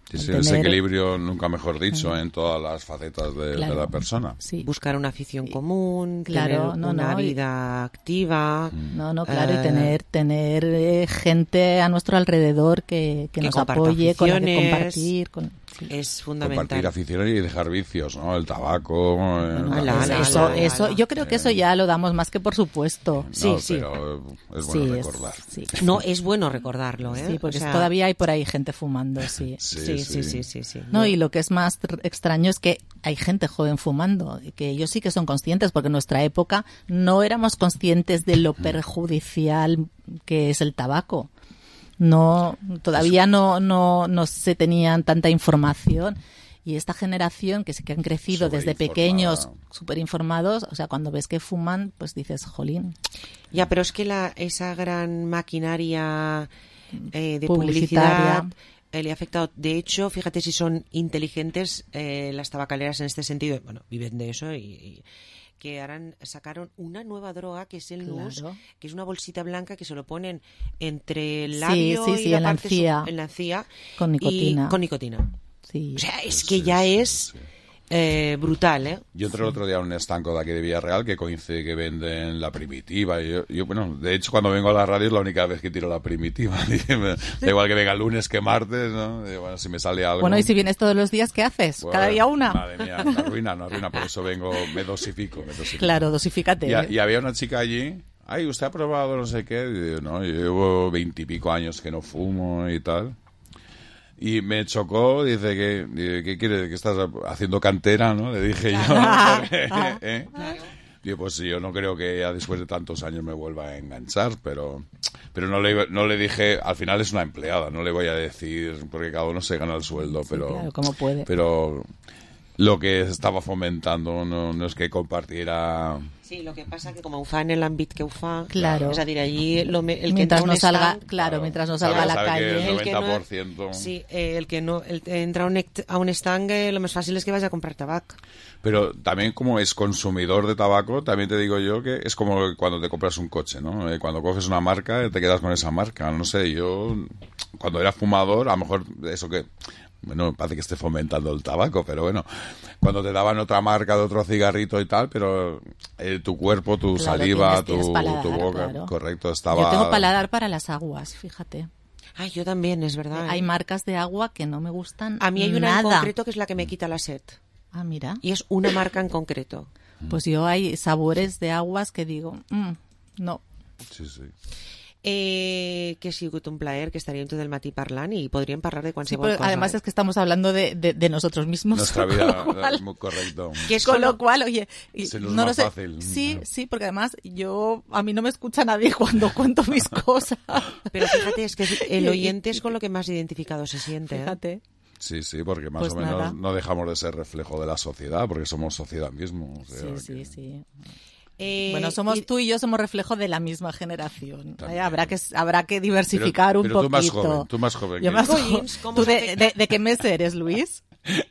[SPEAKER 22] Sí,
[SPEAKER 2] el
[SPEAKER 22] sí, ese
[SPEAKER 2] tener-
[SPEAKER 22] equilibrio, nunca mejor dicho, en todas las facetas de, de
[SPEAKER 2] Claro.
[SPEAKER 22] la persona.
[SPEAKER 2] Sí.
[SPEAKER 4] Buscar una afición común,
[SPEAKER 2] Claro,
[SPEAKER 4] tener
[SPEAKER 2] no,
[SPEAKER 4] una
[SPEAKER 2] no, y-
[SPEAKER 4] vida activa.
[SPEAKER 2] No, no, claro, y
[SPEAKER 4] eh,
[SPEAKER 2] tener tener eh, gente a nuestro alrededor que, que
[SPEAKER 4] que
[SPEAKER 2] nos
[SPEAKER 4] comparta
[SPEAKER 2] apoye, con la que
[SPEAKER 4] aficiones.
[SPEAKER 2] compartir. Con...
[SPEAKER 4] Es
[SPEAKER 22] Compartir
[SPEAKER 4] fundamental.
[SPEAKER 22] aficiones y dejar vicios, ¿no? El tabaco. eh,
[SPEAKER 2] No,
[SPEAKER 22] la-
[SPEAKER 2] es-
[SPEAKER 4] ala,
[SPEAKER 2] eso,
[SPEAKER 4] ala,
[SPEAKER 2] eso,
[SPEAKER 4] ala.
[SPEAKER 2] yo creo que eso ya lo damos más que por supuesto.
[SPEAKER 22] No, pero es bueno
[SPEAKER 2] Sí, es-
[SPEAKER 22] recordar.
[SPEAKER 2] sí.
[SPEAKER 4] No, es bueno recordarlo, ¿eh?
[SPEAKER 2] Sí, porque
[SPEAKER 4] O sea,
[SPEAKER 2] todavía hay por ahí gente fumando, sí.
[SPEAKER 4] Sí, sí, sí, sí, sí.
[SPEAKER 2] No, y lo que es más tr- extraño es que hay gente joven fumando, y que ellos sí que son conscientes, porque en nuestra época no éramos conscientes de lo perjudicial que es el tabaco. No, todavía no, no, no se tenían tanta información. Y esta generación que sí que han crecido desde pequeños, súper informados, o sea, cuando ves que fuman, pues dices, jolín.
[SPEAKER 4] Ya, pero es que la, esa gran maquinaria eh, de
[SPEAKER 2] Publicitaria.
[SPEAKER 4] publicidad eh, le ha afectado. De hecho, fíjate si son inteligentes eh, las tabacaleras en este sentido. Bueno, viven de eso y, y que harán, sacaron una nueva droga que es el nus,
[SPEAKER 2] Claro.
[SPEAKER 4] que es una bolsita blanca que se lo ponen entre el
[SPEAKER 2] Sí,
[SPEAKER 4] labio
[SPEAKER 2] sí,
[SPEAKER 4] y
[SPEAKER 2] sí,
[SPEAKER 4] la
[SPEAKER 2] en la
[SPEAKER 4] parte su-
[SPEAKER 2] encía.
[SPEAKER 4] en la encía
[SPEAKER 2] Con
[SPEAKER 4] y
[SPEAKER 2] nicotina.
[SPEAKER 4] con nicotina.
[SPEAKER 2] Sí.
[SPEAKER 4] O sea, es que ya es eh, brutal, ¿eh?
[SPEAKER 22] Yo entré el otro día a un estanco de aquí de Villarreal que coincide que venden la primitiva. Y yo, yo, bueno, de hecho, cuando vengo a la radio es la única vez que tiro la primitiva. Da igual que venga lunes que martes, ¿no? Y bueno, si me sale algo...
[SPEAKER 2] Bueno, y si vienes todos los días, ¿qué haces?
[SPEAKER 22] Bueno,
[SPEAKER 2] ¿Cada día una?
[SPEAKER 22] Madre mía, una ruina, una ruina. Por eso vengo, me dosifico, me dosifico.
[SPEAKER 2] Claro, dosifícate.
[SPEAKER 22] Y,
[SPEAKER 2] ¿eh?
[SPEAKER 22] y había una chica allí... Ay, ¿usted ha probado no sé qué? Y yo, no, yo llevo veintipico años que no fumo y tal. Y me chocó, dice que, dice, ¿qué quieres? Que estás haciendo cantera, ¿no? Le dije yo. Porque, ¿eh? Digo, pues sí, yo no creo que ya después de tantos años me vuelva a enganchar, pero pero no le, no le dije, al final es una empleada, no le voy a decir, porque cada uno se gana el sueldo,
[SPEAKER 2] Sí,
[SPEAKER 22] pero...
[SPEAKER 2] claro, como puede.
[SPEAKER 22] Pero lo que estaba fomentando no, no es que compartiera...
[SPEAKER 4] Sí, lo que pasa que como ho fa en el àmbit que ho fa,
[SPEAKER 2] Claro.
[SPEAKER 4] és a dir, allí lo me, el
[SPEAKER 2] Mientras
[SPEAKER 4] que
[SPEAKER 2] no
[SPEAKER 4] entra a un
[SPEAKER 2] salga,
[SPEAKER 4] estanc-
[SPEAKER 2] claro, mientras no salga a la
[SPEAKER 22] sabe que
[SPEAKER 2] calle.
[SPEAKER 22] el
[SPEAKER 4] El que no-
[SPEAKER 22] noventa por ciento...
[SPEAKER 4] Sí, eh, el que no el, entra a un, ect- a un estanc, eh, lo más fácil es que vayas a comprar tabac.
[SPEAKER 22] Pero también como es consumidor de tabaco, también te digo yo que es como cuando te compras un coche, ¿no? Eh, cuando coges una marca, te quedas con esa marca. No sé, yo cuando era fumador, a lo mejor eso que... Bueno, parece que esté fomentando el tabaco, pero bueno, cuando te daban otra marca de otro cigarrito y tal, pero eh, tu cuerpo, tu
[SPEAKER 2] Claro,
[SPEAKER 22] saliva,
[SPEAKER 2] tienes- tienes
[SPEAKER 22] tu,
[SPEAKER 2] paladar,
[SPEAKER 22] tu boca,
[SPEAKER 2] claro.
[SPEAKER 22] correcto, estaba...
[SPEAKER 2] Yo tengo paladar para las aguas, fíjate.
[SPEAKER 4] Ay, yo también, es verdad.
[SPEAKER 2] Hay
[SPEAKER 4] ¿eh?
[SPEAKER 2] marcas de agua que no me gustan
[SPEAKER 4] A mí hay una
[SPEAKER 2] nada.
[SPEAKER 4] en concreto que es la que me quita la sed.
[SPEAKER 2] Ah, mira.
[SPEAKER 4] Y es una marca en concreto.
[SPEAKER 2] Pues yo hay sabores de aguas que digo, mm, no.
[SPEAKER 22] Sí, sí.
[SPEAKER 4] Eh, que ha sigut un plaer, que estaríem tot el matí parlant i podríem parlar de
[SPEAKER 2] Sí,
[SPEAKER 4] qualsevol
[SPEAKER 2] pero
[SPEAKER 4] cosa.
[SPEAKER 2] además
[SPEAKER 4] eh?
[SPEAKER 2] es que estamos hablando de, de, de nosotros mismos.
[SPEAKER 22] Nuestra
[SPEAKER 2] con
[SPEAKER 22] vida,
[SPEAKER 2] lo cual-
[SPEAKER 22] es muy correcto.
[SPEAKER 4] Que es
[SPEAKER 2] con
[SPEAKER 4] con
[SPEAKER 2] lo
[SPEAKER 4] lo-
[SPEAKER 2] cual, oye, y
[SPEAKER 22] Se nos
[SPEAKER 2] no
[SPEAKER 22] va
[SPEAKER 2] lo sé.
[SPEAKER 22] fácil.
[SPEAKER 2] Sí, sí, porque además yo a mí no me escucha nadie cuando cuento mis cosas.
[SPEAKER 4] Pero fíjate, es que el oyente es con lo que más identificado se siente. ¿eh?
[SPEAKER 2] Fíjate.
[SPEAKER 22] Sí, sí, porque más
[SPEAKER 2] Pues
[SPEAKER 22] o menos
[SPEAKER 2] nada.
[SPEAKER 22] no dejamos de ser reflejo de la sociedad, porque somos sociedad mismo. o sea
[SPEAKER 2] Sí,
[SPEAKER 22] que-
[SPEAKER 2] sí, sí.
[SPEAKER 4] Eh,
[SPEAKER 2] Bueno, somos
[SPEAKER 4] y-
[SPEAKER 2] tú y yo somos reflejo de la misma generación.
[SPEAKER 22] También.
[SPEAKER 2] Eh, habrá que habrá que diversificar
[SPEAKER 22] Pero-
[SPEAKER 2] un
[SPEAKER 22] pero tú más
[SPEAKER 2] poquito.
[SPEAKER 22] joven, tú más joven
[SPEAKER 2] Yo
[SPEAKER 22] que
[SPEAKER 2] más
[SPEAKER 22] yo.
[SPEAKER 2] jo-
[SPEAKER 4] Collins, ¿cómo
[SPEAKER 2] ¿Tú
[SPEAKER 4] se
[SPEAKER 2] de,
[SPEAKER 4] afecta?
[SPEAKER 2] de- de qué mes eres, Luis?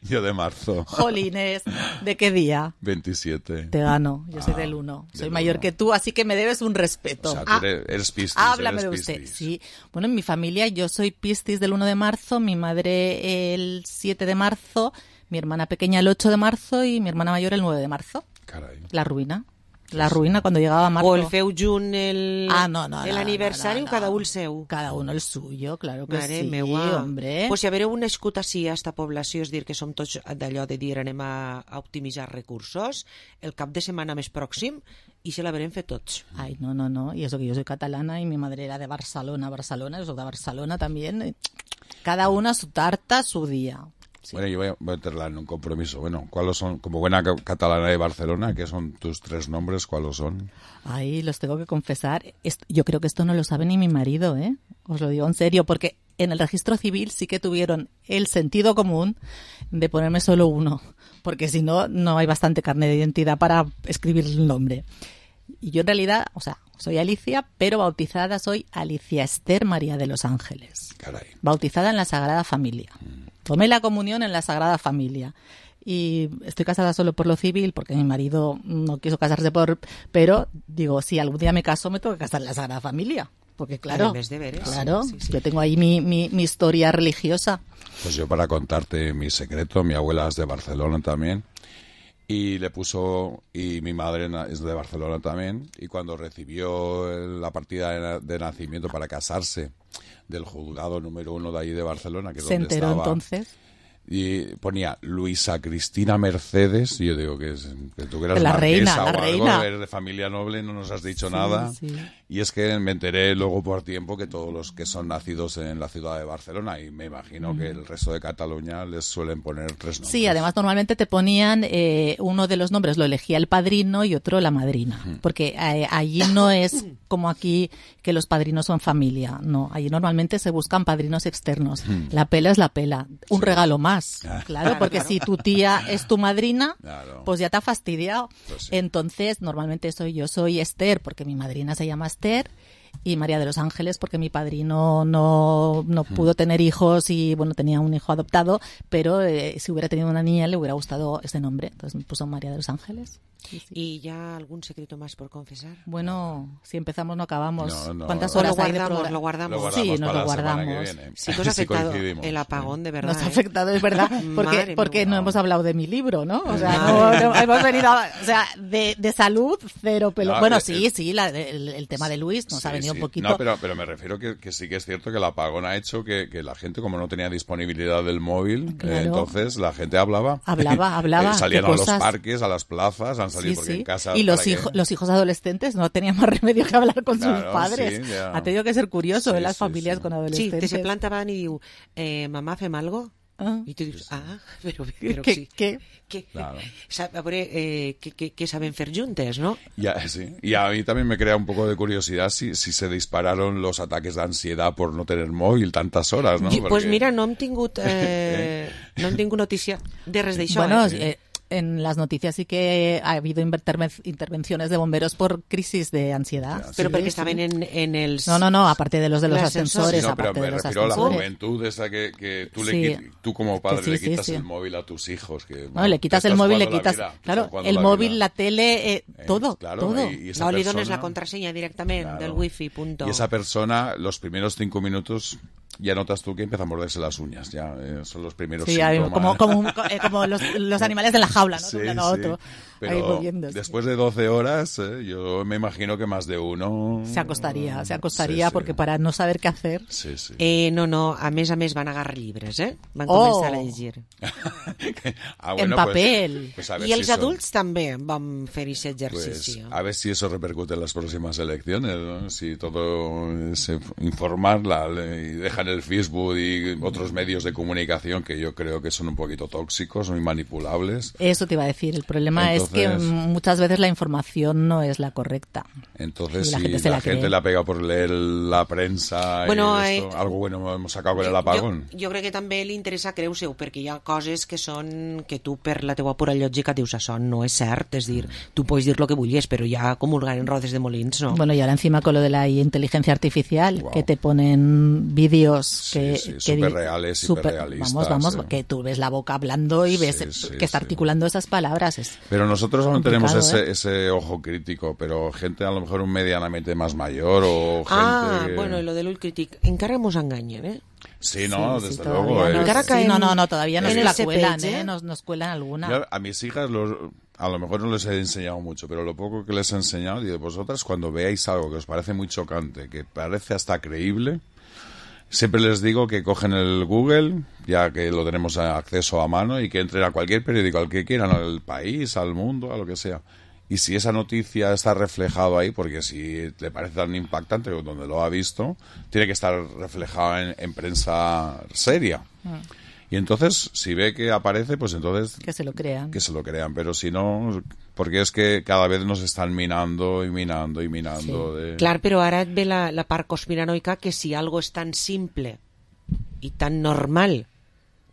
[SPEAKER 22] Yo de marzo.
[SPEAKER 2] Jolines, ¿de qué día?
[SPEAKER 22] veintisiete.
[SPEAKER 2] Te gano, yo soy
[SPEAKER 22] Ah,
[SPEAKER 2] del uno. Soy
[SPEAKER 22] del
[SPEAKER 2] mayor
[SPEAKER 22] uno.
[SPEAKER 2] que tú, así que me debes un respeto.
[SPEAKER 22] O sea, tú
[SPEAKER 2] Ah,
[SPEAKER 22] eres, eres piscis,
[SPEAKER 2] háblame
[SPEAKER 22] eres
[SPEAKER 2] de usted.
[SPEAKER 22] piscis.
[SPEAKER 2] Sí. Bueno, en mi familia yo soy Piscis del uno de marzo, mi madre el siete de marzo, mi hermana pequeña el ocho de marzo y mi hermana mayor el nueve de marzo.
[SPEAKER 22] Caray.
[SPEAKER 2] La ruïna. La ruïna cuando llegaba marzo.
[SPEAKER 4] O el feu junt el,
[SPEAKER 2] Ah, no, no,
[SPEAKER 4] el
[SPEAKER 2] no,
[SPEAKER 4] aniversari
[SPEAKER 2] no, no,
[SPEAKER 4] o cada
[SPEAKER 2] no.
[SPEAKER 4] un el seu?
[SPEAKER 2] Cada uno el suyo, claro que
[SPEAKER 4] Mare
[SPEAKER 2] sí,
[SPEAKER 4] meua.
[SPEAKER 2] hombre.
[SPEAKER 4] Pues si havereu nascut així a esta població, és dir, que som tots d'allò de dir anem a, a optimitzar recursos, el cap de setmana més pròxim i se l'haverem fet tots.
[SPEAKER 2] Ay, no, no, no. Y eso que yo soy catalana y mi madre era de Barcelona, Barcelona, yo soy de Barcelona también. Cada una su tarta, su día. Sí.
[SPEAKER 22] Bueno, yo voy a voy a meterla en un compromiso. Bueno, ¿cuáles son, como buena ca- catalana de Barcelona, qué son tus tres nombres? ¿Cuáles son?
[SPEAKER 2] Ay, los tengo que confesar. Est- Yo creo que esto no lo sabe ni mi marido, ¿eh? Os lo digo en serio, porque en el registro civil sí que tuvieron el sentido común de ponerme solo uno, porque si no, no hay bastante carne de identidad para escribir el nombre. Y yo en realidad, o sea, soy Alicia, pero bautizada soy Alicia Esther María de los Ángeles.
[SPEAKER 22] Caray.
[SPEAKER 2] Bautizada en la Sagrada Familia. Tomé la comunión en la Sagrada Familia. Y estoy casada solo por lo civil, porque mi marido no quiso casarse por... Pero, digo, si algún día me caso, me tengo que casar en la Sagrada Familia. Porque, claro,
[SPEAKER 4] Además de veres.
[SPEAKER 2] claro,
[SPEAKER 4] Sí, sí.
[SPEAKER 2] yo tengo ahí mi, mi, mi historia religiosa.
[SPEAKER 22] Pues yo para contarte mi secreto, mi abuela es de Barcelona también. Y le puso, y mi madre na- es de Barcelona también, y cuando recibió el- la partida de, na- de nacimiento para casarse del juzgado número uno de ahí de Barcelona, que es
[SPEAKER 2] Se
[SPEAKER 22] donde
[SPEAKER 2] enteró
[SPEAKER 22] estaba,
[SPEAKER 2] entonces.
[SPEAKER 22] y ponía Luisa Cristina Mercedes, y yo digo que, es, que tú que eras
[SPEAKER 2] La reina,
[SPEAKER 22] marquesa
[SPEAKER 2] la
[SPEAKER 22] o algo,
[SPEAKER 2] reina.
[SPEAKER 22] eres de familia noble, no nos has dicho
[SPEAKER 2] Sí,
[SPEAKER 22] nada.
[SPEAKER 2] sí.
[SPEAKER 22] Y es que me enteré luego por tiempo que todos los que son nacidos en la ciudad de Barcelona, y me imagino que el resto de Cataluña les suelen poner tres nombres.
[SPEAKER 2] Sí, además normalmente te ponían eh, uno de los nombres, lo elegía el padrino y otro la madrina, porque eh, allí no es como aquí que los padrinos son familia, no, allí normalmente se buscan padrinos externos. La pela es la pela, un regalo más, claro, porque si tu tía es tu madrina,
[SPEAKER 22] Claro.
[SPEAKER 2] pues ya te ha fastidiado.
[SPEAKER 22] Pues sí.
[SPEAKER 2] Entonces, normalmente soy yo soy Esther, porque mi madrina se llama Esther. y María de los Ángeles, porque mi padrino no, no pudo tener hijos y, bueno, tenía un hijo adoptado, pero eh, si hubiera tenido una niña le hubiera gustado ese nombre. Entonces me puso María de los Ángeles. Sí, sí.
[SPEAKER 4] ¿Y ya algún secreto más por confesar?
[SPEAKER 2] Bueno, si empezamos no acabamos.
[SPEAKER 22] No, no.
[SPEAKER 2] ¿Cuántas
[SPEAKER 4] O
[SPEAKER 2] horas
[SPEAKER 4] lo
[SPEAKER 2] hay de
[SPEAKER 4] guardamos,
[SPEAKER 2] programa?
[SPEAKER 4] lo guardamos.
[SPEAKER 22] Lo guardamos
[SPEAKER 2] Sí, nos
[SPEAKER 22] para
[SPEAKER 2] lo
[SPEAKER 22] la semana que
[SPEAKER 2] guardamos.
[SPEAKER 22] viene.
[SPEAKER 4] Sí que os ha
[SPEAKER 22] Si
[SPEAKER 4] afectado
[SPEAKER 22] coincidimos.
[SPEAKER 4] el apagón, de verdad.
[SPEAKER 2] Nos ha
[SPEAKER 4] ¿eh?
[SPEAKER 2] afectado, es verdad, porque,
[SPEAKER 4] Madre
[SPEAKER 2] porque
[SPEAKER 4] mía.
[SPEAKER 2] no hemos hablado de mi libro, ¿no? O sea,
[SPEAKER 4] Madre
[SPEAKER 2] no, no, hemos venido, a- o sea, de, de salud, cero pelo.
[SPEAKER 22] No,
[SPEAKER 2] bueno,
[SPEAKER 22] eh,
[SPEAKER 2] sí,
[SPEAKER 22] eh,
[SPEAKER 2] sí, la- el, el tema de Luis nos
[SPEAKER 22] Sí,
[SPEAKER 2] ha venido
[SPEAKER 22] sí.
[SPEAKER 2] un poquito.
[SPEAKER 22] No, pero, pero me refiero que, que sí que es cierto que el apagón ha hecho que, que la gente, como no tenía disponibilidad del móvil,
[SPEAKER 2] Claro.
[SPEAKER 22] eh, entonces la gente hablaba.
[SPEAKER 2] Hablaba, hablaba,
[SPEAKER 22] Eh, salían
[SPEAKER 2] qué
[SPEAKER 22] a los
[SPEAKER 2] cosas.
[SPEAKER 22] parques, a las plazas, han salido
[SPEAKER 2] Sí,
[SPEAKER 22] porque
[SPEAKER 2] sí.
[SPEAKER 22] en casa...
[SPEAKER 2] Y los,
[SPEAKER 22] ¿para qué?
[SPEAKER 2] hijos, los hijos adolescentes no tenían más remedio que hablar con
[SPEAKER 22] Claro,
[SPEAKER 2] sus padres.
[SPEAKER 22] sí, ya.
[SPEAKER 2] Ha tenido que ser curioso
[SPEAKER 22] Sí,
[SPEAKER 2] en las
[SPEAKER 22] sí,
[SPEAKER 2] familias
[SPEAKER 22] sí.
[SPEAKER 2] con
[SPEAKER 4] Sí,
[SPEAKER 2] adolescentes.
[SPEAKER 4] te se plantaban y diu, eh, mamá, fem algo?
[SPEAKER 2] Ah.
[SPEAKER 4] I tu dius, ah, però, però
[SPEAKER 2] ¿Qué-
[SPEAKER 4] sí.
[SPEAKER 2] qué?
[SPEAKER 4] ¿Qué?
[SPEAKER 22] Claro.
[SPEAKER 4] Sa- A veure, eh, què, què, què saben fer juntes, no?
[SPEAKER 22] Ya, sí. Y a mí también me crea un poco de curiosidad si, si se dispararon los ataques de ansiedad por no tener móvil tantas horas, ¿no?
[SPEAKER 4] I,
[SPEAKER 22] Porque-
[SPEAKER 4] Pues mira, no hem tingut, eh, no hem tingut notícia de res d'això.
[SPEAKER 2] Bueno,
[SPEAKER 4] eh?
[SPEAKER 2] eh, en las noticias sí que ha habido interven- intervenciones de bomberos por crisis de ansiedad.
[SPEAKER 4] Però
[SPEAKER 2] Sí,
[SPEAKER 4] perquè
[SPEAKER 2] sí.
[SPEAKER 4] estaven en, en els...
[SPEAKER 2] No, no, no, aparte de los de los
[SPEAKER 4] L'ascensor.
[SPEAKER 2] ascensores,
[SPEAKER 22] Sí, no, pero
[SPEAKER 2] aparte
[SPEAKER 22] me
[SPEAKER 2] de los
[SPEAKER 22] refiero a la
[SPEAKER 2] ascensores.
[SPEAKER 22] juventud esa que, que tú, le
[SPEAKER 2] Sí.
[SPEAKER 22] quit- tú como padre
[SPEAKER 2] Que sí,
[SPEAKER 22] le
[SPEAKER 2] sí,
[SPEAKER 22] quitas
[SPEAKER 2] sí.
[SPEAKER 22] el móvil a tus hijos. Que,
[SPEAKER 2] No,
[SPEAKER 22] bueno,
[SPEAKER 2] le quitas
[SPEAKER 22] te
[SPEAKER 2] el
[SPEAKER 22] estás
[SPEAKER 2] móvil, le
[SPEAKER 22] jugando la
[SPEAKER 2] quitas,
[SPEAKER 22] vida, te
[SPEAKER 2] claro,
[SPEAKER 22] estás jugando
[SPEAKER 2] el
[SPEAKER 22] la
[SPEAKER 2] móvil,
[SPEAKER 22] vida.
[SPEAKER 2] la tele, eh,
[SPEAKER 22] Eh,
[SPEAKER 2] todo,
[SPEAKER 22] claro,
[SPEAKER 2] todo.
[SPEAKER 22] y- y esa
[SPEAKER 4] No li dones
[SPEAKER 22] persona-
[SPEAKER 4] la contrasenya directament
[SPEAKER 22] Claro.
[SPEAKER 4] del wifi, punto.
[SPEAKER 22] Y esa persona, los primeros cinco minutos, ya notas tú que empieza a morderse las uñas. Ya eh, son los primeros
[SPEAKER 2] Sí, hay-
[SPEAKER 22] síntomas.
[SPEAKER 2] como, como, un- eh, como los, los animales de la jaula, ¿no?
[SPEAKER 22] Sí,
[SPEAKER 2] De un lado a
[SPEAKER 22] sí.
[SPEAKER 2] otro. Ahí
[SPEAKER 22] Pero
[SPEAKER 2] moviéndose.
[SPEAKER 22] después de doce horas, eh, yo me imagino que más de uno...
[SPEAKER 2] Se acostaría, se acostaría
[SPEAKER 22] Sí, sí.
[SPEAKER 2] porque para no saber qué hacer.
[SPEAKER 22] Sí, sí.
[SPEAKER 4] Eh, no, no, a més a més van agarrar llibres, eh? Van
[SPEAKER 2] Oh.
[SPEAKER 4] començar a llegir.
[SPEAKER 22] Ah,
[SPEAKER 2] En
[SPEAKER 22] pues-
[SPEAKER 2] papel.
[SPEAKER 22] pues a ver
[SPEAKER 4] I
[SPEAKER 22] si
[SPEAKER 4] els
[SPEAKER 22] eso-
[SPEAKER 4] adults també van fer aquest
[SPEAKER 22] Pues
[SPEAKER 4] exercici.
[SPEAKER 22] a ver si eso repercute en las próximas elecciones, ¿no? Si todo es informarla y dejan el Facebook y otros medios de comunicación que yo creo que son un poquito tóxicos, muy manipulables.
[SPEAKER 2] Eso te iba a decir. El problema es que
[SPEAKER 22] Entonces-
[SPEAKER 2] mm, muchas veces la información no es la correcta.
[SPEAKER 22] Entonces,
[SPEAKER 2] Y la
[SPEAKER 22] si
[SPEAKER 2] gente
[SPEAKER 22] la,
[SPEAKER 2] se la
[SPEAKER 22] gente
[SPEAKER 2] cree.
[SPEAKER 22] la pega por leer la prensa
[SPEAKER 4] Bueno,
[SPEAKER 22] y esto,
[SPEAKER 4] eh,
[SPEAKER 22] algo bueno hemos sacado con el apagón.
[SPEAKER 4] Jo, jo crec que també li interessa creu-se-ho, perquè hi ha coses que són que tu, per la teua pura lògica, dius això no és cert, és dir, tu pots dir el que vulguis, però ja comulgar en rodes de molins, no?
[SPEAKER 2] Bueno, y ahora encima con lo de la inteligencia artificial, que te ponen vídeos que...
[SPEAKER 22] sí,
[SPEAKER 2] que
[SPEAKER 22] superreales,
[SPEAKER 2] super-
[SPEAKER 22] hiperrealistas,
[SPEAKER 2] Vamos, vamos,
[SPEAKER 22] eh.
[SPEAKER 2] que tú ves la boca hablando y ves
[SPEAKER 22] Sí, sí,
[SPEAKER 2] que está articulando esas palabras. Es
[SPEAKER 22] Pero nosotros aún tenemos
[SPEAKER 2] complicado,
[SPEAKER 22] ese,
[SPEAKER 2] ¿eh?
[SPEAKER 22] ese ojo crítico, pero gente a lo mejor un medianamente más mayor o gente
[SPEAKER 4] Ah,
[SPEAKER 22] que...
[SPEAKER 4] bueno, i lo de l'ull crític. Encara mos enganyen, eh?
[SPEAKER 22] Sí, no,
[SPEAKER 2] Sí, sí,
[SPEAKER 22] desde
[SPEAKER 2] todavía
[SPEAKER 22] luego.
[SPEAKER 2] no.
[SPEAKER 22] es-
[SPEAKER 4] Encara
[SPEAKER 2] Sí,
[SPEAKER 4] caen
[SPEAKER 2] no, no, no, todavía nos
[SPEAKER 4] en
[SPEAKER 2] la
[SPEAKER 4] ese
[SPEAKER 2] cuelan,
[SPEAKER 4] page,
[SPEAKER 2] ¿eh? Nos, nos cuelan alguna.
[SPEAKER 22] Yo a mis hijas los, a lo mejor no les he enseñado mucho, pero lo poco que les he enseñado, digo, vosotras cuando veáis algo que os parece muy chocante, que parece hasta creíble, siempre les digo que cogen el Google, ya que lo tenemos a acceso a mano, y que entren a cualquier periódico, al que quieran, al país, al mundo, a lo que sea. Y si esa noticia está reflejado ahí, porque si le parece tan impactante donde lo ha visto, tiene que estar reflejado en, en prensa seria. Y entonces, si ve que aparece, pues entonces
[SPEAKER 2] Que se lo crean.
[SPEAKER 22] que se lo crean. Pero si no, porque es que cada vez nos están minando y minando y minando. De...
[SPEAKER 4] Clar, però ara et ve la, la part conspiranoica que si algo és tan simple i tan normal,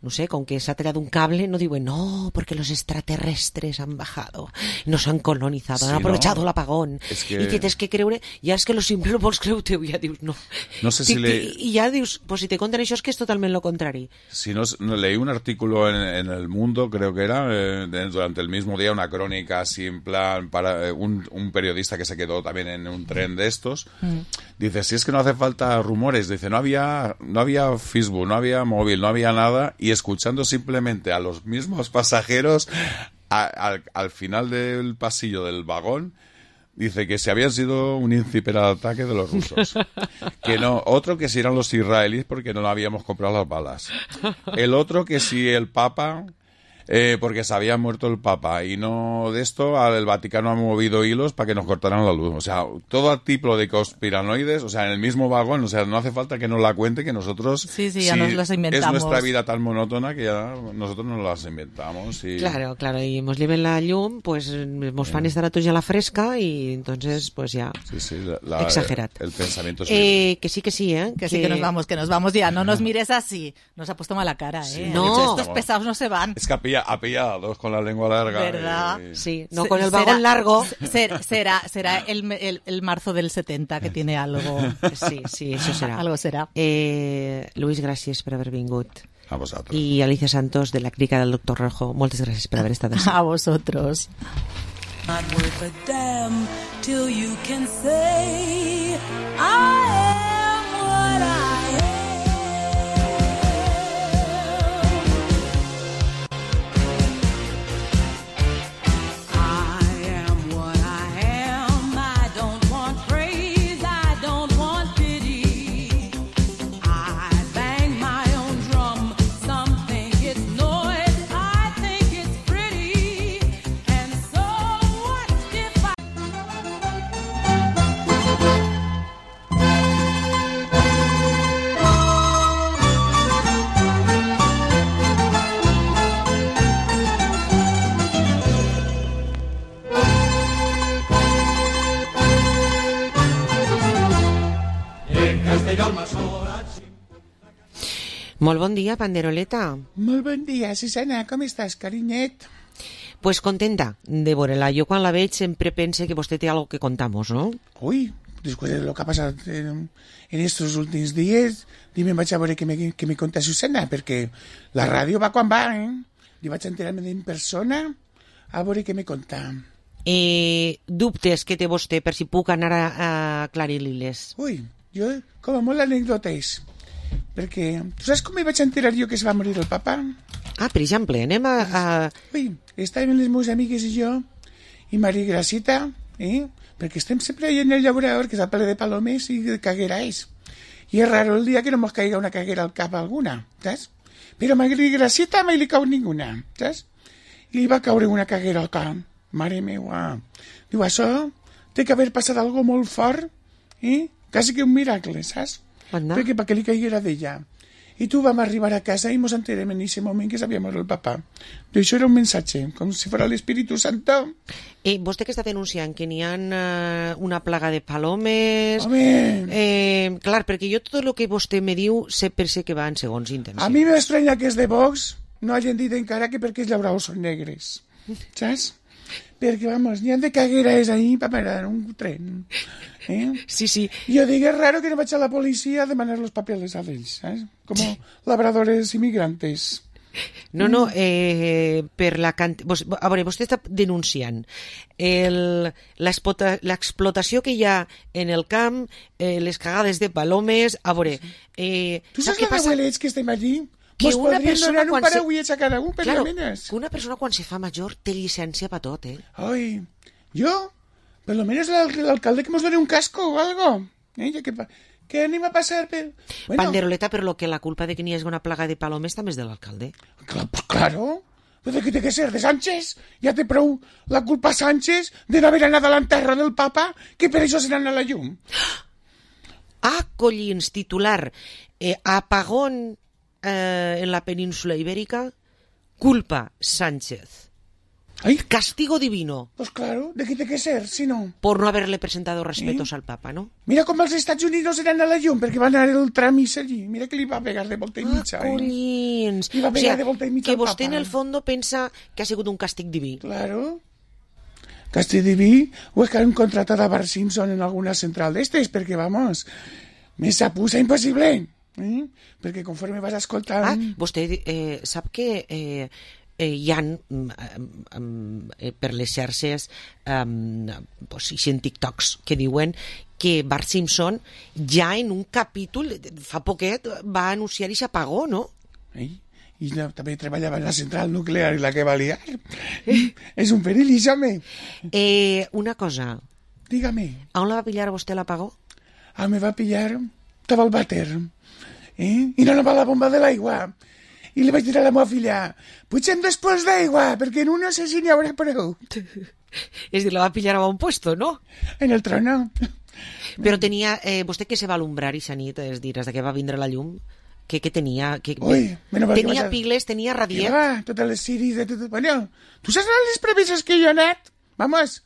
[SPEAKER 4] no sé, con que s'ha tallat un cable, no diuen, no, porque los extraterrestres han bajado, nos han colonizado,
[SPEAKER 22] Sí,
[SPEAKER 4] han aprovechado
[SPEAKER 22] ¿no?
[SPEAKER 4] el apagón.
[SPEAKER 22] Es que-
[SPEAKER 4] I te tens que creure, ja és que lo simple no vols creure-te, ja dius, no.
[SPEAKER 22] No sé si
[SPEAKER 4] Ti-
[SPEAKER 22] le...
[SPEAKER 4] ti- I ja dius, pues si te conten això és que és totalment lo contrari.
[SPEAKER 22] Si no, no, leí un artículo en, en El Mundo, creo que era, eh, de- durante el mismo día, una crónica así en plan, para eh, un, un periodista que se quedó también en un tren de estos, dice, si es que no hace falta rumores, dice, no había, no había Facebook, no había móvil, no había nada, y escuchando simplemente a los mismos pasajeros, a- al, al final del pasillo del vagón, dice que si habían sido un inciberataque de los rusos. Que no, otro que si eran los israelíes porque no habíamos comprado las balas. El otro que si el Papa, eh, porque se había muerto el Papa. Y no de esto, al- el Vaticano ha movido hilos para que nos cortaran la luz. O sea, todo tipo de conspiranoides, o sea, en el mismo vagón. O sea, no hace falta que nos la cuente, que nosotros...
[SPEAKER 2] Sí, sí, ya nos las inventamos.
[SPEAKER 22] Es nuestra vida tan monótona que ya nosotros nos las inventamos. Y...
[SPEAKER 4] Claro, claro, i mos lleven la llum, pues mos fan estar a tots a la fresca i entonces, pues ya,
[SPEAKER 22] Sí, sí, la- la-
[SPEAKER 4] exagerat.
[SPEAKER 22] El pensamiento es
[SPEAKER 4] Eh, que sí, que sí, ¿eh?
[SPEAKER 2] Que sí, que nos vamos, que nos vamos ya. No nos mires así. Nos ha puesto mala cara, ¿eh?
[SPEAKER 22] Sí.
[SPEAKER 2] Ha
[SPEAKER 4] No.
[SPEAKER 2] dicho, estos pesados no se van.
[SPEAKER 22] Es que había, apillados con la lengua larga.
[SPEAKER 2] ¿Verdad?
[SPEAKER 22] Y...
[SPEAKER 4] Sí, no con el vagón será, largo.
[SPEAKER 2] Será, será, será el, el, el marzo del setenta que tiene algo.
[SPEAKER 4] Sí, sí, això serà.
[SPEAKER 2] Algo serà.
[SPEAKER 4] Eh, Luis, gràcies per haver vingut.
[SPEAKER 22] A vosaltres.
[SPEAKER 4] I Alicia Santos, de la clínica del doctor Rojo, moltes gràcies per haver estat així.
[SPEAKER 2] A vosotros.
[SPEAKER 21] Not worth a damn till you can say I am what I am. I am what I am. I don't want praise, I don't want pity. I bang my own drum. Some think it's noise, I think it's pretty. And so what if I...
[SPEAKER 4] Molt bon dia, Panderoleta.
[SPEAKER 7] Molt bon dia, Susana, com estàs, carinyet?
[SPEAKER 4] Pues contenta de veure-la. Jo quan la veig sempre pense que vostè té algo que contamos, ¿no?
[SPEAKER 7] Uy, después de lo que ha pasado en, en estos últimos días, dime vaig a veure què me, què me conta Susana, perquè la ràdio va quan va, eh? I vaig enterar-me en persona a veure què me conta.
[SPEAKER 4] Eh, dubtes que té vostè per si puc anar a, a aclarir-li-les?
[SPEAKER 7] Ui, jo com a molt anècdotes, perquè tu saps com me vaig enterar jo que es va morir el papa?
[SPEAKER 4] Ah, per exemple, anem a... a...
[SPEAKER 7] Ui, estàvem les meves amigues i jo, i Maria Gracita, eh? Perquè estem sempre allà en el llaurador, que és el ple de palomes i de caguerais. I és raro el dia que no mos caiga una caguera al cap alguna, saps? Però a Maria Gracita mai li cau ninguna, saps? I li va caure una caguerota, mare meua. Diu, això té que haver passat algo molt fort, eh? Quasi que un miracle, saps?
[SPEAKER 4] Anda.
[SPEAKER 7] Perquè perquè li caiguera d'ella. I tu vam arribar a casa i mos enterem en aquest moment que s'havia mort el papa. I això era un missatge, com si fos l'Espíritu Santo.
[SPEAKER 4] Eh, vostè que està denunciant que n'hi ha uh, una plaga de palomes...
[SPEAKER 7] Home!
[SPEAKER 4] Eh, clar, perquè jo tot el que vostè me diu sé per sé que va en segons intencions.
[SPEAKER 7] A mi m'estranya que és de Vox no hagin dit encara que perquè els llauraus són negres. Saps? Perquè, vamos, n'hi ha de cagueres ahí per parar un tren. Eh?
[SPEAKER 4] Sí, sí.
[SPEAKER 7] Jo dic, és raro que no vaig a la policia a demanar los papeles a ells, saps? Com labradores immigrantes.
[SPEAKER 4] No, no, eh, per la cant... A veure, vostè està denunciant l'explotació que hi ha en el camp, eh, les cagades de palomes... A veure... Eh,
[SPEAKER 7] tu saps els abuelets que estem allí?
[SPEAKER 4] Que
[SPEAKER 7] Mos
[SPEAKER 4] una persona
[SPEAKER 7] un
[SPEAKER 4] quan
[SPEAKER 7] parauiet a cada un per
[SPEAKER 4] claro,
[SPEAKER 7] la menes.
[SPEAKER 4] Que una persona quan se fa major té llicència per tot, eh?
[SPEAKER 7] Ai, jo, per lo menos l'alcalde que mos doni un casco o algo. Eh, ja que, que anem a passar per...
[SPEAKER 4] Bueno. Panderoleta, per lo que la culpa de que n'hi hagi una plaga de palomes també és de l'alcalde.
[SPEAKER 7] Claro, pues claro. Pues de què té que ser? De Sánchez? Ja té prou la culpa a Sánchez de no haver anat a l'enterra del papa, que per això se n'han a la llum.
[SPEAKER 4] Ah, collins, titular. Eh, apagón eh, en la península ibérica, culpa Sánchez.
[SPEAKER 7] Ay.
[SPEAKER 4] Castigo divino.
[SPEAKER 7] Pues claro, ¿de qué tiene que ser, si no?
[SPEAKER 4] Por no haberle presentado respetos
[SPEAKER 7] ¿Eh?
[SPEAKER 4] al Papa, ¿no?
[SPEAKER 7] Mira com els Estats Unidos eren a la llum, perquè van anar el tramis allí. Mira que li va pegar de volta i mitja.
[SPEAKER 4] Ah, collins.
[SPEAKER 7] Eh? Li va pegar o sea, de volta i mitja
[SPEAKER 4] que
[SPEAKER 7] al
[SPEAKER 4] vostè
[SPEAKER 7] Papa.
[SPEAKER 4] en el fondo pensa que ha sigut un càstig diví.
[SPEAKER 7] Claro. Càstig diví, o és que han contratat a Bart Simpson en alguna central d'estes, perquè, vamos, me s'apusa impossible. Eh? Perquè conforme vas escoltant...
[SPEAKER 4] Ah, vostè eh, sap que... Eh, Eh, hi ha um, um, eh, per les xarxes um, pues, en TikToks que diuen que Bart Simpson ja en un capítol fa poquet va anunciar i s'apagó, no?
[SPEAKER 7] Eh? I no, també treballava en la central nuclear i la que va liar. Eh? És un perill, home.
[SPEAKER 4] Eh, una cosa.
[SPEAKER 7] Dígame.
[SPEAKER 4] A on la va pillar vostè l'apagó?
[SPEAKER 7] Ah, me va pillar, estava al vàter. Eh? I no anava la bomba de l'aigua. I li vaig dir a la meva filla, pugem després d'aigua, perquè en un no sé si n'hi haurà prou.
[SPEAKER 4] És dir, la va pillar a un puesto, no?
[SPEAKER 7] En el trono.
[SPEAKER 4] Però tenia, eh, vostè que se va alumbrar ixa nit, és dir, des que va vindre la llum, que, que tenia... Que,
[SPEAKER 7] Ui,
[SPEAKER 4] tenia
[SPEAKER 7] que
[SPEAKER 4] piles, tenia radiet.
[SPEAKER 7] Va, totes les ciris de tot... Bueno, tu saps les premisses que jo he anat? Vamos,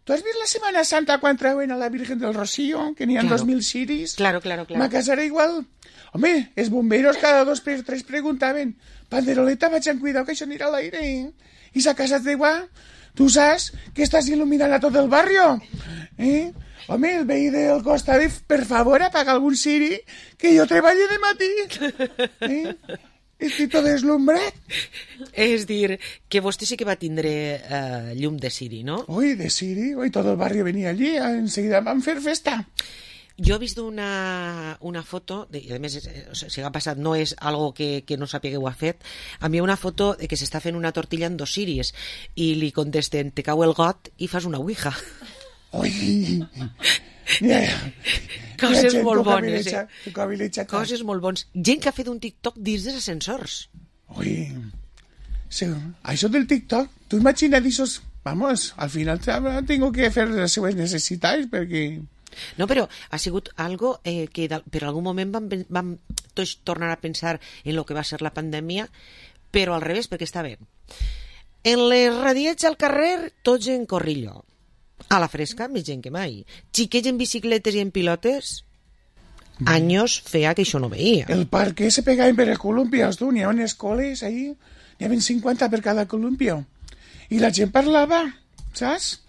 [SPEAKER 7] ¿Tú has visto la Semana Santa cuando traen a la Virgen del Rocío? Que n'hi ha
[SPEAKER 4] Claro.
[SPEAKER 7] dos mil siris.
[SPEAKER 4] Claro, claro, claro.
[SPEAKER 7] Ma casa era igual. Home, els bomberos cada dos per tres preguntaven, Panderoleta, vaig cuidado que això anirà a l'aire. Eh? I sa casa d'igual, tu saps que estàs il·luminant a tot el barrio. Eh? Home, el veí del costat, per favor, apaga algun siri, que jo treballo de matí. Eh? Estic tot deslumbrat.
[SPEAKER 4] És dir, que vostè sí que va tindre eh, llum de Siri, no?
[SPEAKER 7] Ui, de Siri, ui, tot el barrio venia allí, enseguida vam fer festa.
[SPEAKER 4] Jo he vist una, una foto, de, i a més, eh, o sigui, si ha passat, no és algo que, que no sàpiga que ho ha fet, a mi una foto de que s'està fent una tortilla en dos siris i li contesten, te cau el got i fas una ouija.
[SPEAKER 7] Ui, ja, ja.
[SPEAKER 4] Coses
[SPEAKER 7] Ja,
[SPEAKER 4] molt
[SPEAKER 7] tu
[SPEAKER 4] bones, eh?
[SPEAKER 7] cavilecha,
[SPEAKER 4] Coses molt bones. Gent que ha fet un TikTok dins dels ascensors.
[SPEAKER 7] Ui, sí, això del TikTok, tu imagina't esos, vamos, al final tengo que fer les seues necessitats perquè...
[SPEAKER 4] No, però ha sigut algo eh, que de, per algun moment vam, vam tots tornar a pensar en el que va ser la pandèmia, però al revés, perquè està bé. En les radiets al carrer, tots en corrillo. A la fresca, més gent que mai. Xiquets en bicicletes i en pilotes, anys feia que això no veia.
[SPEAKER 7] El parque se pegaven per els columpios, tu, n'hi havia escoles ahí, n'hi havia cinquanta per cada columpio. I la gent parlava, saps?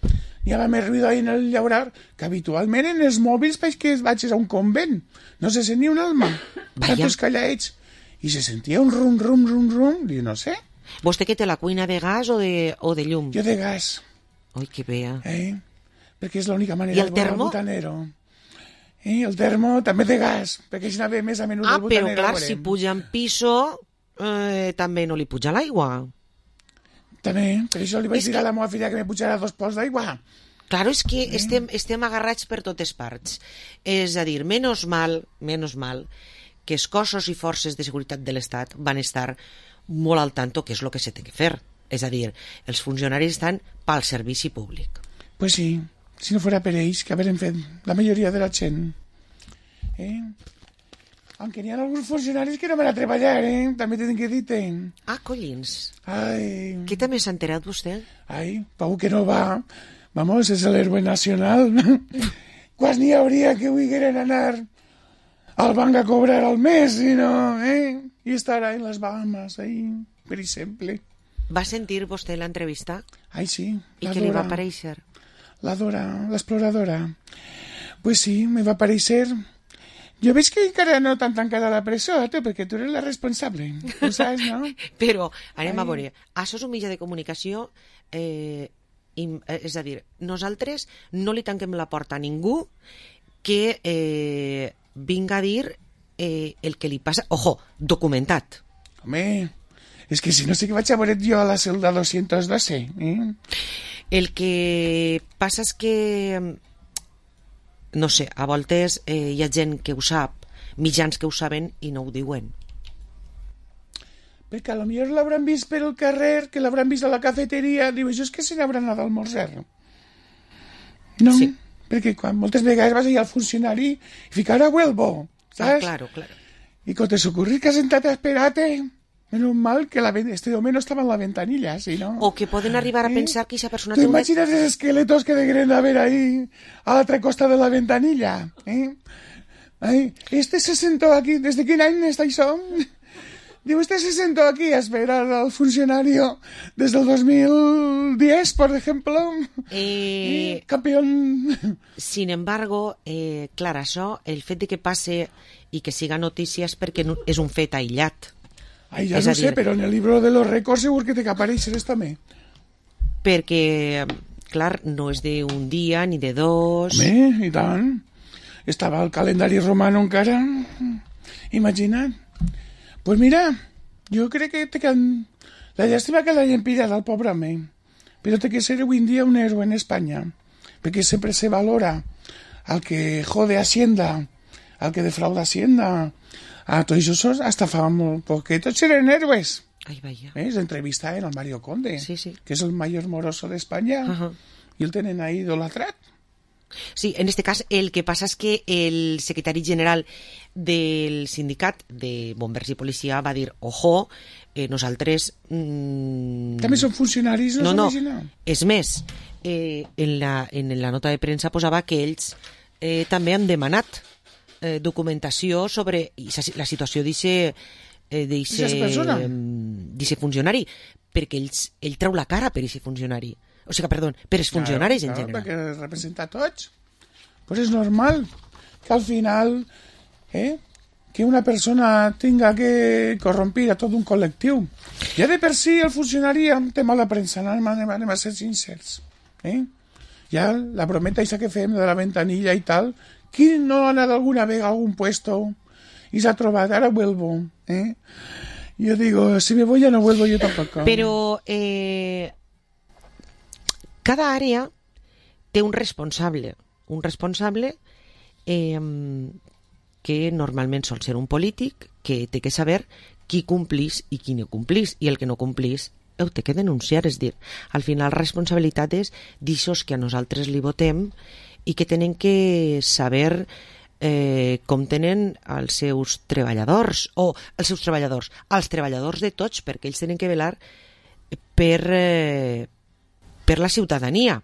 [SPEAKER 7] N'hi havia més ruïdo ahí en el llaurar, que habitualment en els mòbils veig que vaig a un convent. No se sentia un alma. Tantos callaets. I se sentia un rum, rum, rum, rum, i no sé.
[SPEAKER 4] Vostè que té la cuina de gas o de, o de llum?
[SPEAKER 7] Jo de gas.
[SPEAKER 4] Ui, que bé.
[SPEAKER 7] Eh? Perquè és l'única manera
[SPEAKER 4] I el
[SPEAKER 7] de veure
[SPEAKER 4] termo?
[SPEAKER 7] el butanero. Eh? El termo també de gas, perquè si anava més a menut
[SPEAKER 4] Ah,
[SPEAKER 7] el butanero.
[SPEAKER 4] però clar,
[SPEAKER 7] veurem.
[SPEAKER 4] si puja en piso, eh, també no li puja l'aigua.
[SPEAKER 7] També, per això li vaig
[SPEAKER 4] És
[SPEAKER 7] dir
[SPEAKER 4] que-
[SPEAKER 7] a la meva filla que me pujara dos pols d'aigua.
[SPEAKER 4] Claro, és que estem, estem agarrats per totes parts. És a dir, menos mal, menos mal, que els cossos i forces de seguretat de l'Estat van estar molt al tanto que és el que se té que fer. És a dir, els funcionaris estan pel servici públic.
[SPEAKER 7] Pues sí, si no fuera per ells, que haurem fet la majoria de la gent. Eh? Aunque n'hi ha alguns funcionaris que no van a treballar, eh? També tenen que dir-te.
[SPEAKER 4] Ah, collins.
[SPEAKER 7] Ai.
[SPEAKER 4] Què també s'ha enterat vostè?
[SPEAKER 7] Ai, Pau que no va. Vamos, és l'héroe nacional. Quasi n'hi hauria que volgueren anar al banc a cobrar al mes, i no, eh? I estar en les Bahamas, ahí, per exemple.
[SPEAKER 4] Va sentir vostè l'entrevista?
[SPEAKER 7] Ai, sí.
[SPEAKER 4] I
[SPEAKER 7] la
[SPEAKER 4] què li va
[SPEAKER 7] Dora.
[SPEAKER 4] aparèixer?
[SPEAKER 7] La Dora, l'exploradora. Pues sí, me va aparèixer. Jo veig que encara no t'han tancat a la presó, tu, perquè tu eres la responsable. Ho saps, no?
[SPEAKER 4] Però, anem
[SPEAKER 7] Ai.
[SPEAKER 4] a veure, això és un mitjà de comunicació, eh, im, eh, és a dir, nosaltres no li tanquem la porta a ningú que eh, vinga a dir eh, el que li passa. Ojo, documentat.
[SPEAKER 7] Home, és que si no sé què vaig a veure jo a la celda doscientos doce, eh?
[SPEAKER 4] El que passa és que, no sé, a voltes eh, hi ha gent que ho sap, mitjans que ho saben i no ho diuen.
[SPEAKER 7] Perquè a lo millor l'hauran vist per el carrer, que l'hauran vist a la cafeteria, diu, això és que se n'hauran anat a almorzar. No, sí. Perquè quan moltes vegades vas allà al funcionari i ficar a vuelvo,
[SPEAKER 4] Ah,
[SPEAKER 7] saps?
[SPEAKER 4] claro, claro.
[SPEAKER 7] I quan te s'ocorri que has sentat a esperar-te, menos mal que la, ven- este home no estava en la ventanilla, si no...
[SPEAKER 4] O que poden arribar a pensar que aquesta persona
[SPEAKER 7] ¿Tú
[SPEAKER 4] té una...
[SPEAKER 7] imaginas esos esqueletos que deberían haber ahí a la otra costa de la ventanilla? ¿Eh? Ay, este se sentó aquí. ¿Desde qué año está eso? Digo, este se sentó aquí a esperar al funcionario desde el dos mil diez, por ejemplo.
[SPEAKER 4] Eh,
[SPEAKER 7] campeón.
[SPEAKER 4] Sin embargo, eh, clar, això, el fet de que passe i que siga notícies perquè no, és un fet aïllat.
[SPEAKER 7] Ay, ya
[SPEAKER 4] És
[SPEAKER 7] no
[SPEAKER 4] a
[SPEAKER 7] sé,
[SPEAKER 4] dir,
[SPEAKER 7] pero en el libro de los récords seguro que te que aparèixer esto també.
[SPEAKER 4] Perquè, clar, no és d'un dia ni de dos...
[SPEAKER 7] Home, i tant. Estava el calendari romano encara. Imagina't. Pues mira, jo crec que te can... la llàstima que l'hayan pillat al pobre home. Però té que ser avui en dia un héroe en Espanya. Perquè sempre se valora al que jode Hacienda, al que defrauda Hacienda. A tots esos hasta fa molt poquet tots eren héroes.
[SPEAKER 4] Ai, vaya.
[SPEAKER 7] ¿Ves? Entrevista en el Mario Conde,
[SPEAKER 4] sí, sí.
[SPEAKER 7] que és el mayor moroso d'Espanya.
[SPEAKER 4] Ajá.
[SPEAKER 7] I el tenen ahí idolatrat.
[SPEAKER 4] Sí, en este cas el que passa és que el secretari general del sindicat de bombers i policia va dir, ojo, eh, nosaltres... Mm,
[SPEAKER 7] també són funcionaris, no,
[SPEAKER 4] no,
[SPEAKER 7] són
[SPEAKER 4] no. És més, eh, en, la, en la nota de premsa posava que ells eh, també han demanat eh, documentació sobre la situació d'aquest eh, funcionari, perquè ells, ell treu la cara per aquest funcionari. O sigui, perdó, per els funcionaris
[SPEAKER 7] claro,
[SPEAKER 4] en
[SPEAKER 7] claro,
[SPEAKER 4] general.
[SPEAKER 7] Perquè representa a tots. Pues és normal que al final eh, que una persona tenga que corrompir a tot un col·lectiu. Ja de per si el funcionari té mala premsa, anem, anem, anem a ser sincers. Eh? Ja la brometa aquesta que fem de la ventanilla i tal, qui no ha anat alguna vegada a algun puesto i s'ha trobat, ara vuelvo. Eh? Yo digo, si me voy ya no vuelvo yo tampoco.
[SPEAKER 4] Però eh, cada àrea té un responsable, un responsable eh, que normalment sol ser un polític que té que saber qui complís i qui no complís, i el que no complís ho té que denunciar, és dir, al final la responsabilitat és d'aixòs que a nosaltres li votem i que tenen que saber eh, com tenen els seus treballadors, o els seus treballadors, els treballadors de tots, perquè ells tenen que velar per, eh, per la ciutadania.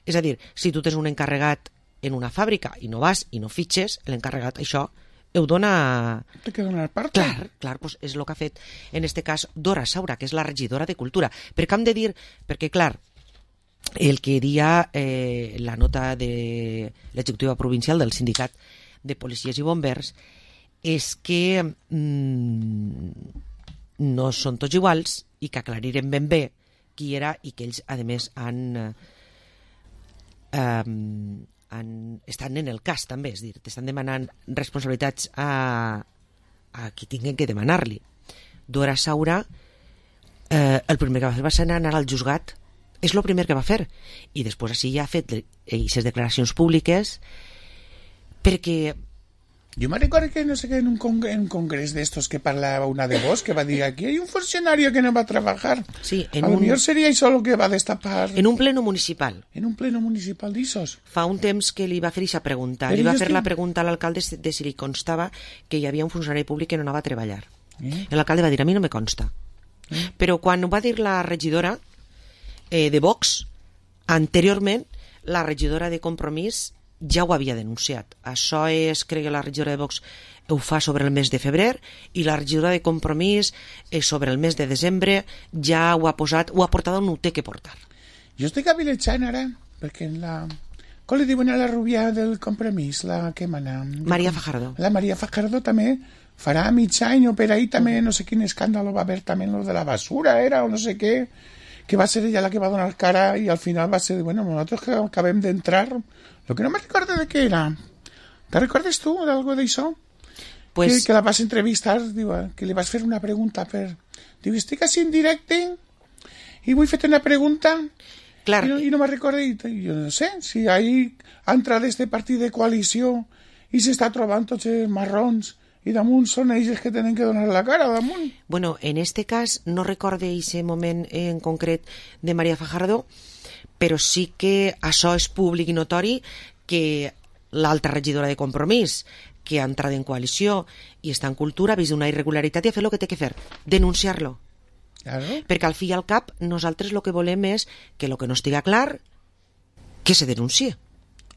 [SPEAKER 4] És a dir, si tu tens un encarregat en una fàbrica i no vas i no fitxes, l'encarregat això ho dona...
[SPEAKER 7] Té que donar part.
[SPEAKER 4] Clar, clar, doncs és el que ha fet en este cas Dora Saura, que és la regidora de Cultura. Perquè hem de dir, perquè clar, el que dia eh, la nota de l'executiva provincial del sindicat de policies i bombers és que mm, no són tots iguals i que aclarirem ben bé qui era i que ells, a més, han... Eh, han, estan en el cas també, és dir, t'estan demanant responsabilitats a, a qui tinguin que demanar-li. Dora Saura eh, el primer que va fer va ser anar al juzgat, és el primer que va fer, i després així ja ha fet aquestes declaracions públiques perquè...
[SPEAKER 7] Yo me recuerdo que no sé qué en un, congre en un congreso de estos que parlaba una de vos que va a decir aquí hay un funcionario que no va a trabajar.
[SPEAKER 4] Sí, en
[SPEAKER 7] a lo
[SPEAKER 4] un...
[SPEAKER 7] mejor sería eso lo que va a destapar.
[SPEAKER 4] En un pleno municipal.
[SPEAKER 7] En un pleno municipal d'Issos.
[SPEAKER 4] Fa un temps que li va fer aquesta pregunta.
[SPEAKER 7] Però
[SPEAKER 4] li va fer
[SPEAKER 7] estic...
[SPEAKER 4] la pregunta a l'alcalde de si li constava que hi havia un funcionari públic que no anava a treballar.
[SPEAKER 7] Eh?
[SPEAKER 4] L'alcalde va dir, a mi no me consta. Eh? Però quan ho va dir la regidora eh, de Vox, anteriorment, la regidora de Compromís ja ho havia denunciat. Això és, crec que la regidora de Vox ho fa sobre el mes de febrer i la regidora de Compromís eh, sobre el mes de desembre ja ho ha posat, ho ha portat on ho té que portar.
[SPEAKER 7] Jo estic avilejant ara, perquè en la... Com li diuen a la rubia del Compromís, la que mana?
[SPEAKER 4] Maria Fajardo.
[SPEAKER 7] La Maria Fajardo també farà mig any o per ahí també, no sé quin escàndalo va haver també lo de la basura, era, o no sé què, que va ser ella la que va donar cara i al final va ser, bueno, nosotros que acabem d'entrar, lo que no me recordo de què era. ¿Te recordes tu d'algo d'això? Pues... Que, que la vas entrevistar, diu, que li vas fer una pregunta per... Diu, estic així en directe i vull fer-te una pregunta
[SPEAKER 4] clar.
[SPEAKER 7] i, no, i no me recordo, i jo no sé, si ahí ha entrat este partit de coalició i s'està trobant tots els marrons i damunt són ells que tenen que donar la cara damunt.
[SPEAKER 4] Bueno, en este cas no recorde aquest moment en concret de Maria Fajardo, però sí que això és públic i notori que l'altra regidora de Compromís, que ha entrat en coalició i està en cultura, ha vist una irregularitat i ha fet el que té que fer, denunciar-lo.
[SPEAKER 7] Claro.
[SPEAKER 4] Perquè al fi i al cap nosaltres el que volem és que el que no estiga clar que se denuncie.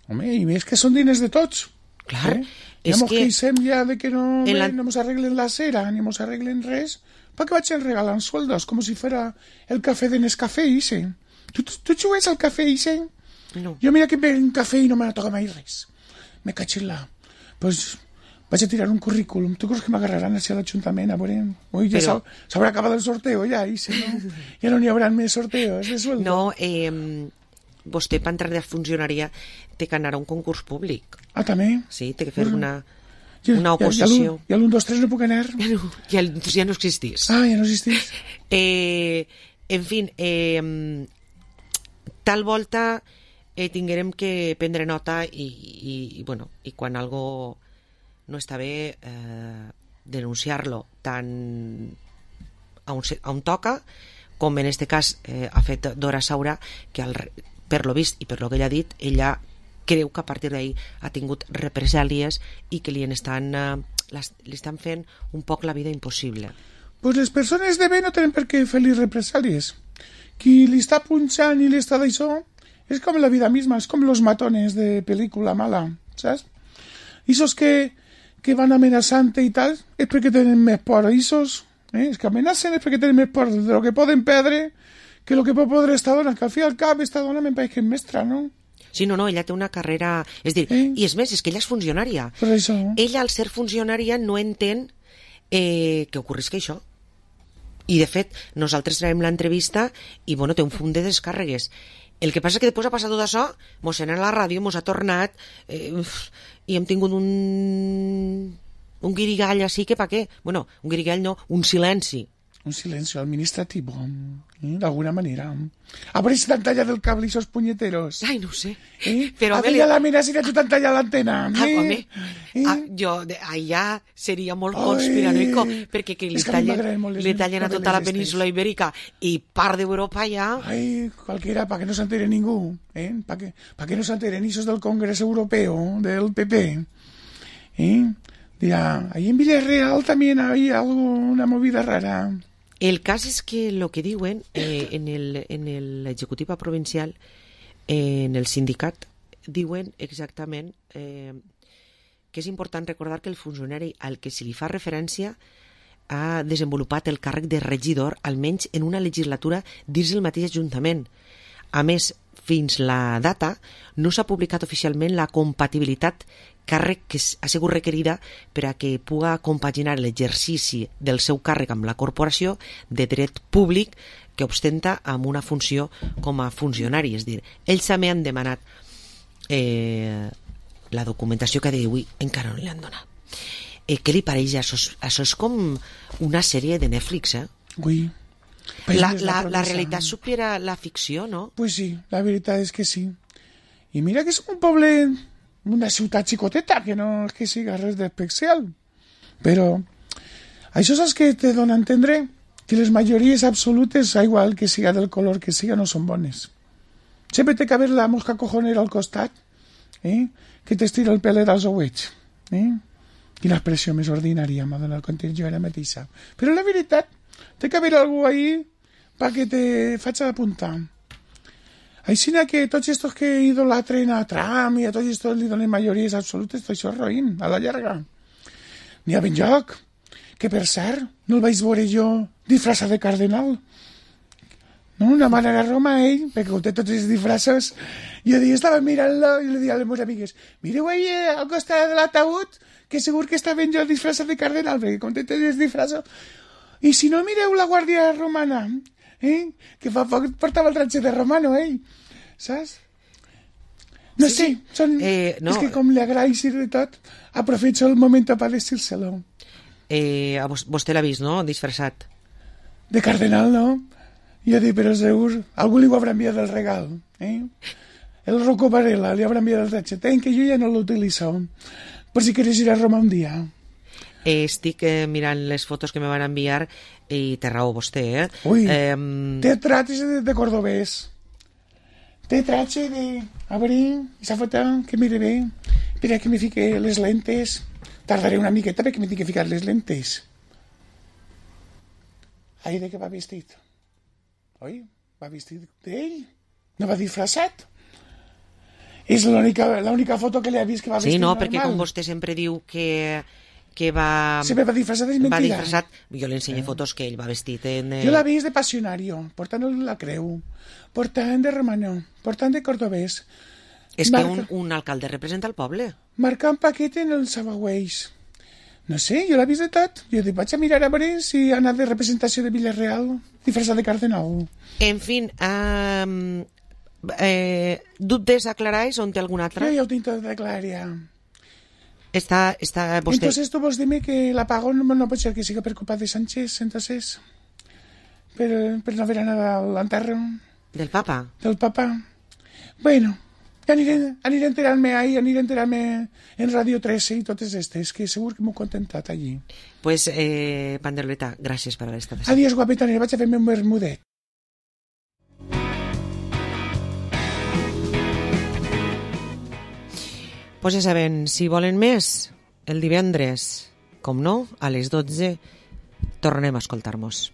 [SPEAKER 7] Home, i més que són diners de tots.
[SPEAKER 4] Clar,
[SPEAKER 7] eh?
[SPEAKER 4] és
[SPEAKER 7] ja mos
[SPEAKER 4] que...
[SPEAKER 7] queixem ja de que no,
[SPEAKER 4] la...
[SPEAKER 7] no mos arreglen la cera ni mos arreglen res, perquè vaig regalant sueldos com si fuera el café de Nescafé ese. Tu, tu, tu jugues al café ese?
[SPEAKER 4] No.
[SPEAKER 7] Jo mira que bec un cafè i no me toca mai res. Me caig en la... Pues vaig a tirar un currículum. Tu creus que m'agarraran hacia l'Ajuntament? A veure... Ui, ja
[SPEAKER 4] Però...
[SPEAKER 7] s'haurà acabat el sorteo ja, i si no, ja no n'hi haurà més sorteos de sueldo.
[SPEAKER 4] No, eh, vostè per entrar de funcionaria té que anar a un concurs públic.
[SPEAKER 7] Ah, també?
[SPEAKER 4] Sí, té que fer
[SPEAKER 7] Bueno,
[SPEAKER 4] una, una oposició.
[SPEAKER 7] I a l'un, dos, tres no puc anar?
[SPEAKER 4] Ja no, ja, ja no existís.
[SPEAKER 7] Ah, ja no existís.
[SPEAKER 4] Eh, en fi, eh, tal volta eh, tinguérem que prendre nota i, i, i, bueno, i quan algo no està bé eh, denunciar-lo tant a on, a on toca com en este cas eh, ha fet Dora Saura, que al, per lo vist i per lo que ella ha dit, ella creu que a partir d'ahí ha tingut represàlies i que li estan, eh, les, li estan fent un poc la vida impossible.
[SPEAKER 7] pues les persones de bé no tenen per què fer-li represàlies. Qui li està punxant i li està d'això és com la vida misma, és com los matones de pel·lícula mala, saps? Isos que, que van amenaçant i tal, és perquè tenen més por. Isos, eh, els que amenacen és perquè tenen més por de lo que poden perdre que lo que pot podre esta dona, que al fi al cap esta dona me'n pareix que és mestra, no?
[SPEAKER 4] Sí, no, no, ella té una carrera... És dir, eh? I és més, és que ella és funcionària.
[SPEAKER 7] Per això.
[SPEAKER 4] Ella, al ser funcionària, no entén eh, que ocorrisca això. I, de fet, nosaltres traiem l'entrevista i, bueno, té un fum de descàrregues. El que passa és que després ha passat tot això, mos en a la ràdio, mos ha tornat, eh, i hem tingut un... un guirigall així, que pa què? Bueno, un guirigall no, un silenci.
[SPEAKER 7] Un silencio administrativo, ¿eh? De alguna manera. A veure si t'han tallat el cable i esos puñeteros.
[SPEAKER 4] Ai, no ho sé.
[SPEAKER 7] ¿Eh?
[SPEAKER 4] Però
[SPEAKER 7] a veure, la mira si tu t'han tallat l'antena.
[SPEAKER 4] Ah,
[SPEAKER 7] ¿eh?
[SPEAKER 4] home,
[SPEAKER 7] ¿Eh?
[SPEAKER 4] ah, jo, de, allà seria molt conspiranoico, perquè que li
[SPEAKER 7] és que a mi
[SPEAKER 4] tallen,
[SPEAKER 7] m'agraden molt les
[SPEAKER 4] li tallen a tota la
[SPEAKER 7] novel·les
[SPEAKER 4] península ibèrica i part d'Europa allà.
[SPEAKER 7] Ai, cualquiera, para que no se entere ningú, ¿eh? Para que, pa que no se enteren esos del Congreso Europeo, del P P. ¿Eh? Dirá, ahí en Villarreal también hay algo, una movida rara.
[SPEAKER 4] El cas és que el que diuen eh, en el, en l'executiva provincial, eh, en el sindicat, diuen exactament eh, que és important recordar que el funcionari al que se li fa referència ha desenvolupat el càrrec de regidor almenys en una legislatura dins el mateix Ajuntament. A més, fins la data no s'ha publicat oficialment la compatibilitat càrrec que ha sigut requerida per a que puga compaginar l'exercici del seu càrrec amb la corporació de dret públic que ostenta amb una funció com a funcionari. És dir, ells també han demanat eh, la documentació que d'avui encara no li han donat. Eh, què li pareix? Això és, això és com una sèrie de Netflix, eh?
[SPEAKER 7] Ui.
[SPEAKER 4] La, la, la realitat supera la ficció, no?
[SPEAKER 7] Pues sí, la veritat és que sí. I mira que és un poble... una ciutat xicoteta, que no és que siga res d'especial. Però això és el que te dona a entendre que les majories absolutes, igual que siga del color que siga, no són bones. Sempre té que haver la mosca cojonera al costat, eh? Que t'estira el pelet als ouets. Eh? Quina expressió més ordinària m'ha donat quan jo ara mateixa. Però la veritat, té que haver algú ahí perquè te faig apuntar. Així que tots estos que idolatren a Trump i a tots estos li donen majories absolutes, tot això és roïn, a la llarga. N'hi ha ben lloc, que per cert, no el vaig veure jo disfressat de cardenal. No, una manera a Roma, ell, perquè com té tots els disfressos, jo dia estava mirant-lo i li dia a les meves amigues, mireu ahí eh, al costat de l'ataúd, que segur que està ben jo disfressat de cardenal, perquè com té tots els disfressos. I si no, mireu la Guàrdia Romana, eh? Que fa poc portava el ratxet de Romano, eh? Saps? No
[SPEAKER 4] sí,
[SPEAKER 7] sé, són...
[SPEAKER 4] eh, no.
[SPEAKER 7] És que com li agraeix i de tot, aprovecho el moment per decírselo.
[SPEAKER 4] Eh, a vos, vostè l'ha vist, no?, disfressat.
[SPEAKER 7] De cardenal, no? Jo dic, però segur, algú li ho haurà enviat el regal, eh? El Rocco Varela li haurà enviat el ratxet, eh? Que jo ja no l'utilitzo, per si queres ir a Roma un dia.
[SPEAKER 4] Eh, estic eh, mirant les fotos que me van enviar i té raó vostè, eh?
[SPEAKER 7] Ui,
[SPEAKER 4] eh,
[SPEAKER 7] te trates de, de cordobès. Te trache de... A veure, esa foto, que mire bé. Espera que me fique les lentes. Tardaré una miqueta perquè me tinc que ficar les lentes. Ai, de què va vestit? Oi, va vestit d'ell? No va disfressat? És l'única l'única foto que li ha vist que va vestit
[SPEAKER 4] sí, no,
[SPEAKER 7] normal.
[SPEAKER 4] perquè com vostè sempre diu que... que va...
[SPEAKER 7] Sempre va disfressat, és mentida.
[SPEAKER 4] Va disfressat. Jo li ensenyo eh. fotos que ell va vestit en... Eh...
[SPEAKER 7] Jo l'ha vist de passionario, portant la creu, portant de romano, portant de cordobès.
[SPEAKER 4] És Marca... que un, un alcalde representa el poble.
[SPEAKER 7] Marcant paquet en els abagüells. No sé, jo l'he vist de tot. Jo dic, vaig a mirar a veure si ha anat de representació de Villarreal, disfressat de cardenal.
[SPEAKER 4] En fin, um, eh, dubtes aclaráis on té algun altre?
[SPEAKER 7] Jo ja ho tinc tot declarat, ja.
[SPEAKER 4] Està, està vostè...
[SPEAKER 7] Entonces tu vols dir-me que l'apagón no, no pot ser que siga per culpa de Sánchez, entonces, per, per no haver anat a l'enterro.
[SPEAKER 4] Del papa?
[SPEAKER 7] Del papa. Bueno, ja aniré, aniré enterant-me ahí, aniré enterant-me en Radio trece i totes estes, que segur que m'ho he contentat allí.
[SPEAKER 4] Pues, eh, Panderoleta, gràcies per haver estat així.
[SPEAKER 7] Adiós, guapeta, vaig a fer-me un bermudet.
[SPEAKER 4] Pues ja saben, si volen més, el divendres, com no, a les dotze, tornem a escoltar-nos.